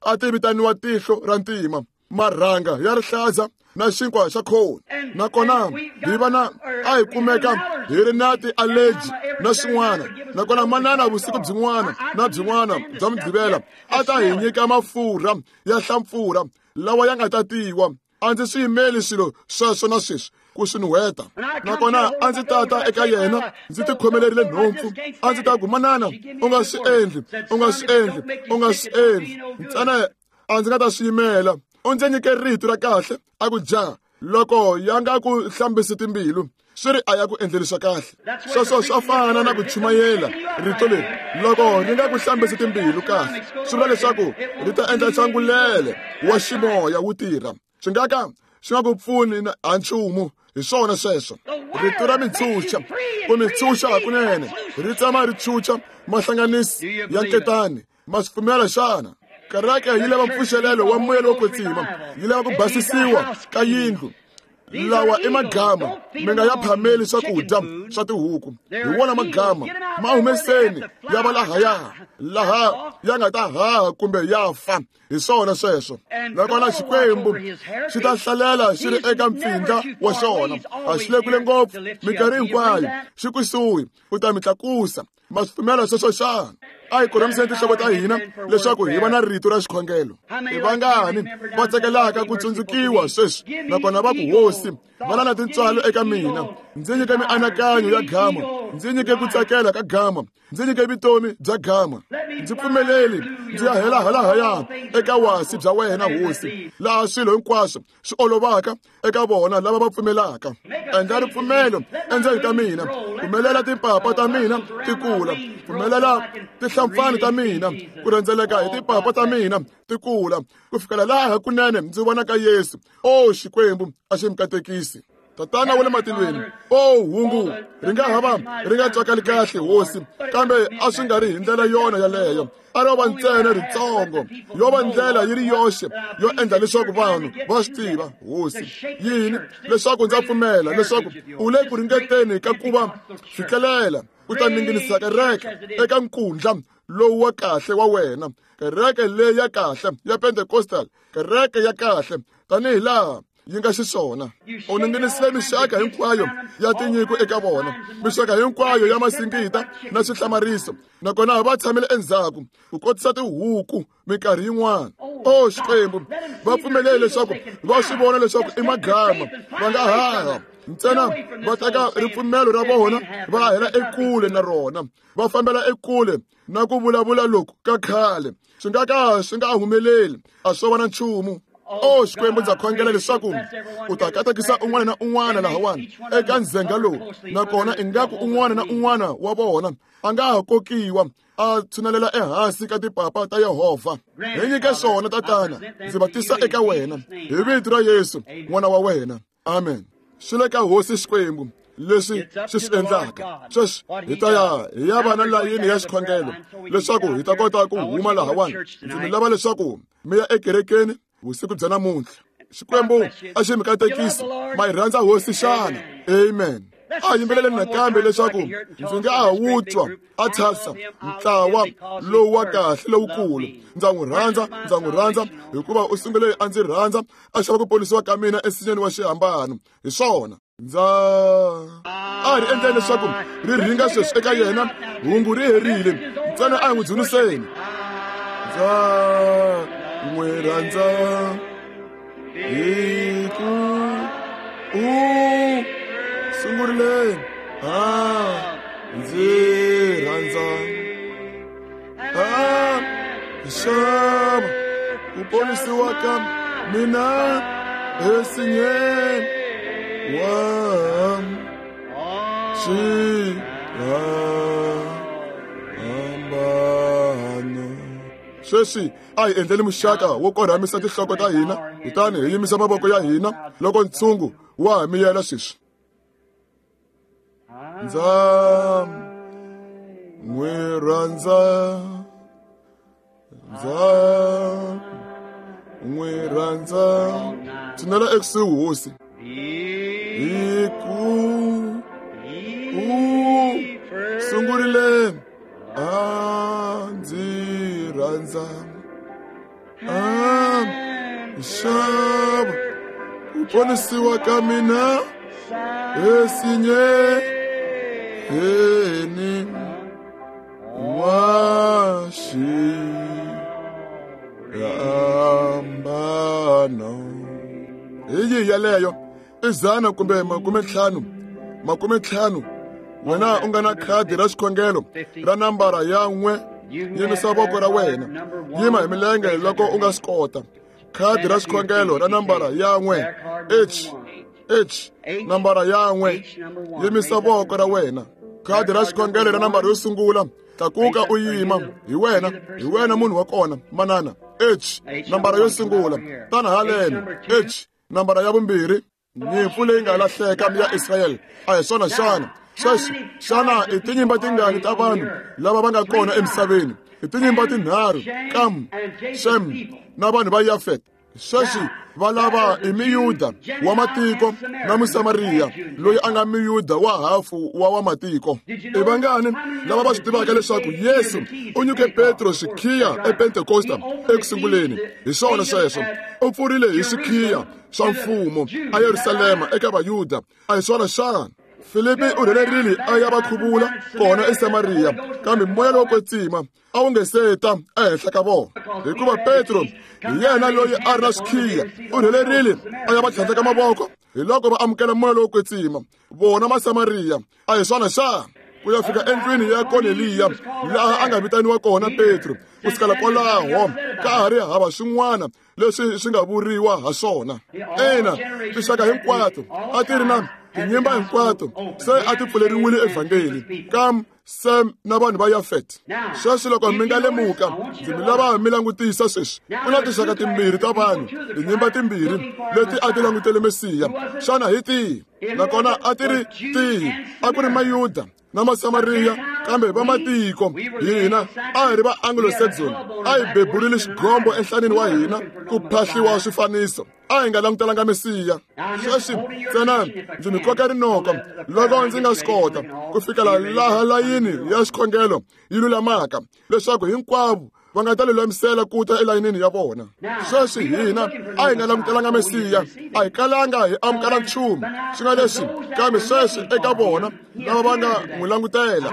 a ti vitaniwa tihlo ra ntima. Marhanga ya rihlaza na xinkwa xa khoni. Nakona hi va na a hi kumeka hi ri na ti-allergy na swin'wana. Nakona manana vusiku byin'wana na byin'wana bya Mugqivela a ta hi nyika mafurha ya hlampfurha lawa ya nga tatiwa. A ndzi swi yimeli swilo sweswo na sweswi ku swi nuheta. Nakona a ndzi tata eka yena ndzi tikhomelerile nhompfu. A ndzi ta ku, manana, u nga swi endli, u nga swi endli, u nga swi endli. Ntsena a ndzi nga ta swi yimela. U ndzi nyike rito ra kahle a ku ja loko ya nga ku hlambisi timbilu swi ri a ya ku endleli swa kahle. Sweswo swa fana na ku chumayela rito leri loko ri nga ku hlambisi timbilu kahle swi vula leswaku ri ta endla nhlangulele wa ximoya wu tirha. Swi nga ka swi nga ku pfuni ha nchumu. Hi swona sweswo. Rito ra mitshuxa ku mitshuxa hakunene ri tshama ri chucha mahlanganisi ya nketani. Ma swi pfumela xana? Kereke yi lava mpfuxelelo wa moya lowo kwetsima, yi lava ku basisiwa ka yindlu. Lawa i magama mi nga ya phameli swakudya swa tihuku. Hi wona magama ma humeseni ya va lahaya laha ya nga ta haha kumbe ya fa. Hi swona sweswo. Nakona Xikwembu xi ta hlalela xi ri eka mpfindla wa xona. A xi le kule ngopfu minkarhi hinkwayo, xi kusuhi u ta mi tlakusa. Ma swi pfumela sweswo xana? A hi korhamiseni tinhloko ta hina leswaku hi va na rito ra xikhongelo. Hi vangani va tsakelaka ku tsundzukiwa sweswi nakona va ku, Hosi, va na tintswalo eka mina. Ndzi nyike mianakanyo ya gama, ndzi nyike ku tsakela ka gama, ndzi nyike vutomi bya gama. Ndzi pfumeleli ndzi ya hela halahaya eka wasi bya wena, Hosi, laha swilo hinkwaswo swi olovaka eka vona lava va pfumelaka. Endla ripfumelo endzeni ka mina, pfumelela timpapa ta mina ti kula, pfumelela tihlampfani ta mina ku rhendzeleka hi timpapa ta mina ti kula ku fikela laha kunene ndzi vonaka Yesu. O Xikwembu a xi mi katekisi. Tatana wa le matilweni, o hungu ri nga hava ri nga twakali kahle, Hosi, kambe a swi nga ri hi ndlela yona yaleyo. A ro va ntsena ritsongo, yo va ndlela yi ri yoxe yo endla leswaku vanhu va swi tiva, Hosi, yini leswaku ndza pfumela leswaku u le ku ringeteni ka ku va fikelela u ta ninginisa kereke eka nkundla lowu wa kahle wa wena, kereke leyi ya kahle ya Pentecostal, kereke ya kahle tanihi laha yi nga xiswona. U ninginisile mixaka hinkwayo ya tinyiko eka vona, mixaka hinkwayo ya masingita na swihlamariso, nakona va tshamile endzhaku ku kotisa tihuku minkarhi yin'wana. O Xikwembu, va pfumelele leswaku va swi vona leswaku i magama, va nga haha ntsena va teka ripfumelo ra vona va hela ekule na rona, va fambela ekule na ku vulavula loku ka khale. Swi nga ka swi nga humeleli, a swo va na nchumu. O Xikwembu, ndza khongela leswaku u ta katekisa un'wana na un'wana lahawani eka ndzhenga lowu, nakona ingaku un'wana na un'wana wa vona a nga ha kokiwa a tshunelela ehansi ka tipapa ta Yehovha. Hi nyike swona, Tatana, ndzi va tisa eka wena hi vito ra Yesu n'wana wa wena. Amen. Swi le ka Hosi Xikwembu leswi xi swi endlaka. Sweswi hi ta ya hi ya va na layini ya xikhongelo leswaku hi ta kota ku huma lahawani. Ndzi mi lava leswaku mi ya ekerekeni vusiku bya namuntlha. Xikwembu a xi mi katekisi. Ma yi rhandza Hosi xana? Amen. A yimbeleleni nakambe leswaku ndzi nga ha wu twa a tshasa ntlawa lowu wa kahle lowukulu. Ndza n'wi rhandza, ndza n'wi rhandza hikuva u sungule a ndzi rhandza, a xava ku ponisiwa ka mina ensinyeni wa xihambano. Hi swona. Ndza a ri endleni leswaku ri ringa sweswi eka yena, hungu ri herile. Ntsena a hi n'wi dzuniseni. Ndza n'wi rhandza hi ku u sungurile a ndzi rhandza a xava ku ponisiwa ka mina ensinyeni wa xihambano. Sweswi a hi endleni muxaka wo korhamisa tinhloko ta hina, kutani hi yimisa mavoko ya hina loko ntshungu wa ha miyela sweswi. Ndza n'wi rhandza, ndza n'wi rhandza. Tshinela ekusuhi, Hosi, hi ku u sungurile a ndzi rhandza, a xava Ku ponisiwa ka mina esinye wa xihambano. Hi yihi yaleyo? I dzana kumbe makume ntlhanu, makume ntlhanu. Wena u nga na khadi ra xikhongelo ra nambara ya n'we, yimisa voko ra wena, yima hi milenge loko u nga swi kota. Khadi ra xikhongelo ra nambara ya n'we, H H nambara ya n'we, yimisa voko ra wena. Khadi ra xikhongelo ra nambara yo sungula, tlakuka u yima. Hi wena, hi wena munhu wa kona, manana. H nambara yo sungula, tana haleno. H nambara ya vumbirhi. Nyimpfu leyi nga lahleka ya Israyele, a hi swona xana? Sweswi xana i tinyimba tingani ta vanhu lava va nga kona emisaveni? I tinyimba tinharhu, Kam, Shem na vanhu va Yafet. Sweswi va lava i Miyuda wa matiko na Musamariya loyi a nga Miyuda wa hafu wa wa matiko. I vangani lava va swi tivaka leswaku Yesu u nyike Petro xikhiya ePentekosta eku sunguleni? Hi swona sweswo, u pfurile hi xikhiya swa mfumo a Yerusalema eka Vayuda. A hi swona xana? Filipi u rhelerile a ya va khuvula kona eSamariya, kambe moya lowo kwetsima a wu nge se ta ehenhla ka vona, hikuva Petro hi yena loyi a ri na xikhiya. U rhelerile a ya va tlhandleka mavoko, hi loko va amukela moya lowo kwetsima, vona Masamariya. A hi swona xana? Ku ya fika endlwini ya Korneliya, laha a nga vitaniwa kona Petro. Ku sukela kwalaho ka ha ri hava swin'wana leswi swi nga vuriwa ha swona. Ina, tinxaka hinkwato a ti ri na tinyimba hinkwato se a ti pfuleriwile evhangeli, Kam, Sem na vanhu va Yafet. Sweswi loko mi nga lemuka, ndzi mi lava mi langutisa sweswi. Ku na tinxaka timbirhi ta vanhu, tinyimba timbirhi leti a ti langutele Mesiya. Xana hi tihi? Nakona a ti ri tihi? A ku ri Mayuda na Masamariya, kambe va matiko. Hina a hi ri va Anglo-Saxon, a hi beburile xigombo enhlaneni wa hina ku phahliwa swifaniso. A hi nga langutelanga Mesiya. Sweswi ntsena ndzi mi koka rinoko loko ndzi nga swi kota ku fikela laha layini ya xikhongelo yi lulamaka, leswaku hinkwavo va nga ta lulamisela ku ta elayinini ya vona. Sweswi hina a hi nga langutelanga Mesiya, a hi kalanga hi amukela nchumu swi nga leswi, kambe sweswi eka vona lava va nga n'wi langutela,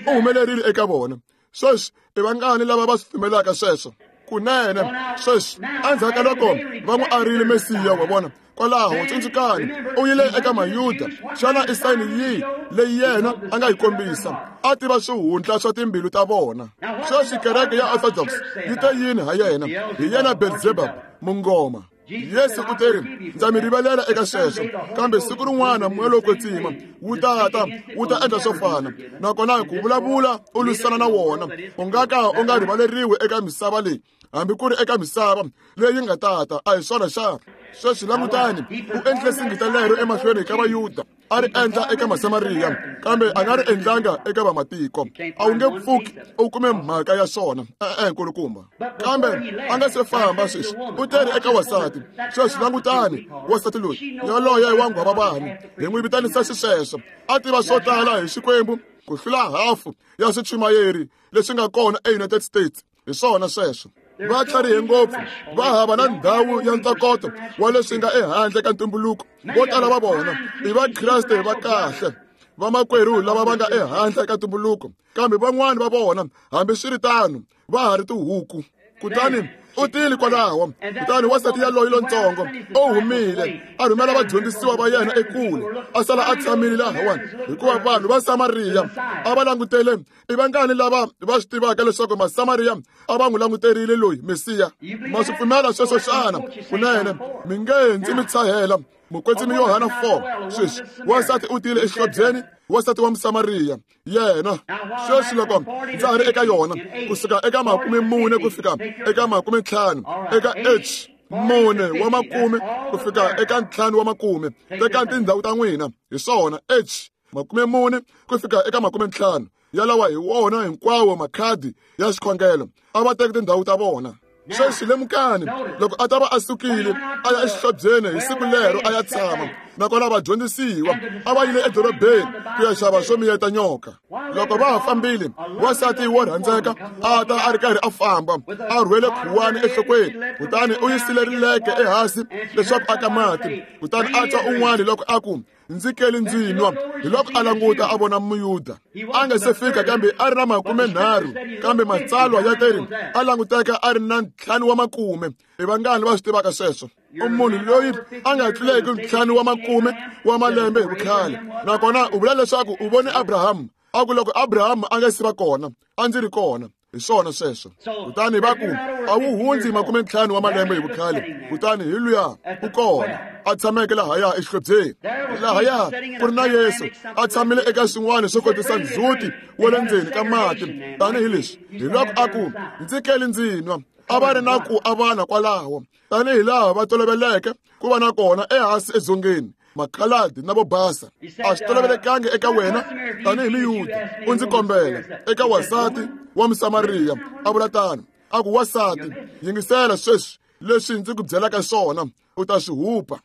u humelerile eka vona. Sweswi i vangani lava va swi pfumelaka sweswo? Kunene sweswi endzhaku ka loko va n'wi arile Mesiya wa vona kwalaho, tsundzukani u yile eka Mayuda. Xana i sayini yihi leyi yena a nga yi kombisa? A tiva swihundla swa timbilu ta vona. Sweswi kereke ya Orthodox yi te yini ha yena? Hi yena Beelzebub, mungoma. Yesu u teri, ndza mi rivalela eka sweswo, kambe siku rin'wana moya lowo kwetsima wu ta ta wu ta endla swo fana. Nakona ku vulavula u lwisana na wona, u nga ka u nga rivaleriwi eka misava leyi, hambi ku ri eka misava leyi nga tata. A hi swona xana? Sweswi langutani, u endle singita lero emahlweni ka Vayuda, a ri endla eka Masamariya, kambe a nga ri endlanga eka vamatiko. A wu nge pfuki u kume mhaka ya swona, e-e nkulukumba. Kambe a nga se famba sweswi, u teri eka wasati. Sweswi langutani, wasati loyi yaloye wa nghwavavani, hi n'wi vitanisa xisweswo, a tiva swo tala hi Xikwembu ku hlula hafu ya swichumayeri leswi nga kona eUnited States. Hi swona sweswo. Va tlharihe ngopfu, va hava na ndhawu ya ntokoto wa leswi nga ehandle ka ntumbuluko. Vo tala va vona i Vakreste va kahle, vamakwerhu lava va nga ehandle ka ntumbuluko, kambe van'wani va vona hambiswiritano va ha ri tihuku. Kutani u tile kwalaho, kutani wansati yaloye lontsongo u humile a rhumela vadyondzisiwa va yena ekule, a sala a tshamile lahawani, hikuva vanhu va Samariya a va langutele. I vangani lava va swi tivaka leswaku Masamariya a va n'wi languterile loyi Mesiya? Ma swi pfumela sweswo xana? Kunene mi nge ndzi mi tshahela. Mukwetsimi Yohana four. Sweswi wansati u tile exihlobyeni, wansati wa Musamariya yena. Sweswi loko ndza ha ri eka yona, kusuka eka makume mune ku fika eka makume ntlhanu, eka H mune wa makume ku fika eka ntlhanu wa makume, teka tindhawu ta n'wina. Hi swona, H makume mune ku fika eka makume ntlhanu, yalawa hi wona hinkwawo makhadi ya xikhongelo. A va teki tindhawu ta vona. Sweswi lemukani, loko a ta va a sukile a ya exihlobyeni hi siku lero a ya tshama, Nakona vadyondzisiwa a va yile edorobeni ku ya xava swo miyeta nyoka. Loko va ha fambile, wansati wo rhandzeka a ta a ri karhi a famba, a rhwele khuwani enhlokweni, kutani u yisile rileke ehansi leswaku a ka mati. Kutani a twa un'wana loko a ku, ndzi keli ndzi nwa. Hi loko a languta a vona Muyuda. A nga se fika kambe a ri na makume nharhu, kambe matsalwa ya teri a languteka a ri na ntlhanu wa makume. I vangani va swi tivaka sweswo? U munhu loyi a nga tluleki ntlhanu wa makume wa malembe hi vukhale. Nakona u vula leswaku u vone Abrahamu. A ku loko Abrahamu a nga si va kona, a ndzi ri kona. Hi swona sweswo. Kutani va ku a wu hundzi makume ntlhanu wa malembe hi vukhale. Kutani hi luya u kona a tshameke lahaya exihlobyeni. Lahaya ku ri na Yesu a tshamile eka swin'wana swo kotisa ndzhuti wa le ndzeni ka mati tanihileswi. Hi loko a ku ndzi keli ndzi nwa. A va ri na ku avana kwalaho tanihi laha va toloveleke ku va na kona ehansi edzongeni, makhaladi na vo basa. A swi tolovelekangi eka wena tanihi Muyuda u ndzi kombela eka wansati wa Musamariya. A vula tano, a ku wansati, yingisela sweswi leswi ndzi ku byelaka swona, u ta swi hupa.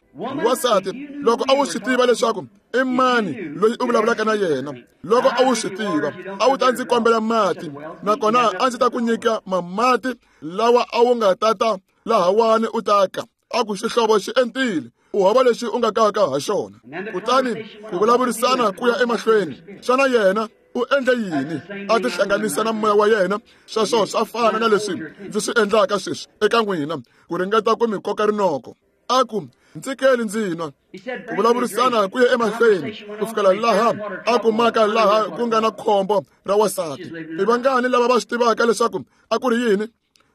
Wansati, loko a wu swi tiva leswaku i mani loyi u vulavulaka na yena, loko a wu swi tiva, a wu ta ndzi kombela mati, nakona a ndzi ta ku nyika mamati lawa a wu nga tata lahawani u ta ka. A ku xihlovo xi entile, u hava lexi u nga kaka ha xona. Kutani ku vulavurisana ku ya emahlweni. Xana yena u endle yini? A tihlanganisa na moya wa yena. Sweswo swa fana na leswi ndzi swi endlaka sweswi eka n'wina, ku ringeta ku mi koka rinoko. A ku ndzi keli ndzi nwa. Ku vulavurisana ku ya emahlweni ku fikela laha a kumaka laha ku nga na khombo ra wansati. I vangani lava va swi tivaka leswaku a ku ri yini?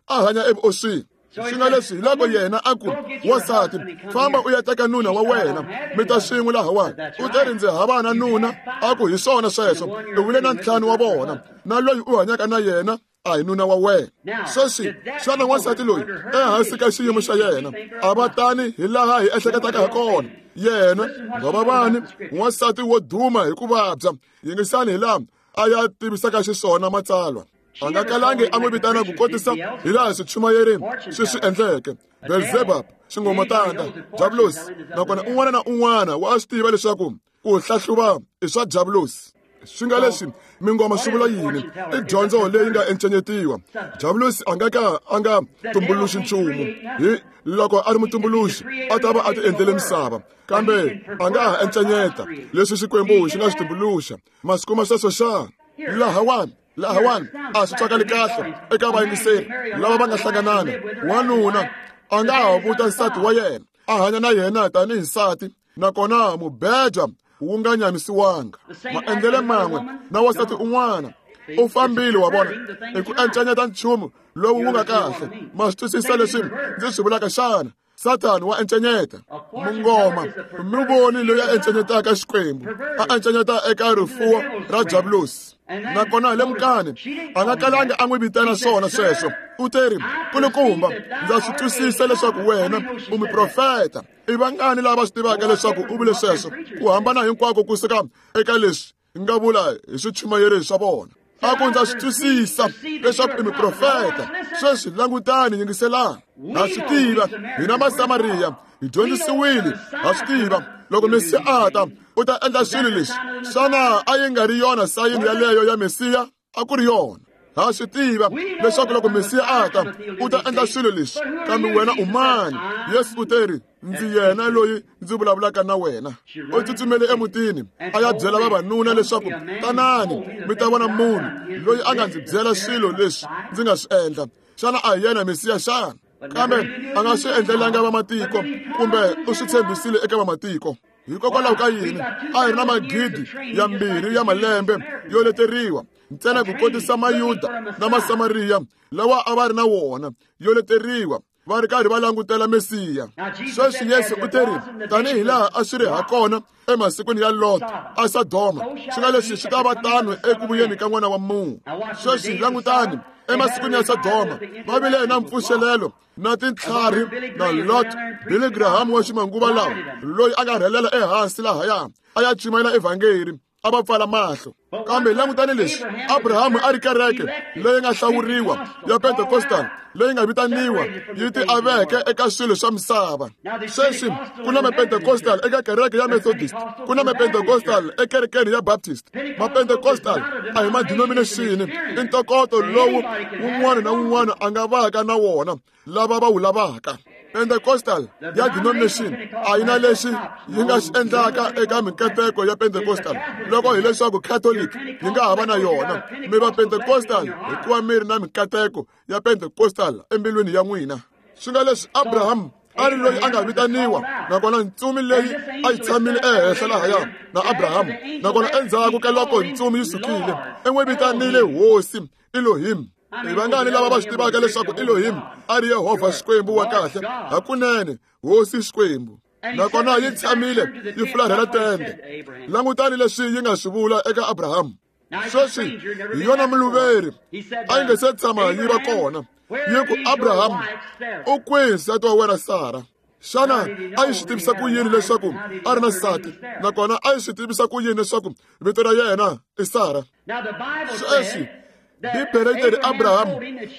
A hanya evuoswini. Swi nga leswi hi loko yena a ku, wansati, famba u ya teka nuna wa wena, mi ta swin'we lahawani. U te ri ndzi hava na nuna. A ku hi swona sweswo, u vule na ntlhanu wa vona, na loyi u hanyaka na yena a hi nuna wa wena. Sweswi xana wansati loyi ehansi ka xiyimo xa yena a va tani hi laha hi ehleketaka ha kona? Yena ngwavavani, wansati wo duma hi ku vabya. Yingisani hi laha a ya tivisaka xiswona matsalwa. A nga kalangi a n'wi vitana ku kotisa hi laha swichumayeri swi swi endleke. Beelzebub, xingomatanda, Diabulosi. Nakona un'wana na un'wana wa swi tiva leswaku ku hlahluva i swa Diabulosi. Swi nga leswi mingoma swi vula yini? I dyondzo leyi nga encenyetiwa. Diabulosi a nga ka a nga tumbuluxi nchumu. Hi loko a ri mutumbuluxi, a ta va a ti endlele misava, kambe a nga ha encenyeta leswi Xikwembu xi nga swi tumbuluxa. Masiku ma sweswo xana? Lahawani, lahawani a swi twakali kahle eka vayingiseri lava va nga hlanganana. Wanuna a nga ha vuta nsati wa yena, a hanya na yena tanihi nsati, nakona mubeja wu nga nyamisiwanga. Maendlele man'we na wansati un'wana u fambile, wa vona, hi ku encenyeta nchumu lowu wu nga kahle. Ma swi twisisa leswi ndzi swi vulaka xana? Sathani wa encenyeta. Mungoma mi voni loyi a encenyetaka Xikwembu, a encenyeta eka rifuwo ra Diabulosi. Nakona lemukani, a nga kalanga a n'wi vitana swona sweswo. U te ri, kulukumba, ndza swi twisisa leswaku wena u muprofeta. I vangani lava swi tivaka leswaku u vule sweswo? Ku hambana hinkwako kusuka eka leswi nga vula hi swichumayeri swa vona. A ku ndza swi twisisa leswaku i muprofeta. Sweswi langutani, yingiselani. Ha swi tiva hina Masamariya, hi dyondzisiwile, ha swi tiva loko Mesiya a ta u ta endla swilo leswi. Xana a yi nga ri yona sayini yaleyo ya Mesiya? A ku ri yona. Ha swi tiva leswaku loko Mesiya a ta u ta endla swilo leswi, kambe wena u mani? Yesu u te ri, ndzi yena loyi ndzi vulavulaka na wena. U tsutsumele emutini a ya byela vavanuna leswaku tanani mi ta vona munhu loyi a nga ndzi byela swilo leswi ndzi nga swi endla. Xana a hi yena Mesiya xana? Kambe a nga swi endlelanga vamatiko, kumbe u swi tshembisile eka vamatiko. Hikokwalaho ka yini a hi ri na magidi ya mbirhi ya malembe yo leteriwa ntsena ku kotisa Mayuda na Masamariya lawa a va ri na wona yo leteriwa, va ri karhi va langutela Mesiya. Sweswi Yesu u te ri, tanihi laha a swi ri ha kona emasikwini ya Lot a Sodoma, swi nga leswi swi ta va tano eku vuyeni ka N'wana wa Munhu. Sweswi langutani, emasikwini ya Sodoma va vile na mpfuxelelo na tintlhari na Lot, Billy Graham wa ximanguva lawa, loyi a nga rhelela ehansi lahaya a ya chumayela evhangeri. A va pfala mahlo. Kambe langutani leswi, Abrahamu a ri kereke leyi nga hlawuriwa ya Pentecostal leyi nga vitaniwa yi ti aveke eka swilo swa misava. Sweswi ku na ma-Pentecostal eka kereke ya Methodist, ku na ma-Pentecostal ekerekeni ya Baptist. Ma-Pentecostal a hi ma-denomination, i ntokoto lowu wun'wana na wun'wana a nga vaka na wona lava va wu lavaka. Pentecostal ya denomination a yi na lexi yi nga xi endlaka eka minkateko ya Pentecostal loko hileswaku Catholic yi nga ha va na yona. Mi va Pentecostal hikuva mi ri na minkateko ya Pentecostal embilwini ya n'wina. Swi nga leswi Abraham a ri loyi a nga vitaniwa, nakona ntsumi leyi a yi tshamile ehenhla lahaya na Abraham, nakona endzhaku ka loko ntsumi yi sukile i n'wi vitanile Hosi Elohim. I vangani lava va swi tivaka leswaku Elohim a ri Yehovha Xikwembu wa kahle hakunene, Hosi Xikwembu. Nakona yi tshamile yi fularhela tende. Langutani leswi yi nga swi vula eka Abraham. Sweswi hi yona muluveri a yi nga se tshama yi va kona. Yi ku, Abraham, u kwihi nsati wa wena Sara? Xana a yi swi tivisa ku yini leswaku a ri na nsati? Nakona a yi swi tivisa ku yini leswaku vito ra yena i Sara? Sweswi Bibele yi teri Abraham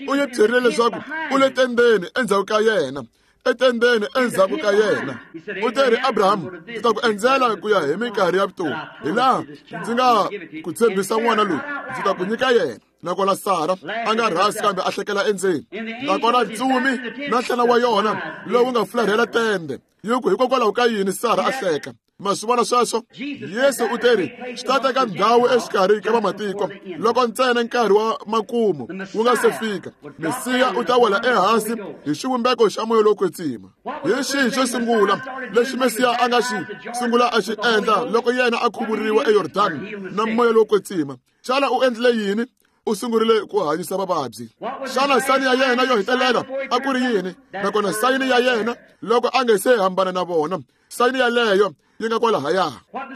u yi byerile leswaku u le tendeni endzhaku ka yena, etendeni endzhaku ka yena. U teri Abraham, ndzi ta ku endzela ku ya hi minkarhi ya vutomi, hi laha ndzi nga ku tshembisa n'wana loyi, ndzi ta ku nyika yena. Nakona Sara a nga rhasi kambe a hlekela endzeni. Nakona ntsumi na nhlana wa yona lowu nga fularhela tende yi ku, hikokwalaho ka yini Sara a hleka? Ma swi vona sweswo? Yesu u teri swi ta teka ndhawu exikarhi ka vamatiko loko ntsena nkarhi wa makumu wu nga se fika. Mesiya u ta wela ehansi hi xivumbeko xa moya lowo kwetsima. Hi xihi xo sungula lexi Mesiya a nga xi sungula a xi endla loko yena a khuvuriwa eYordani na moya lowo kwetsima? Xana u endlile yini? U sungurile ku hanyisa vavabyi. Xana sayini ya yena yo hetelela a ku ri yini? Nakona sayini ya yena loko a nga se hambana na vona, sayini yaleyo yi nga kwalahaya.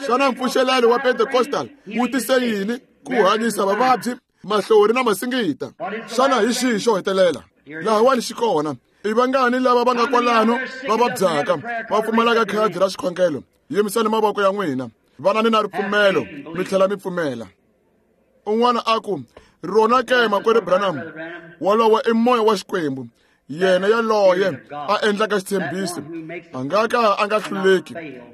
Xana mpfuxelelo wa Pentecostal wu tise yini? Ku hanyisa vavabyi, mahlori na masingita. Xana hi xihi xo hetelela? Lahawani xi kona. I vangani lava va nga kwalano va vabyaka va pfumalaka khadi ra xikhongelo? Yimisani mavoko ya n'wina, vanani na ripfumelo mi tlhela mi pfumela. Un'wana a ku, rona ke makwerhu Branham, wolowo i moya wa Xikwembu, yena yaloye a endlaka xitshembiso a nga ka a nga hluleki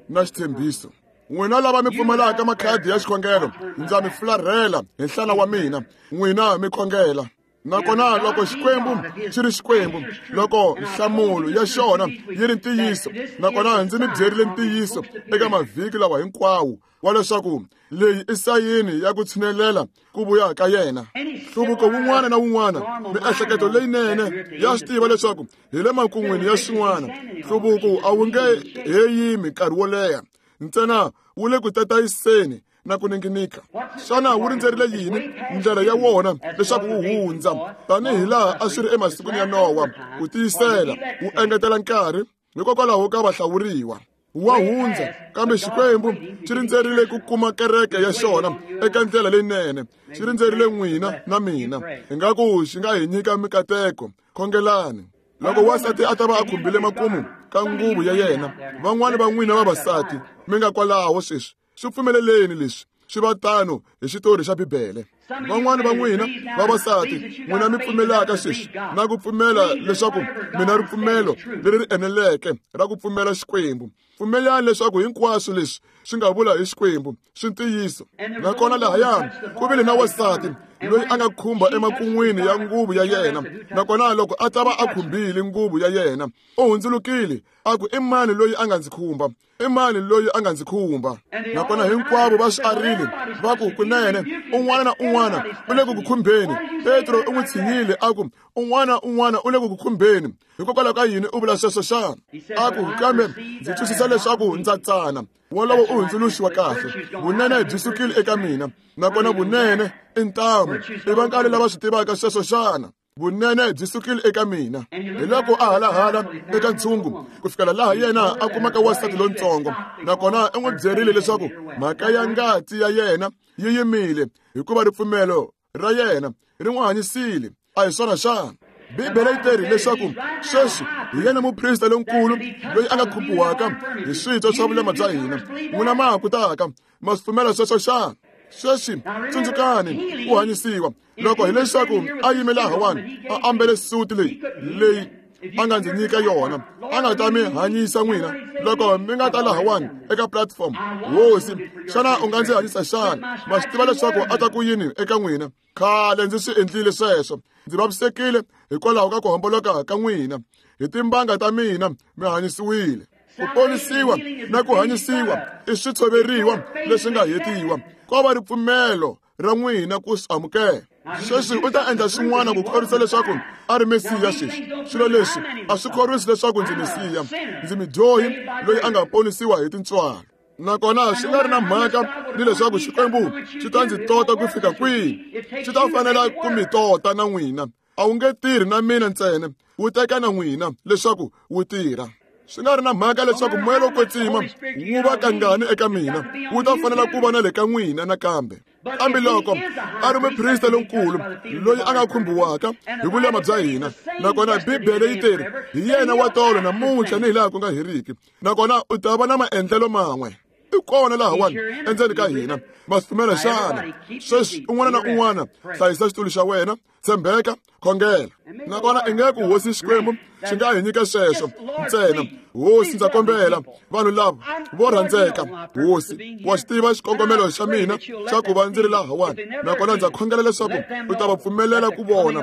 na xitshembiso. N'wina lava mi pfumalaka makhadi ya xikhongelo, ndza mi fularhela hi nhlana wa mina, n'wina mi khongela. Nakona loko Xikwembu xi ri Xikwembu, loko nhlamulo ya xona yi ri ntiyiso, nakona ndzi mi byerile ntiyiso eka mavhiki lawa hinkwawo wa leswaku leyi i sayini ya ku tshinelela ku vuya ka yena. Nhluvuko wun'wana na wun'wana, miehleketo leyinene ya swi tiva leswaku hi le makun'wini ya xin'wana. Nhluvuko a wu nge he yimi nkarhi wo leha, ntsena wu le ku tatayiseni na ku ninginika. Xana wu rindzerile yini? Ndlela ya wona leswaku wu hundza, tanihi laha a swi ri emasikwini ya Nowa, ku tiyisela wu engetela nkarhi hikokwalaho ka vahlawuriwa. Wa hundza, kambe Xikwembu xi rindzerile ku kuma kereke ya xona eka ndlela leyinene. Xi rindzerile n'wina na mina, ingaku xi nga hi nyika mikateko. Khongelani. Loko wansati a ta va a khumbile makumu ka nguvu ya yena, van'wani va n'wina vavasati mi nga kwalaho sweswi, swi pfumeleleni leswi swi va tano hi xitori xa Bibele. Van'wani va n'wina vavasati, n'wina mi pfumelaka sweswi na ku pfumela leswaku mi na ripfumelo leri ri eneleke ra ku pfumela Xikwembu, pfumelani leswaku hinkwaswo leswi swi nga vula hi Xikwembu swi ntiyiso. Nakona lahaya ku vile na wansati loyi a nga khumba emakun'wini ya nguvu ya yena, nakona loko a ta va a khumbile nguvu ya yena, u hundzulukile a ku, i mani loyi a nga ndzi khumba? I mani loyi a nga ndzi khumba? Nakona hinkwavo va swi arile, va ku, kunene un'wana na un'wana u le ku ku khumbeni. Petro u n'wi tshinyile a ku, un'wana na un'wana u le ku ku khumbeni. Hikokwalaho ka yini u vula sweswo xana? A ku, kambe ndzi twisisa leswaku ndza tsana. Wolowo u hundzuluxiwa kahle. Vunene byi sukile eka mina, nakona vunene i ntamu. I vangani lava swi tivaka sweswo xana? Vunene byi sukile eka mina. Hi loko a halahala eka ntshungu ku fikela laha yena a kumaka wansati lontsongo, nakona u n'wi byerile leswaku mhaka ya ngati ya yena yi yimile hikuva ripfumelo ra yena ri n'wi hanyisile. A hi swona xana? Bibele yi teri leswaku sweswi hi yena muprista lonkulu loyi a nga khumbiwaka hi switwa swa vulema bya hina. N'wina ma ha kutaka ma swi pfumela sweswo xana? Sweswi tsundzukani ku hanyisiwa loko hileswaku a yime lahawani a ambele suti leyi leyi a nga ndzi nyika yona a nga ta mi hanyisa n'wina loko mi nga ta lahawani eka platform. Hosi, xana u nga ndzi hanyisa xana? Ma swi tiva leswaku a ta ku yini eka n'wina? Khale ndzi swi endlile sweswo. Ndzi vavisekile hikwalaho ka ku homboloka ka n'wina. Hi timbanga ta mina mi hanyisiwile. Ku ponisiwa na ku hanyisiwa i switshoveriwa leswi nga hetiwa. Ko va ripfumelo ra n'wina ku swi amukela. Sweswi u ta endla swin'wana ku khorwisa leswaku a ri Mesiya sweswi. Swilo leswi a swi khorwisi leswaku ndzi Mesiya. Ndzi mudyohi loyi a nga ponisiwa hi tintswalo. Nakona swi nga ri na mhaka ni leswaku Xikwembu xi ta ndzi tota ku fika kwihi, xi ta fanela ku mi tota na n'wina. A wu nge tirhi na mina ntsena, wu teka na n'wina leswaku wu tirha. Swi nga ri na mhaka leswaku moya lowo kwetsima wu va kangani eka mina, wu ta fanela ku va na le ka n'wina nakambe. Kambe loko a ri muprista lonkulu loyi a nga khumbiwaka hi vulema bya hina, nakona Bibele yi teri hi yena wa tolo namuntlha ni hilaha ku nga heriki, nakona u ta va na maendlelo man'we. I kona lahawani endzeni ka hina. Ma swi pfumela xana? Sweswi un'wana na un'wana hlayisa xitulu xa wena, tshembeka, khongela. Nakona i nge ku Hosi Xikwembu xi nga hi nyika sweswo ntsena. Hosi, ndza kombela vanhu lava vo rhandzeka. Hosi, wa xi tiva xikongomelo xa mina xa ku va ndzi ri lahawani, nakona ndza khongela leswaku u ta va pfumelela ku vona.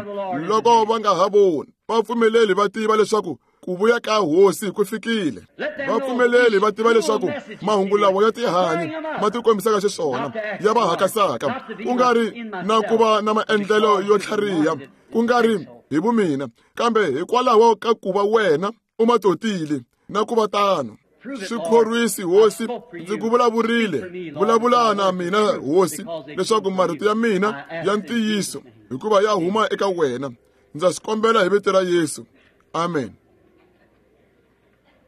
Loko va nga ha voni, va pfumeleli va tiva leswaku ku vuya ka Hosi ku fikile. Va pfumeleli va tiva leswaku mahungu lawa ya tihanyi ma tikombisaka xiswona, ya va hakasaka, ku nga ri na ku va na maendlelo yo tlhariha, ku nga ri hi vumina, kambe hikwalaho ka ku va wena u ma totile na ku va tano. Swi khorwisi Hosi, ndzi ku vulavurile. Vulavula na mina Hosi, leswaku marito ya mina ya ntiyiso, hikuva ya huma eka wena. Ndza swi kombela hi vito ra Yesu. Amen.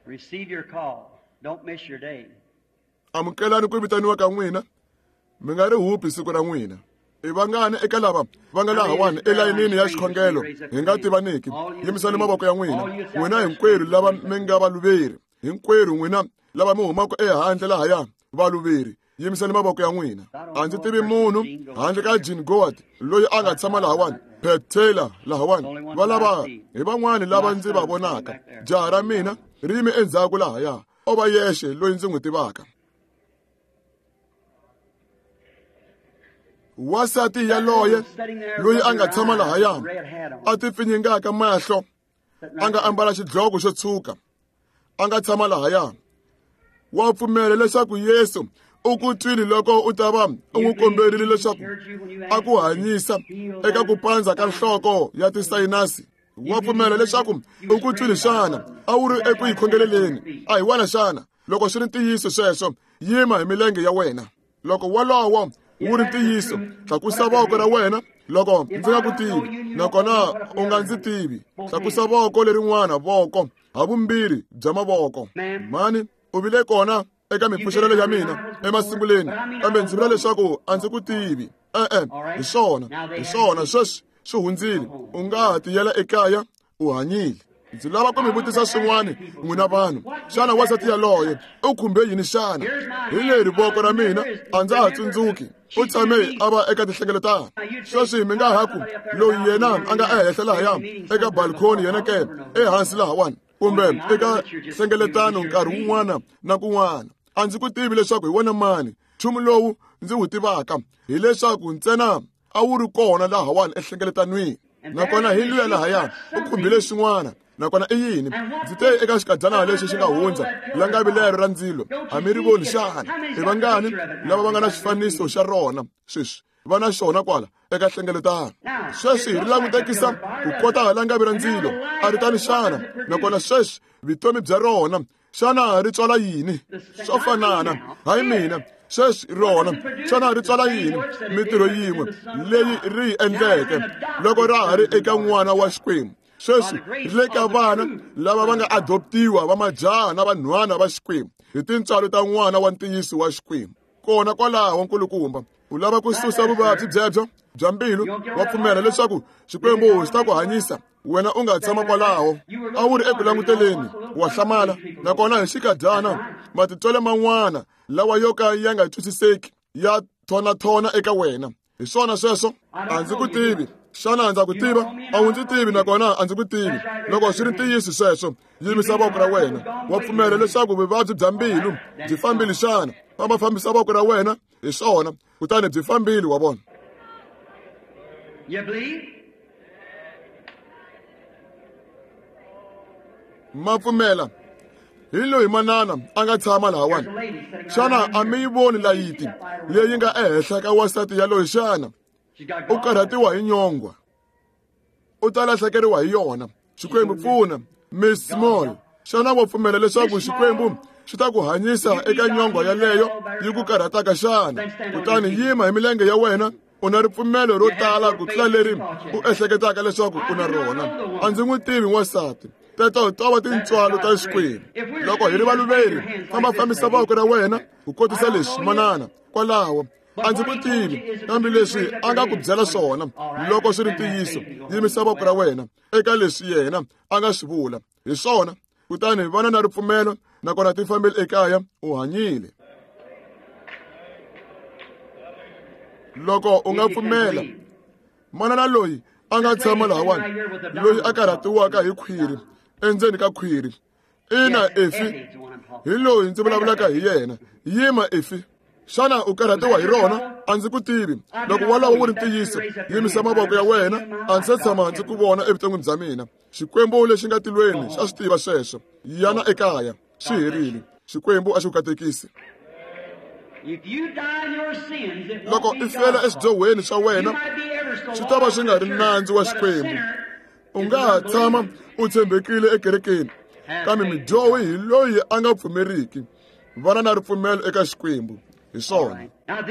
Receive your call. Don't miss your day. Amukelani ku vitaniwa ka n'wina, mi nga ri hupi siku ra n'wina. I vangani eka lava va nga lahawani elayinini ya xikhongelo hi nga tivaniki? Yimisani mavoko ya n'wina. N'wina hinkwerhu lava mi nga valuveri, hinkwerhu n'wina lava mi humaka ehandle lahaya valuveri, yimisani mavoko ya n'wina. A ndzi tivi munhu handle ka Jean Goward loyi a nga tshama lahawani, Pat Taylor lahawani, va lava hi van'wani lava ndzi va vonaka. Jaha ra mina ri yime endzhaku lahaya, o va yexe loyi ndzi n'wi tivaka. Wasati yaloye loyi a nga tshama lahaya a ti pfinyingaka mahlo, a nga ambala xidloko xo tshuka, a nga tshama lahaya, wa pfumela leswaku Yesu u ku twile loko u ta va u n'wi komberile leswaku a ku hanyisa eka ku pandza ka nhloko ya tisayinasi. Wa pfumela leswaku u ku twile xana? A wu ri eku yi khongeleleni, a hi wena xana? Loko swi ri ntiyiso sweswo, yima hi milenge ya wena. Loko wolowo wu ri ntiyiso, tlakusa voko ra wena. Loko ndzi nga ku tivi, nakona u nga ndzi tivi, tlakusa voko lerin'wana, voko havumbirhi bya mavoko. Mhani, u vile kona eka mipfuxelelo ya mina emasunguleni, kambe ndzi vula leswaku a ndzi ku tivi. E-e, hi swona, hi swona, sweswi swi hundzile. U nga ha tiyela ekaya, u hanyile. Ndzi lava ku mi vutisa swin'wana n'wina vanhu. Xana wansati yaloye u khumbe yini xana? Hi leri voko ra mina a ndza ha tsundzuki. U tshame a va eka tinhlengeletano. Sweswi mi nga ha ku loyi yena a nga ehenhla lahaya eka balcony yena ke ehansi lahawani, kumbe eka nhlengeletano nkarhi wun'wana na kun'wana. A ndzi ku tivi leswaku hi wena mani. Nchumu lowu ndzi wu tivaka hileswaku ntsena a wu ri kona lahawani enhlengeletanweni, nakona hi luya lahaya u khumbile swin'wana. Nakona i yini? Ndzi te eka xikadyana lexi xi nga hundza, langavi lero ra ndzilo a mi ri voni xana? I vangani lava va nga na xifaniso xa rona sweswi? Va na xona kwala eka nhlengeletano. Sweswi ri langutekisa ku kota langavi ra ndzilo, a ri tani xana? Nakona sweswi vutomi bya rona xana ri tswala yini? Swo fanana, hayi mina. Sweswi rona xana ri tswala yini? Mintirho yin'we leyi ri yi endleke loko ra ha ri eka n'wana wa Xikwembu. Sweswi ri le ka vana lava va nga adoptiwa va majaha na vanhwana va Xikwembu hi tintswalo ta n'wana wa ntiyiso wa Xikwembu. Kona kwalaho nkulukumba, u lava ku susa vuvabyi byebyo bya mbilu, wa pfumela leswaku Xikwembu xi ta ku hanyisa. Wena u nga tshama kwalaho, a wu ri eku languteleni, wa hlamala. Nakona hi xikadyana matitwelo man'wana lawa yo ka ya nga twisiseki ya thonathona eka wena. Hi swona sweswo? A ndzi ku tivi. Xana ndza ku tiva? A wu ndzi tivi nakona a ndzi ku tivi. Loko swi ri ntiyiso sweswo, yimisa voko ra wena. Wa pfumela leswaku vuvabyi bya mbilu byi fambile xana? Famba fambisa voko ra wena, hi swona, kutani byi fambile, wa vona. You believe? Ma pfumela. Hi loyi manana a nga tshama lahawani. Xana a mi yi voni layiti leyi nga ehenhla ka wansati yaloye xana? U karhatiwa hi nyongwa. U ta lahlekeriwa hi yona. Xikwembu pfuna. Miss Small, xana wa pfumela leswaku Xikwembu xi ta ku hanyisa eka nyongwa yaleyo yi ku karhataka xana? Kutani yima hi milenge ya wena. U na ripfumelo ro tala ku tlula leri u ehleketaka leswaku u na rona. A ndzi n'wi tivi wansati. Teto to va tintswalo ta Xikwembu. Loko hi ri valuveri, famba fambisa voko ra wena ku kotisa leswi, manana. Kwalaho a ndzi ku tivi, kambe leswi a nga ku byela swona, loko swi ri ntiyiso, yimisa voko ra wena eka leswi yena a nga swi vula. Hi swona. Kutani vana na ripfumelo, nakona ti fambile ekaya, u hanyile. Loko u nga pfumela, manana loyi a nga tshama lahawani, loyi a karhatiwaka hi khwiri, endzeni ka khwiri. Ina, Efi, hi loyi ndzi vulavulaka hi yena. Yima, Efi. Xana u karhatiwa hi rona? A ndzi ku tivi. Loko wolowo wu ri ntiyiso, yimisa mavoko ya wena. A ndzi se tshama ndzi ku vona evuton'wini bya mina. Xikwembu lexi nga tilweni xa swi tiva sweswo. Yana ekaya, swi herile. Xikwembu a xi ku katekisi. Loko i fela eswidyohweni swa wena, swi ta va swi nga ri nandzu wa Xikwembu. U nga ha tshama u tshembekile ekerekeni, kambe mudyohi hi loyi a nga pfumeriki. Vana na ripfumelo eka Xikwembu. Hi swona.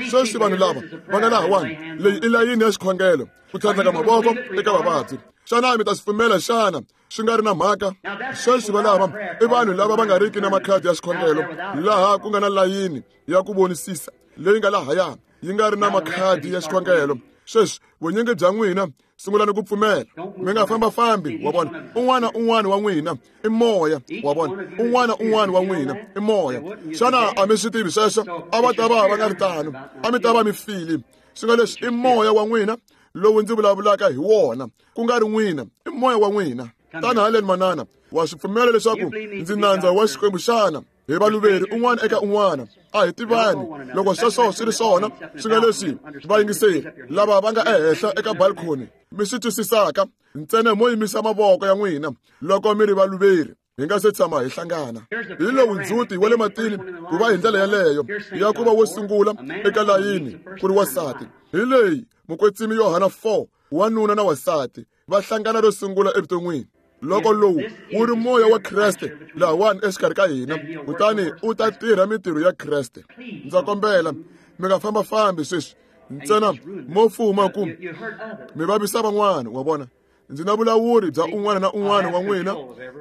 Sweswi vanhu lava va nga lahawani, leyi i layini ya xikhongelo, ku tlhandleka mavoko eka vavabyi. Xana mi ta swi pfumela xana? Swi nga ri na mhaka. Sweswi valava i vanhu lava va nga riki na makhadi ya xikhongelo, laha ku nga na layini ya ku vonisisa leyi nga lahaya yi nga ri na makhadi ya xikhongelo. Sweswi vunyingi bya n'wina sungulani ku pfumela. Mi nga fambafambi, wa vona. Un'wana un'wana wa n'wina i moya, wa vona. Un'wana un'wana wa n'wina i moya. Xana a mi swi tivi sweswo? A va ta va va nga ri tano, a mi ta va mi file. Swi nga leswi i moya wa n'wina lowu ndzi vulavulaka hi wona, ku nga ri n'wina, i moya wa n'wina. Tana haleni manana, wa swi pfumela leswaku ndzi nandza wa Xikwembu xana? Hi valuveri un'wana eka un'wana, a hi tivani. Loko sweswo swi ri swona, swi nga leswi vayingiseri lava va nga ehenhla eka balcony mi swi twisisaka, ntsena mo yimisa mavoko ya n'wina loko mi ri valuveri, hi nga se tshama hi hlangana. Hi lowu ndzhuti wa le matini ku va hi ndlela yaleyo ya ku va wo sungula eka layini ku ri wansati. Hi leyi mukwetsimi Yohana four, wanuna na wansati va hlangana ro sungula evuton'wini. Loko lowu wu ri moya wa Kreste lahawani exikarhi ka hina, kutani u ta tirha mintirho ya Kreste. Ndza kombela mi nga fambafambi sweswi, ntsena mo fuma ku mi vavisa van'wana, wa vona. Ndzi na vulawuri bya un'wana na un'wana wa n'wina.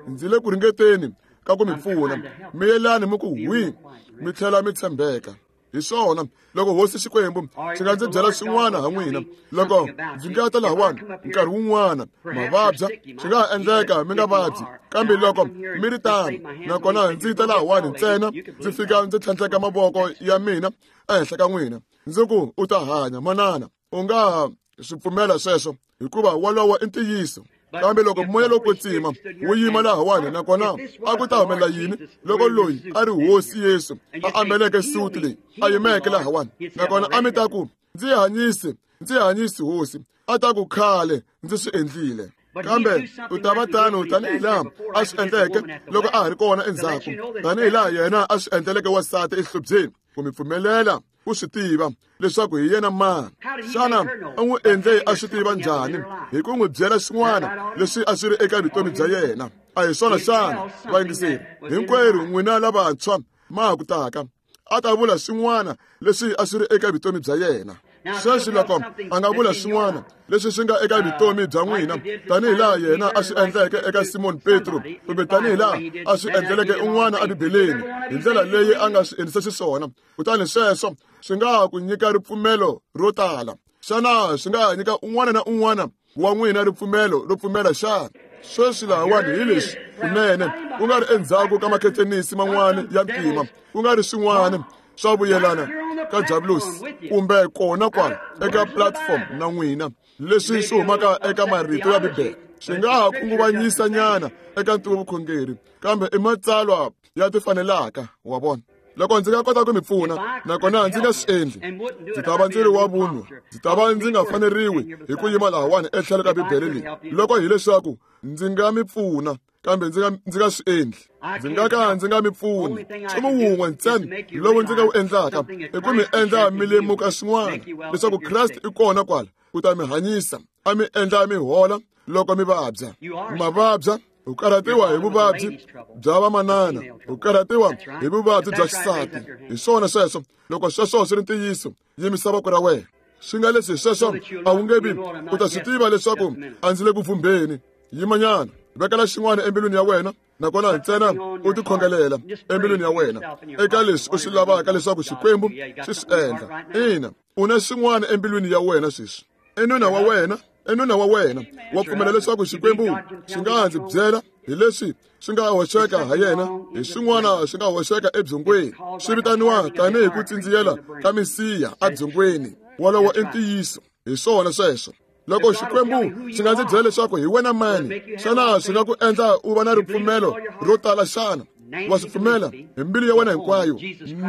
Ndzi le ku ringeteni ka ku mi pfuna. Miyelani mi ku hwi, mi tlhela mi tshembeka. Hi swona. Loko Hosi Xikwembu xi nga ndzi byela swin'wana ha n'wina, loko ndzi nga ta lahawani nkarhi wun'wana ma vabya, swi nga ha endleka mi nga vabyi, kambe loko mi ri tano, nakona ndzi ta lahawani ntsena ndzi fika ndzi tlhandleka mavoko ya mina ehenhla ka n'wina, ndzi ku u ta hanya, manana. U nga ha swi pfumela sweswo, hikuva wolowo i ntiyiso. Kambe loko moya lowo kwetsima wu yima lahawani, nakona a ku ta humelela yini loko loyi a ri Hosi Yesu a ambeleke suti leyi a yimeke lahawani, nakona a mi ta ku ndzi hanyise, ndzi hanyisi Hosi, a ta ku khale ndzi swi endlile. Kambe u ta va tano tanihi laha a swi endleke loko a ha ri kona endzhaku, tanihi laha yena a swi endleleke wansati exihlobyeni, ku mi pfumelela ku swi tiva leswaku hi yena mani. Xana u n'wi endle a swi tiva njhani? Hi ku n'wi byela swin'wana leswi a swi ri eka vutomi bya yena. A hi swona xana, vayingiseri hinkwerhu n'wina lavantshwa ma ha ku taka, a ta vula swin'wana leswi a swi ri eka vutomi bya yena. Sweswi loko a nga vula swin'wana leswi swi nga eka vutomi bya n'wina, tanihi laha yena a swi endleke eka Simon Petro, kumbe tanihi laha a swi endleleke un'wana eBibeleni, hi ndlela leyi a nga swi endlisa xiswona, kutani sweswo swi nga ha ku nyika ripfumelo ro tala. Xana swi nga ha nyika un'wana na un'wana wa n'wina ripfumelo ro pfumela xana? Sweswi lahawani hi leswi kunene, ku nga ri endzhaku ka makhetenisi man'wana ya ntima, ku nga ri swin'wana swa vuyelana ka Diablos kumbe kona kwala eka platform na n'wina leswi swi humaka eka marito ya Bibele swi nga ha khunguvanyisa nyana eka ntivovukhongeri kambe i matsalwa ya tifanelaka wa vona. Loko ndzi nga kota ku mi pfuna nakona ndzi nga swi endli ndzi ta va ndzi ri wa vunwa, ndzi ta va ndzi nga faneriwi hi ku yima lahawani etlhelo ka Bibele leyi loko hileswaku ndzi nga mi pfuna kambe ndzi nga ndzi nga swi endli, ndzi nga ka ndzi nga mi pfuni. Nchumu wun'we ntsena lowu ndzi nga wu endlaka i ku mi endla mi lemuka swin'wana leswaku Kreste i kona kwala ku ta mi hanyisa, a mi endla mi hola loko mi vabya. Mavabya u karhatiwa hi vuvabyi bya vamanana, u karhatiwa hi vuvabyi bya xisati. Hi swona sweswo. Loko sweswo swi ri ntiyiso, yimisa voko ra wena. Swi nga leswi sweswo a wu nge vi u ta swi tiva leswaku a ndzi le ku pfumbeni. Yimanyana, vekela xin'wana embilwini ya wena nakona ntsena u tikhongelela embilwini ya wena eka leswi u swi lavaka leswaku Xikwembu xi swi endla. Ina, u na xin'wana embilwini ya wena sweswi. I nuna wa wena, i nuna wa wena wa pfumela leswaku Xikwembu xi nga ndzi byela hi leswi swi nga hoxeka ha yena, hi swin'wana swi nga hoxeka ebyongweni. Swi vitaniwa tanihi ku tsindziyela ka misiha ebyongweni. Wolowo i ntiyiso. Hi swona sweswo. Loko Xikwembu xi nga ndzi byela leswaku hi wena mani, xana swi nga ku endla u va na ripfumelo ro tala xana? Wa swi pfumela hi mbilu ya wena hinkwayo?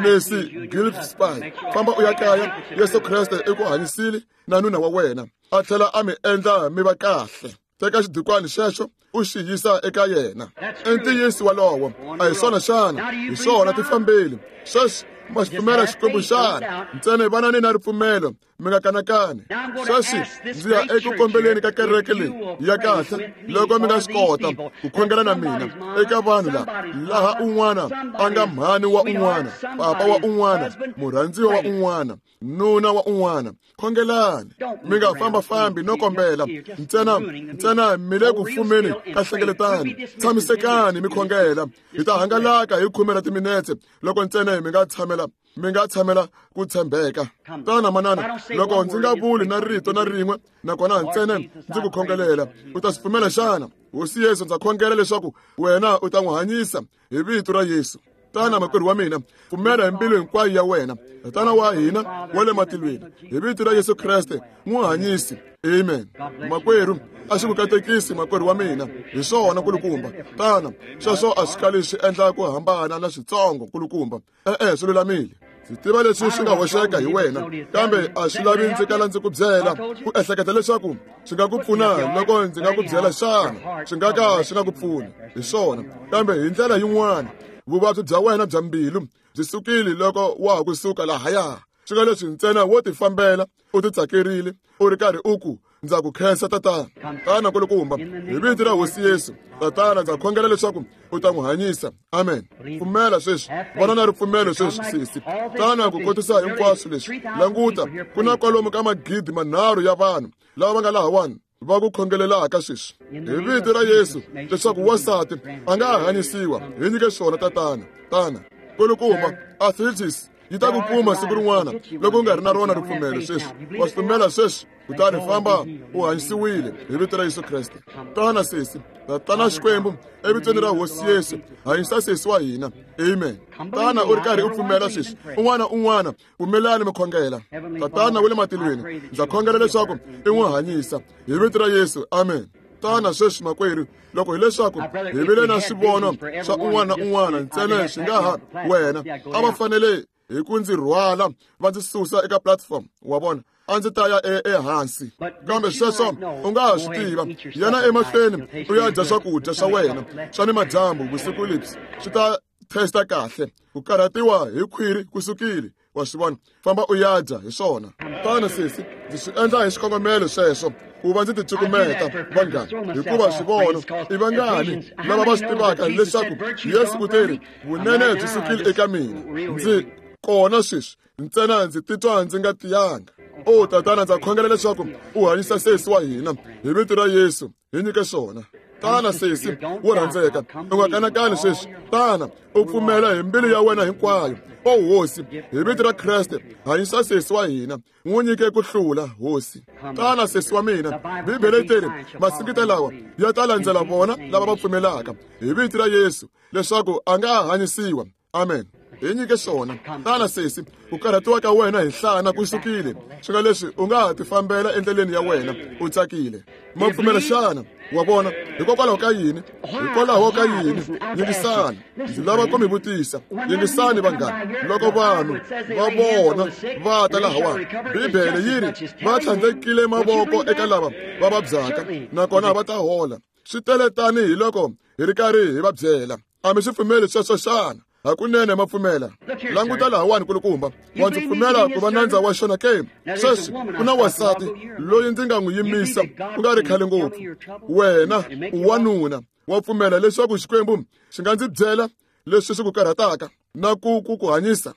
Messi Gillespie, famba u ya kaya. Yesu Kreste i ku hanyisile na nuna wa wena, a tlhela a mi endla mi va kahle. Teka xidikwani xexo u xi yisa eka yena. I ntiyiso walowo. A hi swona xana? Hi swona, tifambeli. Sweswi ma xi pfumela Xikwembu xana? Ntsena vanani na ripfumelo, mi nga kanakani. Sweswi ndzi ya eku kombeleni ka kereke leyi ya kahle loko mi nga swi kota ku khongela na mina eka vanhu lava laha un'wana a nga mhani wa un'wana, papa wa un'wana, murhandziwa wa un'wana, nuna wa un'wana. Khongelani, mi nga fambafambi no kombela ntsena ntsena mi le ku fumeni ka hlengeletano. Tshamisekani mi khongela. Hi ta hangalaka hi khume ra timinetse loko ntsena mi nga tshamela mi nga tshamela ku tshembeka. Tana manana, loko ndzi nga vuli na rito na rin'we nakona ntsena ndzi ku khongelela, u ta swi pfumela xana? Hosi Yesu, ndza khongela leswaku wena u ta n'wi hanyisa hi vito ra Yesu. Tana makwerhu wa mina, pfumela hi mbilu hinkwayo ya wena. Tana wa hina wa le matilweni, hi vito ra Yesu Kreste n'wi hanyisi. Amen. Makwerhu, a xi ku katekisi makwerhu wa mina. Hi swona kulukumba. Tana, sweswo a swi kali swi endla ku hambana na switsongo kulukumba. E-e, swi lulamile. Ndzi tiva leswi swi nga hoxeka hi wena, kambe a swi lavi ndzi kala ndzi ku byela. Ku ehleketa leswaku swi nga ku pfuna loko ndzi nga ku byela xana? Swi nga ka swi nga ku pfuni. Hi swona. Kambe hi ndlela yin'wana, vuvabyi bya wena bya mbilu byi sukile loko wa ha kusuka lahaya. Swi nga leswi ntsena wo tifambela u titsakerile u ri karhi u ku ndza ku khensa tatana. Tana kulukumba, hi vito ra Hosi Yesu, tatana ndza khongela leswaku u ta n'wi hanyisa. Amen. Pfumela sweswi, vona na ripfumelo sweswi sesi. Tana ku kotisa hinkwaswo leswi. Languta, ku na kwalomu ka magidi manharhu ya vanhu lava va nga lahawani va ku khongelelaka sweswi hi vito ra Yesu leswaku wansati a nga hanyisiwa. Hi nyike swona tatana. Tana kulukumba, arthritis yi ta ku kuma siku rin'wana loko u nga ri na rona ripfumelo sweswi. Wa swi pfumela sweswi? Kutani famba u hanyisiwile hi vito ra Yesu Kreste. Tana sesi, tatana Xikwembu, evitweni ra Hosi Yesu, hanyisa sesi wa hina. Amen. Tana u ri karhi u pfumela sweswi. Un'wana un'wana, pfumelani mi khongela. Tatana wa le matilweni, ndza khongela leswaku i n'wi hanyisa hi vito ra Yesu. Amen. Tana sweswi makwerhu, loko hileswaku hi vile na swivono swa un'wana na un'wana ntsena swi nga ha wena a va fanele hi ku ndzi rhwala va ndzi susa eka platform wa vona, a ndzi ta ya ehansi. Kambe sweswo u nga ha swi tiva, yana emahlweni u ya dya swakudya swa wena swa ni madyambu vusiku lebyi swi ta testa kahle. Ku karhatiwa hi khwiri ku sukile, wa swi vona. Famba u ya dya hi swona. Tana sesi, ndzi swi endla hi xikongomelo sweswo ku va ndzi ticukumeta vanghana, hikuva swivono i vangani lava va swi tivaka leswaku Yesu u teri vunene byi sukile eka mina. Ndzi kona sweswi ntsena ndzi titwa ndzi nga tiyanga. O tatana, ndza khongela leswaku u hanyisa sesi wa hina hi vito ra Yesu. Hi nyike swona. Tana sesi wo rhandzeka, u nga kanakani sweswi. Tana u pfumela hi mbilu ya wena hinkwayo. O Hosi, hi vito ra Kreste, hanyisa sesi wa hina, n'wi nyike ku hlula, Hosi. Tana sesi wa mina, Bibele yi teri masingita lawa ya ta landzela vona lava va pfumelaka hi vito ra Yesu leswaku a nga hanyisiwa. Amen. Hi nyike swona. Tana sesi, ku karhatiwa ka wena hi nhlana ku sukile. Swi nga leswi u nga ha tifambela endleleni ya wena u tsakile. Ma pfumela xana? Wa vona, hikokwalaho ka yini? Hikwalaho ka yini? Yingisani, ndzi lava ku mi vutisa. Yingisani vanghana, loko vanhu va vona va ta lahawani, Bibele yi ri va tlhandlekile mavoko eka lava va vabyaka, nakona va ta hola. Swi tele tanihi loko hi ri karhi hi va byela. A mi swi pfumeli sweswo xana? Hakunene ma pfumela. Languta lahawani kulukumba, wa ndzi pfumela ku va nandza wa xona ke? Sweswi ku na wansati loyi ndzi nga n'wi yimisa ku nga ri khale ngopfu. Wena u wanuna, wa pfumela leswaku Xikwembu xi nga ndzi byela leswi swi ku karhataka na ku ku ku hanyisa?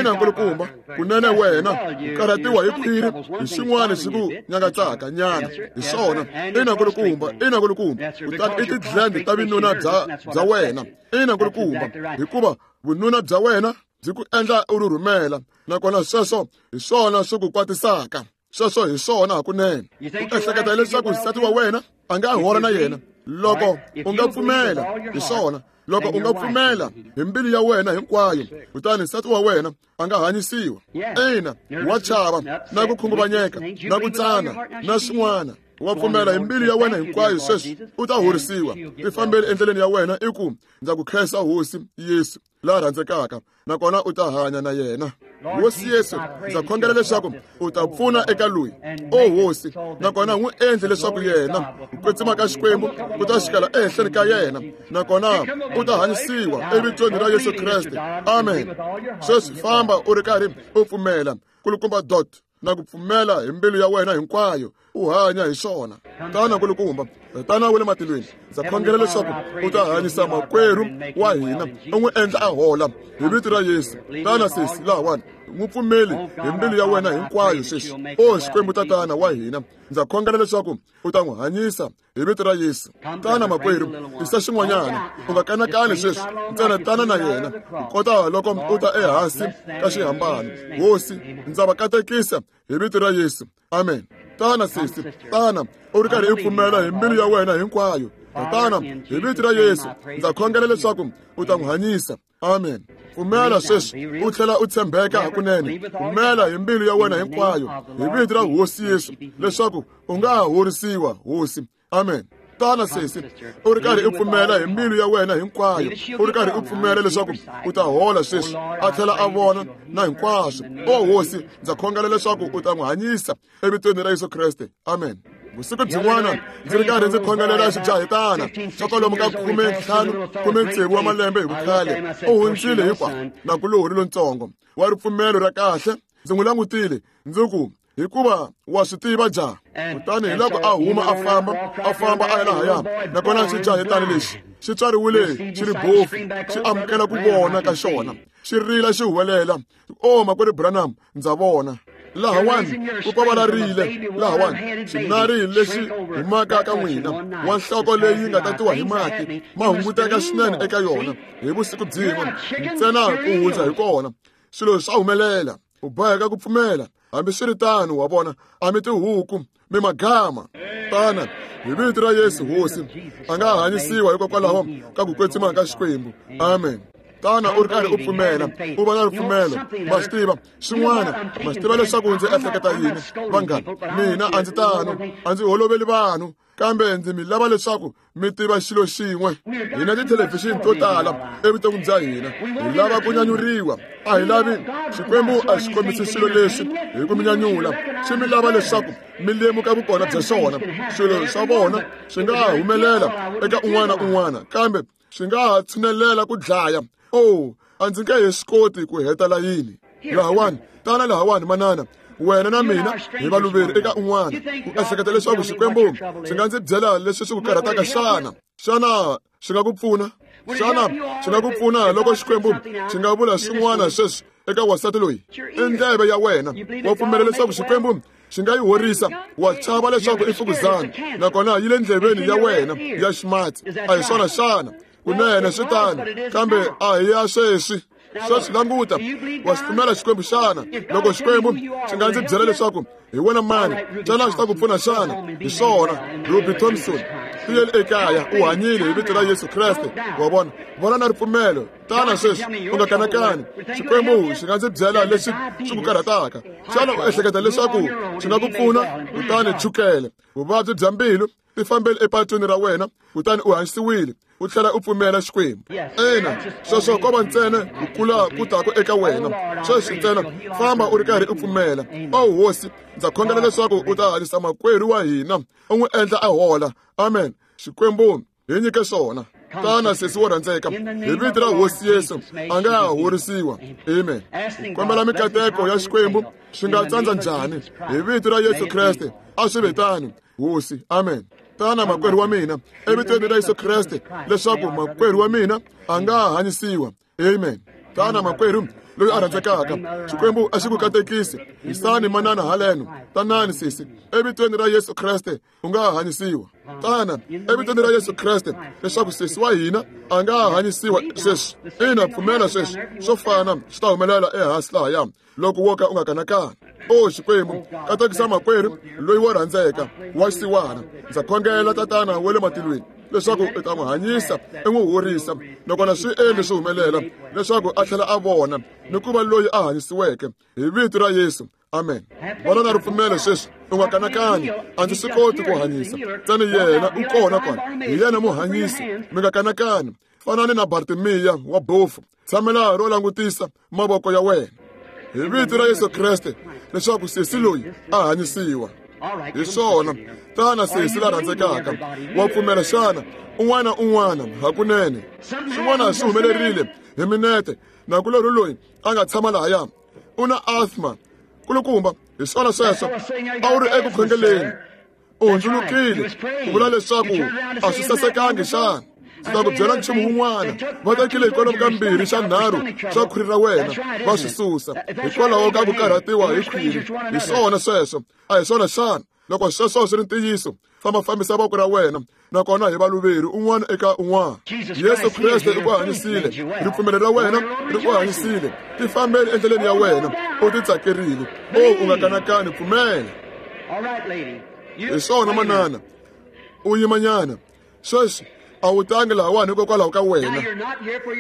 Ina nkulukumba, kunene wena u karhatiwa hi khwiri, hi xin'wana xi ku nyangatsaka nyana, hi swona. Ina nkulukumba, ina nkulukumba, kutani i ti-gland ta vununa bya bya wena. Ina nkulukumba, hikuva vununa bya wena byi ku endla u rhurhumela, nakona sweswo hi swona swi ku kwatisaka. Sweswo hi swona hakunene. U ehleketa leswaku nsati wa wena a nga hola na yena loko u nga pfumela? Hi swona. Loko u nga pfumela hi mbilu ya wena hinkwayo, kutani nsati wa wena a nga hanyisiwa. Ina, wa chava na ku khunguvanyeka na ku tsana na swin'wana. Wa pfumela hi mbilu ya wena hinkwayo sweswi, u ta horisiwa. Tifambeli endleleni ya wena i ku, ndza ku khensa Hosi Yesu la rhandzekaka, nakona u ta hanya na yena. Hosi Yesu, ndza khongela leswaku u ta pfuna eka loyi, o Hosi, nakona n'wi endle leswaku yena ku kwetsima ka Xikwembu ku ta xikela ehenhleni ka yena, nakona u ta hanyisiwa evitweni ra Yesu Kreste. Amen. Sweswi famba u ri karhi u pfumela. Kulukumba dot, na ku pfumela hi mbilu ya wena hinkwayo, u hanya hi swona. Tana nkulukumba, Tatana wa le matilweni, ndza khongela leswaku u ta hanyisa makwerhu wa hina, u n'wi endla a hola hi vito ra Yesu. Tana sesi lahawani, n'wi pfumeli hi mbilu ya wena hinkwayo sweswi. O Xikwembu Tatana wa hina, ndza khongela leswaku u ta n'wi hanyisa hi vito ra Yesu. Tana makwerhu, tisa xin'wanyana, u nga kanakani sweswi, ntsena tana na yena, kota loko u ta ehansi ka xihambano. Hosi, ndza va katekisa hi vito ra Yesu. Amen. Tana sesi, tana u ri karhi u pfumela hi mbilu ya wena hinkwayo. Tatana, hi vito ra Yesu, ndza khongela leswaku u ta n'wi hanyisa. Amen. Pfumela sweswi, u tlhela u tshembeka hakunene. Pfumela hi mbilu ya wena hinkwayo hi vito ra Hosi Yesu leswaku u nga ha horisiwa, Hosi. Amen. Tana sesi, u ri karhi u pfumela hi mbilu ya wena hinkwayo, u ri karhi u pfumela leswaku u ta hola sweswi, a tlhela a vona na hinkwaswo. O Hosi, ndza khongela leswaku u ta n'wi hanyisa evitweni ra Yesu Kreste. Amen. Vusiku byin'wana ndzi ri karhi ndzi khongelela xijahetana xa kwalomu ka khume ntlhanu khume tsevu wa malembe hi vukhale. U hundzile hinkwa nakulorhi lontsongo wa ripfumelo ra kahle. Ndzi n'wi langutile ndzi ku, hikuva wa swi tiva jaha. Kutani hi loko a huma a famba a famba a ya lahaya, nakona xijahetana lexi xi tswariwile xi ri bofu, xi amukela ku vona ka xona, xi rila xi huwelela, o makwerhu Branham, ndza vona. Lahawani ku pavalarile, lahawani xinari lexi humaka ka n'wina wa nhloko leyi nga tatiwa hi mati ma hunguteka swinene eka yona hi vusiku byin'we ntsena ku hundza hi kona. Swilo swa humelela, u boheka ku pfumela. Hambiswiritano, wa vona, a mi tihuku, mi magama. Tana hi vito ra Yesu, Hosi a nga hanyisiwa hikokwalaho ka ku kwetsima ka Xikwembu. Amen. Tana u ri karhi u pfumela, u va na ripfumelo. Ma swi tiva xin'wana, ma swi tiva leswaku ndzi ehleketa yini, vanghana. Mina a ndzi tano, a ndzi holoveli vanhu, kambe ndzi mi lava leswaku mi tiva xilo xin'we. Hina tithelevhixini to tala evuton'wini bya hina hi lava ku nyanyuriwa. A hi lavi Xikwembu a xi kombisi swilo leswi hi ku mi nyanyula, xi mi lava leswaku mi lemuka vukona bya xona. Swilo swa vona swi nga ha humelela eka un'wana na un'wana, kambe swi nga ha tshinelela ku dlaya. Oh, a ndzi nge he swi koti ku heta layini. Lahawani, tana lahawani manana, wena na mina hi valuveri eka un'wana. U ehleketa leswaku Xikwembu xi nga ndzi byela leswi swi ku karhataka xana? Xana xi nga ku pfuna? Xana xi nga ku pfuna loko Xikwembu xi nga vula swin'wana sweswi eka wansati loyi? I ndleve ya wena. Wa pfumela leswaku Xikwembu xi nga yi horisa? Wa chava leswaku i mfukuzana, nakona yi le ndleveni ya wena ya ximatsi. A hi swona xana? Kunene swi tano, kambe a hi ya sweswi. Sweswi languta, wa xi pfumela Xikwembu xana? Loko Xikwembu xi nga ndzi byela leswaku hi wena mani, xana xi ta ku pfuna xana? Hi swona, Ruby Thompson. Tiyeli ekaya u hanyile hi vito ra Yesu Kreste. Wa vona, vona na ripfumelo. Tana sweswi, u nga kanakani. Xikwembu xi nga ndzi byela leswi swi ku karhataka. Xana u ehleketa leswaku xi nga ku pfuna? Kutani chukele, vuvabyi bya mbilu, tifambeli epatwini ra wena, kutani u hanyisiwile, u tlhela u pfumela Xikwembu. Ina, sweswo ko va ntsena ku kula ku taku eka wena. Sweswi ntsena famba u ri karhi u pfumela. O Hosi, ndza khongela leswaku u ta hanyisa makwerhu wa hina, u n'wi endla a hola. Amen. Xikwembu hi nyike swona. Tana sesi wo rhandzeka, hi vito ra Hosi Yesu a nga ha horisiwa. Amen. Kombela mikateko ya Xikwembu swi nga tsandza njhani? Hi vito ra Yesu Kreste a swi ve tano, Hosi. Amen. Tana makwerhu wa mina, evitweni ra Yesu Kreste, leswaku makwerhu wa mina a nga ha hanyisiwa. Amen. Tana makwerhu loyi a rhandzekaka, Xikwembu a xi ku katekisi. Yisani manana haleno. Tanani sesi, evitweni ra Yesu Kreste u nga ha hanyisiwa. Tana evitweni ra Yesu Kreste, leswaku sesi wa hina a nga ha hanyisiwa sweswi. Ina, pfumela sweswi, swo fana swi ta humelela ehansi lahaya loko wo ka u nga kanakani. O Xikwembu, katekisa makwerhu loyi wo rhandzeka wa xisiwana. Ndza khongela Tatana wa le matilweni leswaku u ta n'wi hanyisa, u n'wi horisa, nakona swi endle swi humelela leswaku a tlhela a vona ni ku va loyi a hanyisiweke hi vito ra Yesu. Amen. Vona na ripfumelo sweswi, u nga kanakani. A ndzi swi koti ku hanyisa, ntsena yena u kona kona, hi yena muhanyisi. Mi nga kanakani. Fanani na Bartimiya wa bofu, tshamela ro langutisa mavoko ya wena hi vito ra Yesu Kreste, leswaku sesi loyi a hanyisiwa. Hi swona. Tana sesi la rhandzekaka, wa pfumela xana? Un'wana un'wana hakunene swin'wana swi humelerile hi minete. Nakulorhi loyi a nga tshama lahaya u na asthma kulukumba. Hi swona sweswo, a wu ri eku khongeleni, u hundzulukile ku vula leswaku a swi sasekangi xana? Ndzi ta ku byela nchumu wun'wana. Va tekile hikwalaho ka mbirhi xa nharhu swa khwiri ra wena va swi susa hikwalaho ka ku karhatiwa hi khwiri. Hi swona sweswo, a hi swona xana? Loko sweswo swi ri ntiyiso, famba fambisa voko ra wena, nakona hi valuveri un'wana eka un'wana. Yesu Kreste u ku hanyisile, ripfumelo ra wena ri ku hanyisile. Tifambeli endleleni ya wena, u titsakerile. O u nga kanakani, pfumela. Hi swona manana, u yimanyana sweswi. A wu tangi lahawani hikokwalaho ka wena,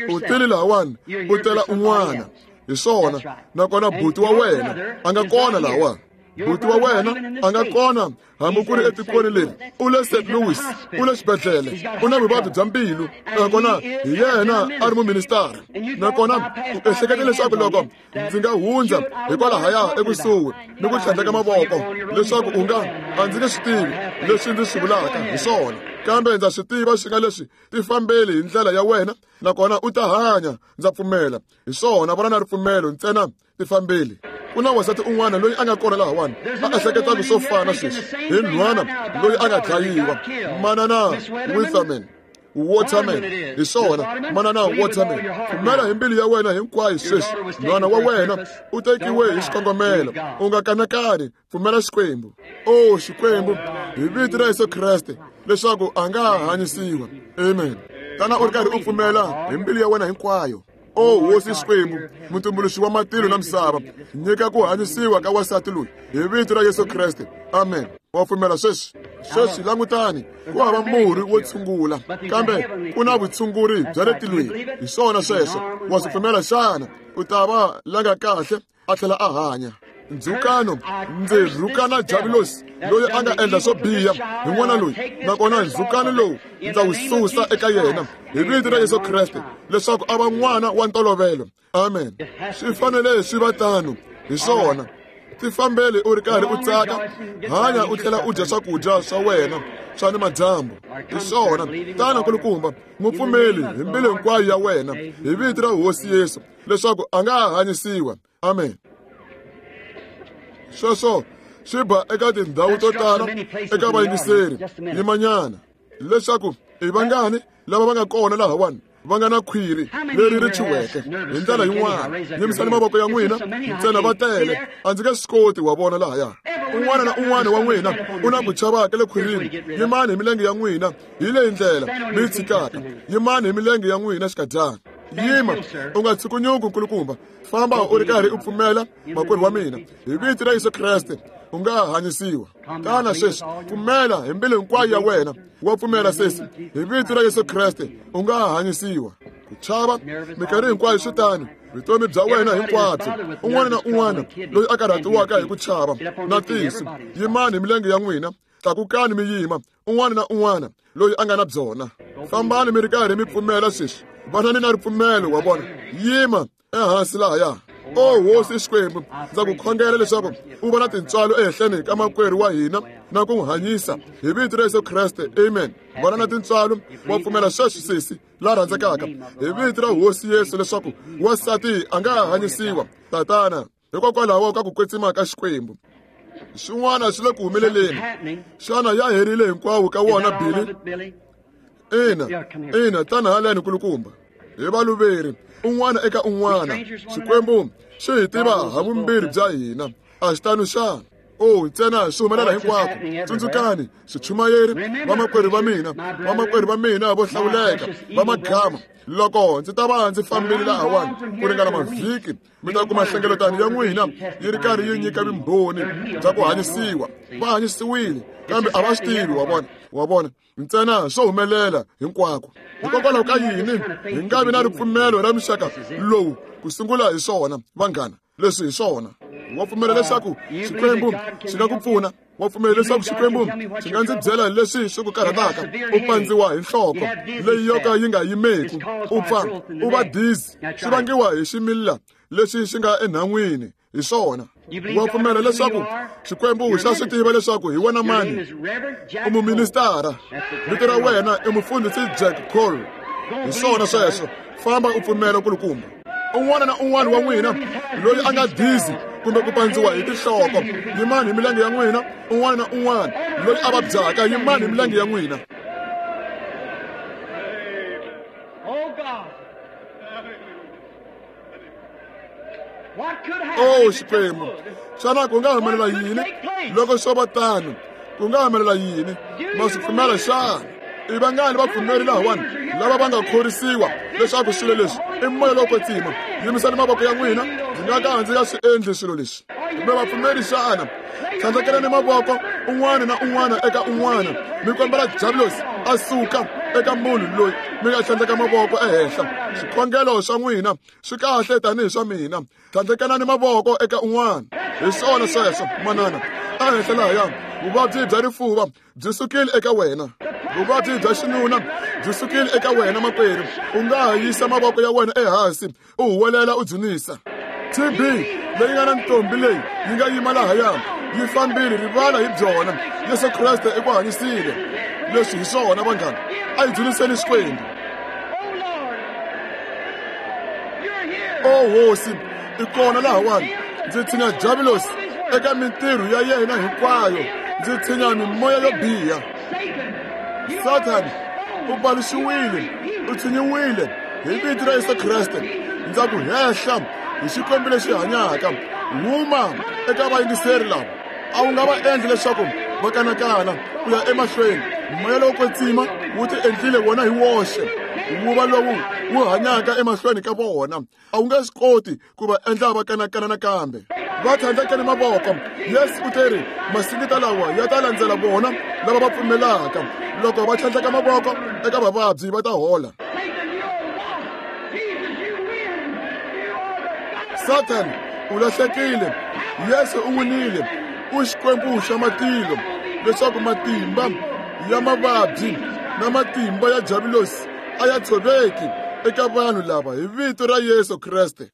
u tile lahawani u tela un'wana. Hi swona, nakona buti wa wena a nga kona lahawani. Buti wa wena a nga kona hambi ku ri etikweni leri. U le Saint Louis, u le xibedhlele, u na vuvabyi bya mbilu, nakona hi yena a ri muministara. Nakona u ehlekete leswaku loko ndzi nga hundza hikwalahaya ekusuhi ni ku tlhandleka mavoko leswaku u nga, a ndzi nge swi tivi leswi ndzi swi vulaka hi swona, kambe ndza swi tiva swi nga leswi tifambeli hi ndlela ya wena, nakona u ta hanya. Ndza pfumela. Hi swona, vona na ripfumelo ntsena, tifambeli. Ku na wansati un'wana loyi a nga kona lahawani a ehleketaka swo fana sweswi hi nhwana loyi a nga dlayiwa, manana Witherman. Waterman. Hi swona, manana Waterman, pfumela hi mbilu ya wena hinkwayo sweswi. Nhwana wa wena u tekiwe hi xikongomelo. U nga kanakani, pfumela Xikwembu. O Xikwembu, hi vito ra Yesu Kreste, leswaku a nga ha hanyisiwa. Amen. Tana u ri karhi u pfumela hi mbilu ya wena hinkwayo. O Hosi Xikwembu, mutumbuluxi wa matilo na misava, nyika ku hanyisiwa ka wansati loyi hi vito ra Yesu Kreste. Amen. Wa pfumela sweswi? Sweswi langutani, ku hava murhi wo tshungula, kambe ku na vutshunguri bya le tilweni. Hi swona sweswo, wa swi pfumela xana? U ta va la nga kahle a tlhela a hanya. Ndzhukano, ndzi rhukana Javulosi loyi a nga endla swo biha hi n'wana loyi, nakona ndzhukano lowu ndza wu susa eka yena hi vito ra Yesu Kreste, leswaku a va n'wana wa ntolovelo. Amen. Swi fanele swi va tano. Hi swona. Tifambeli u ri karhi u tsaka, hanya u tlhela u dya swakudya swa wena swa ni madyambu. Hi swona. Tana kulukumba, n'wi pfumeli hi mbilu hinkwayo ya wena hi vito ra Hosi Yesu, leswaku a nga ha hanyisiwa. Amen. Sweswo swi ba eka tindhawu to tala eka vayingiseri. Yimanyana leswaku i vangani lava va nga kona lahawani va nga na khwiri leri ri chiweke hi ndlela yin'wana. Yimisani mavoko ya n'wina ntsena, va tele. A ndzi nge swi koti wa vona lahaya. Un'wana na un'wana wa n'wina u na ku chavaka le khwirini. Yimani hi milenge ya n'wina hi leyi ndlela mi yi tshikaka. Yimani hi milenge ya n'wina xikadyana. Yima, u nga tshukunyuki nkulukumba. Famba u ri karhi u pfumela, makwerhu wa mina, hi vito ra Yesu Kreste. U nga hanyisiwa. Tana sweswi, pfumela hi mbilu hinkwayo ya wena. Wa pfumela sesi, hi vito ra Yesu Kreste u nga hanyisiwa. Ku chava minkarhi hinkwayo swi tano, vutomi bya wena hinkwabyo. Un'wana na un'wana loyi a karhatiwaka hi ku chava na tisu, yimani hi milenge ya n'wina, tlakukani mi yima. Un'wana na un'wana loyi a nga na byona, fambani mi ri karhi mi pfumela sweswi. Vanani na ripfumelo wa vona. Yima ehansi lahaya. O hosi Xikwembu, ndza ku khongela leswaku u va na tintswalo ehenhleni ka makwerhu wa hina na ku n'wi hanyisa hi vito ra Yesu Kreste. Amen. Vana na tintswalo, wa pfumela sweswi sesi la rhandzekaka, hi vito ra Hosi Yesu leswaku wansati a nga hanyisiwa. Tatana, hikokwalaho ka ku kwetsima ka Xikwembu, xin'wana xi le ku humeleleni. Xana ya herile hinkwawo ka wona, Billy? Ina, ina, tana haleni kulukumba. Hi valuveri un'wana eka un'wana, Xikwembu xi hi tiva ha vumbirhi bya hina. A xi tano xana? O ntsena swi humelela hinkwako. Tsundzukani, swichumayeri, vamakwerhu va mina, vamakwerhu va mina vo hlawuleka va magama, loko ndzi ta va ndzi fambile lahawani ku ringana mavhiki, mi ta kuma nhlengeletano ya n'wina yi ri karhi yi nyika vumbhoni bya ku hanyisiwa. Va hanyisiwile, kambe a va swi tivi. Wa vona, wa vona, ntsena swo humelela hinkwako. Hikokwalaho ka yini hi nga vi na ripfumelo ra muxaka lowu ku sungula hi swona, vanghana? Leswi hi swona. Wa pfumela leswaku Xikwembu xi nga ku pfuna? Wa pfumela leswaku Xikwembu xi nga ndzi byela leswi swi ku karhataka? U pandziwa hi nhloko leyi yo ka yi nga yimeki, u pfa u va dizzy, swi vangiwa hi ximila lexi xi nga enhan'wini. Hi swona. Wa pfumela leswaku Xikwembu xa swi tiva leswaku hi wena mani? U muministara, vito ra wena i mufundhisi Jack Cole. Hi swona sweswo. Famba u pfumela kulukumba. Un'wana na un'wana wa n'wina loyi a nga dizzy kumbe ku pandziwa hi tinhloko, yimani hi milenge ya n'wina. Un'wana na un'wana loyi a vabyaka, yimani hi milenge ya n'wina. O Xikwembu, xana ku nga humelela yini loko swo va tano? Ku nga humelela yini? Ma swi pfumela xana? I vangani vapfumeri lahawani lava va nga khorisiwa leswaku swilo leswi i moya lowo kwetsima? Yimisani mavoko ya n'wina. Ndzi nga ka ndzi nga swi endli swilo leswi. Kumbe vapfumeri xana? Tlhandlekelani mavoko un'wana na un'wana eka un'wana, mi kombela Diablosi a suka eka munhu loyi mi nga tlhandleka mavoko ehenhla. Swikhongelo swa n'wina swi kahle tanihi swa mina. Tlhandlekanani mavoko eka un'wana. Hi swona sweswo, manana. Ehenhla lahaya, vuvabyi bya rifuva byi sukile eka wena. Vuvabyi bya xinuna byi sukile eka wena, makwerhu. U nga ha yisa mavoko ya wena ehansi, u huwelela u dzunisa. T B leyi nga na ntombi leyi yi nga yima lahaya, yi fambile, rivala hi byona. Yesu Kreste i ku hanyisile. Leswi hi swona, vanghana. A hi dzuniseni Xikwembu. O Hosi, i kona lahawani. Ndzi tshinya Diablosi eka mintirho ya yena hinkwayo. Ndzi tshinya mimoya yo biha. Sathani u paluxiwile, u tshinyiwile hi vito ra Yesu Kreste. Ndza ku hehla hi Xikwembu lexi hanyaka. Huma eka vayingiseri lava. A wu nga va endli leswaku va kanakana ku ya emahlweni. Moya lowo kwetsima wu ti endlile wona hi woxe, wu va lowu wu hanyaka emahlweni ka vona. A wu nge swi koti ku va endla va kanakana nakambe. Va tlhandlekeni mavoko. Yesu u teri masingita lawa ya ta landzela vona lava va pfumelaka. Loko va tlhandleka mavoko eka vavabyi va ta hola. Sathani u lahlekile, Yesu u winile. U Xikwembu xa matilo, leswaku matimba ya mavabyi na matimba ya Diablosi a ya tshoveki eka vanhu lava hi vito ra Yesu Kreste.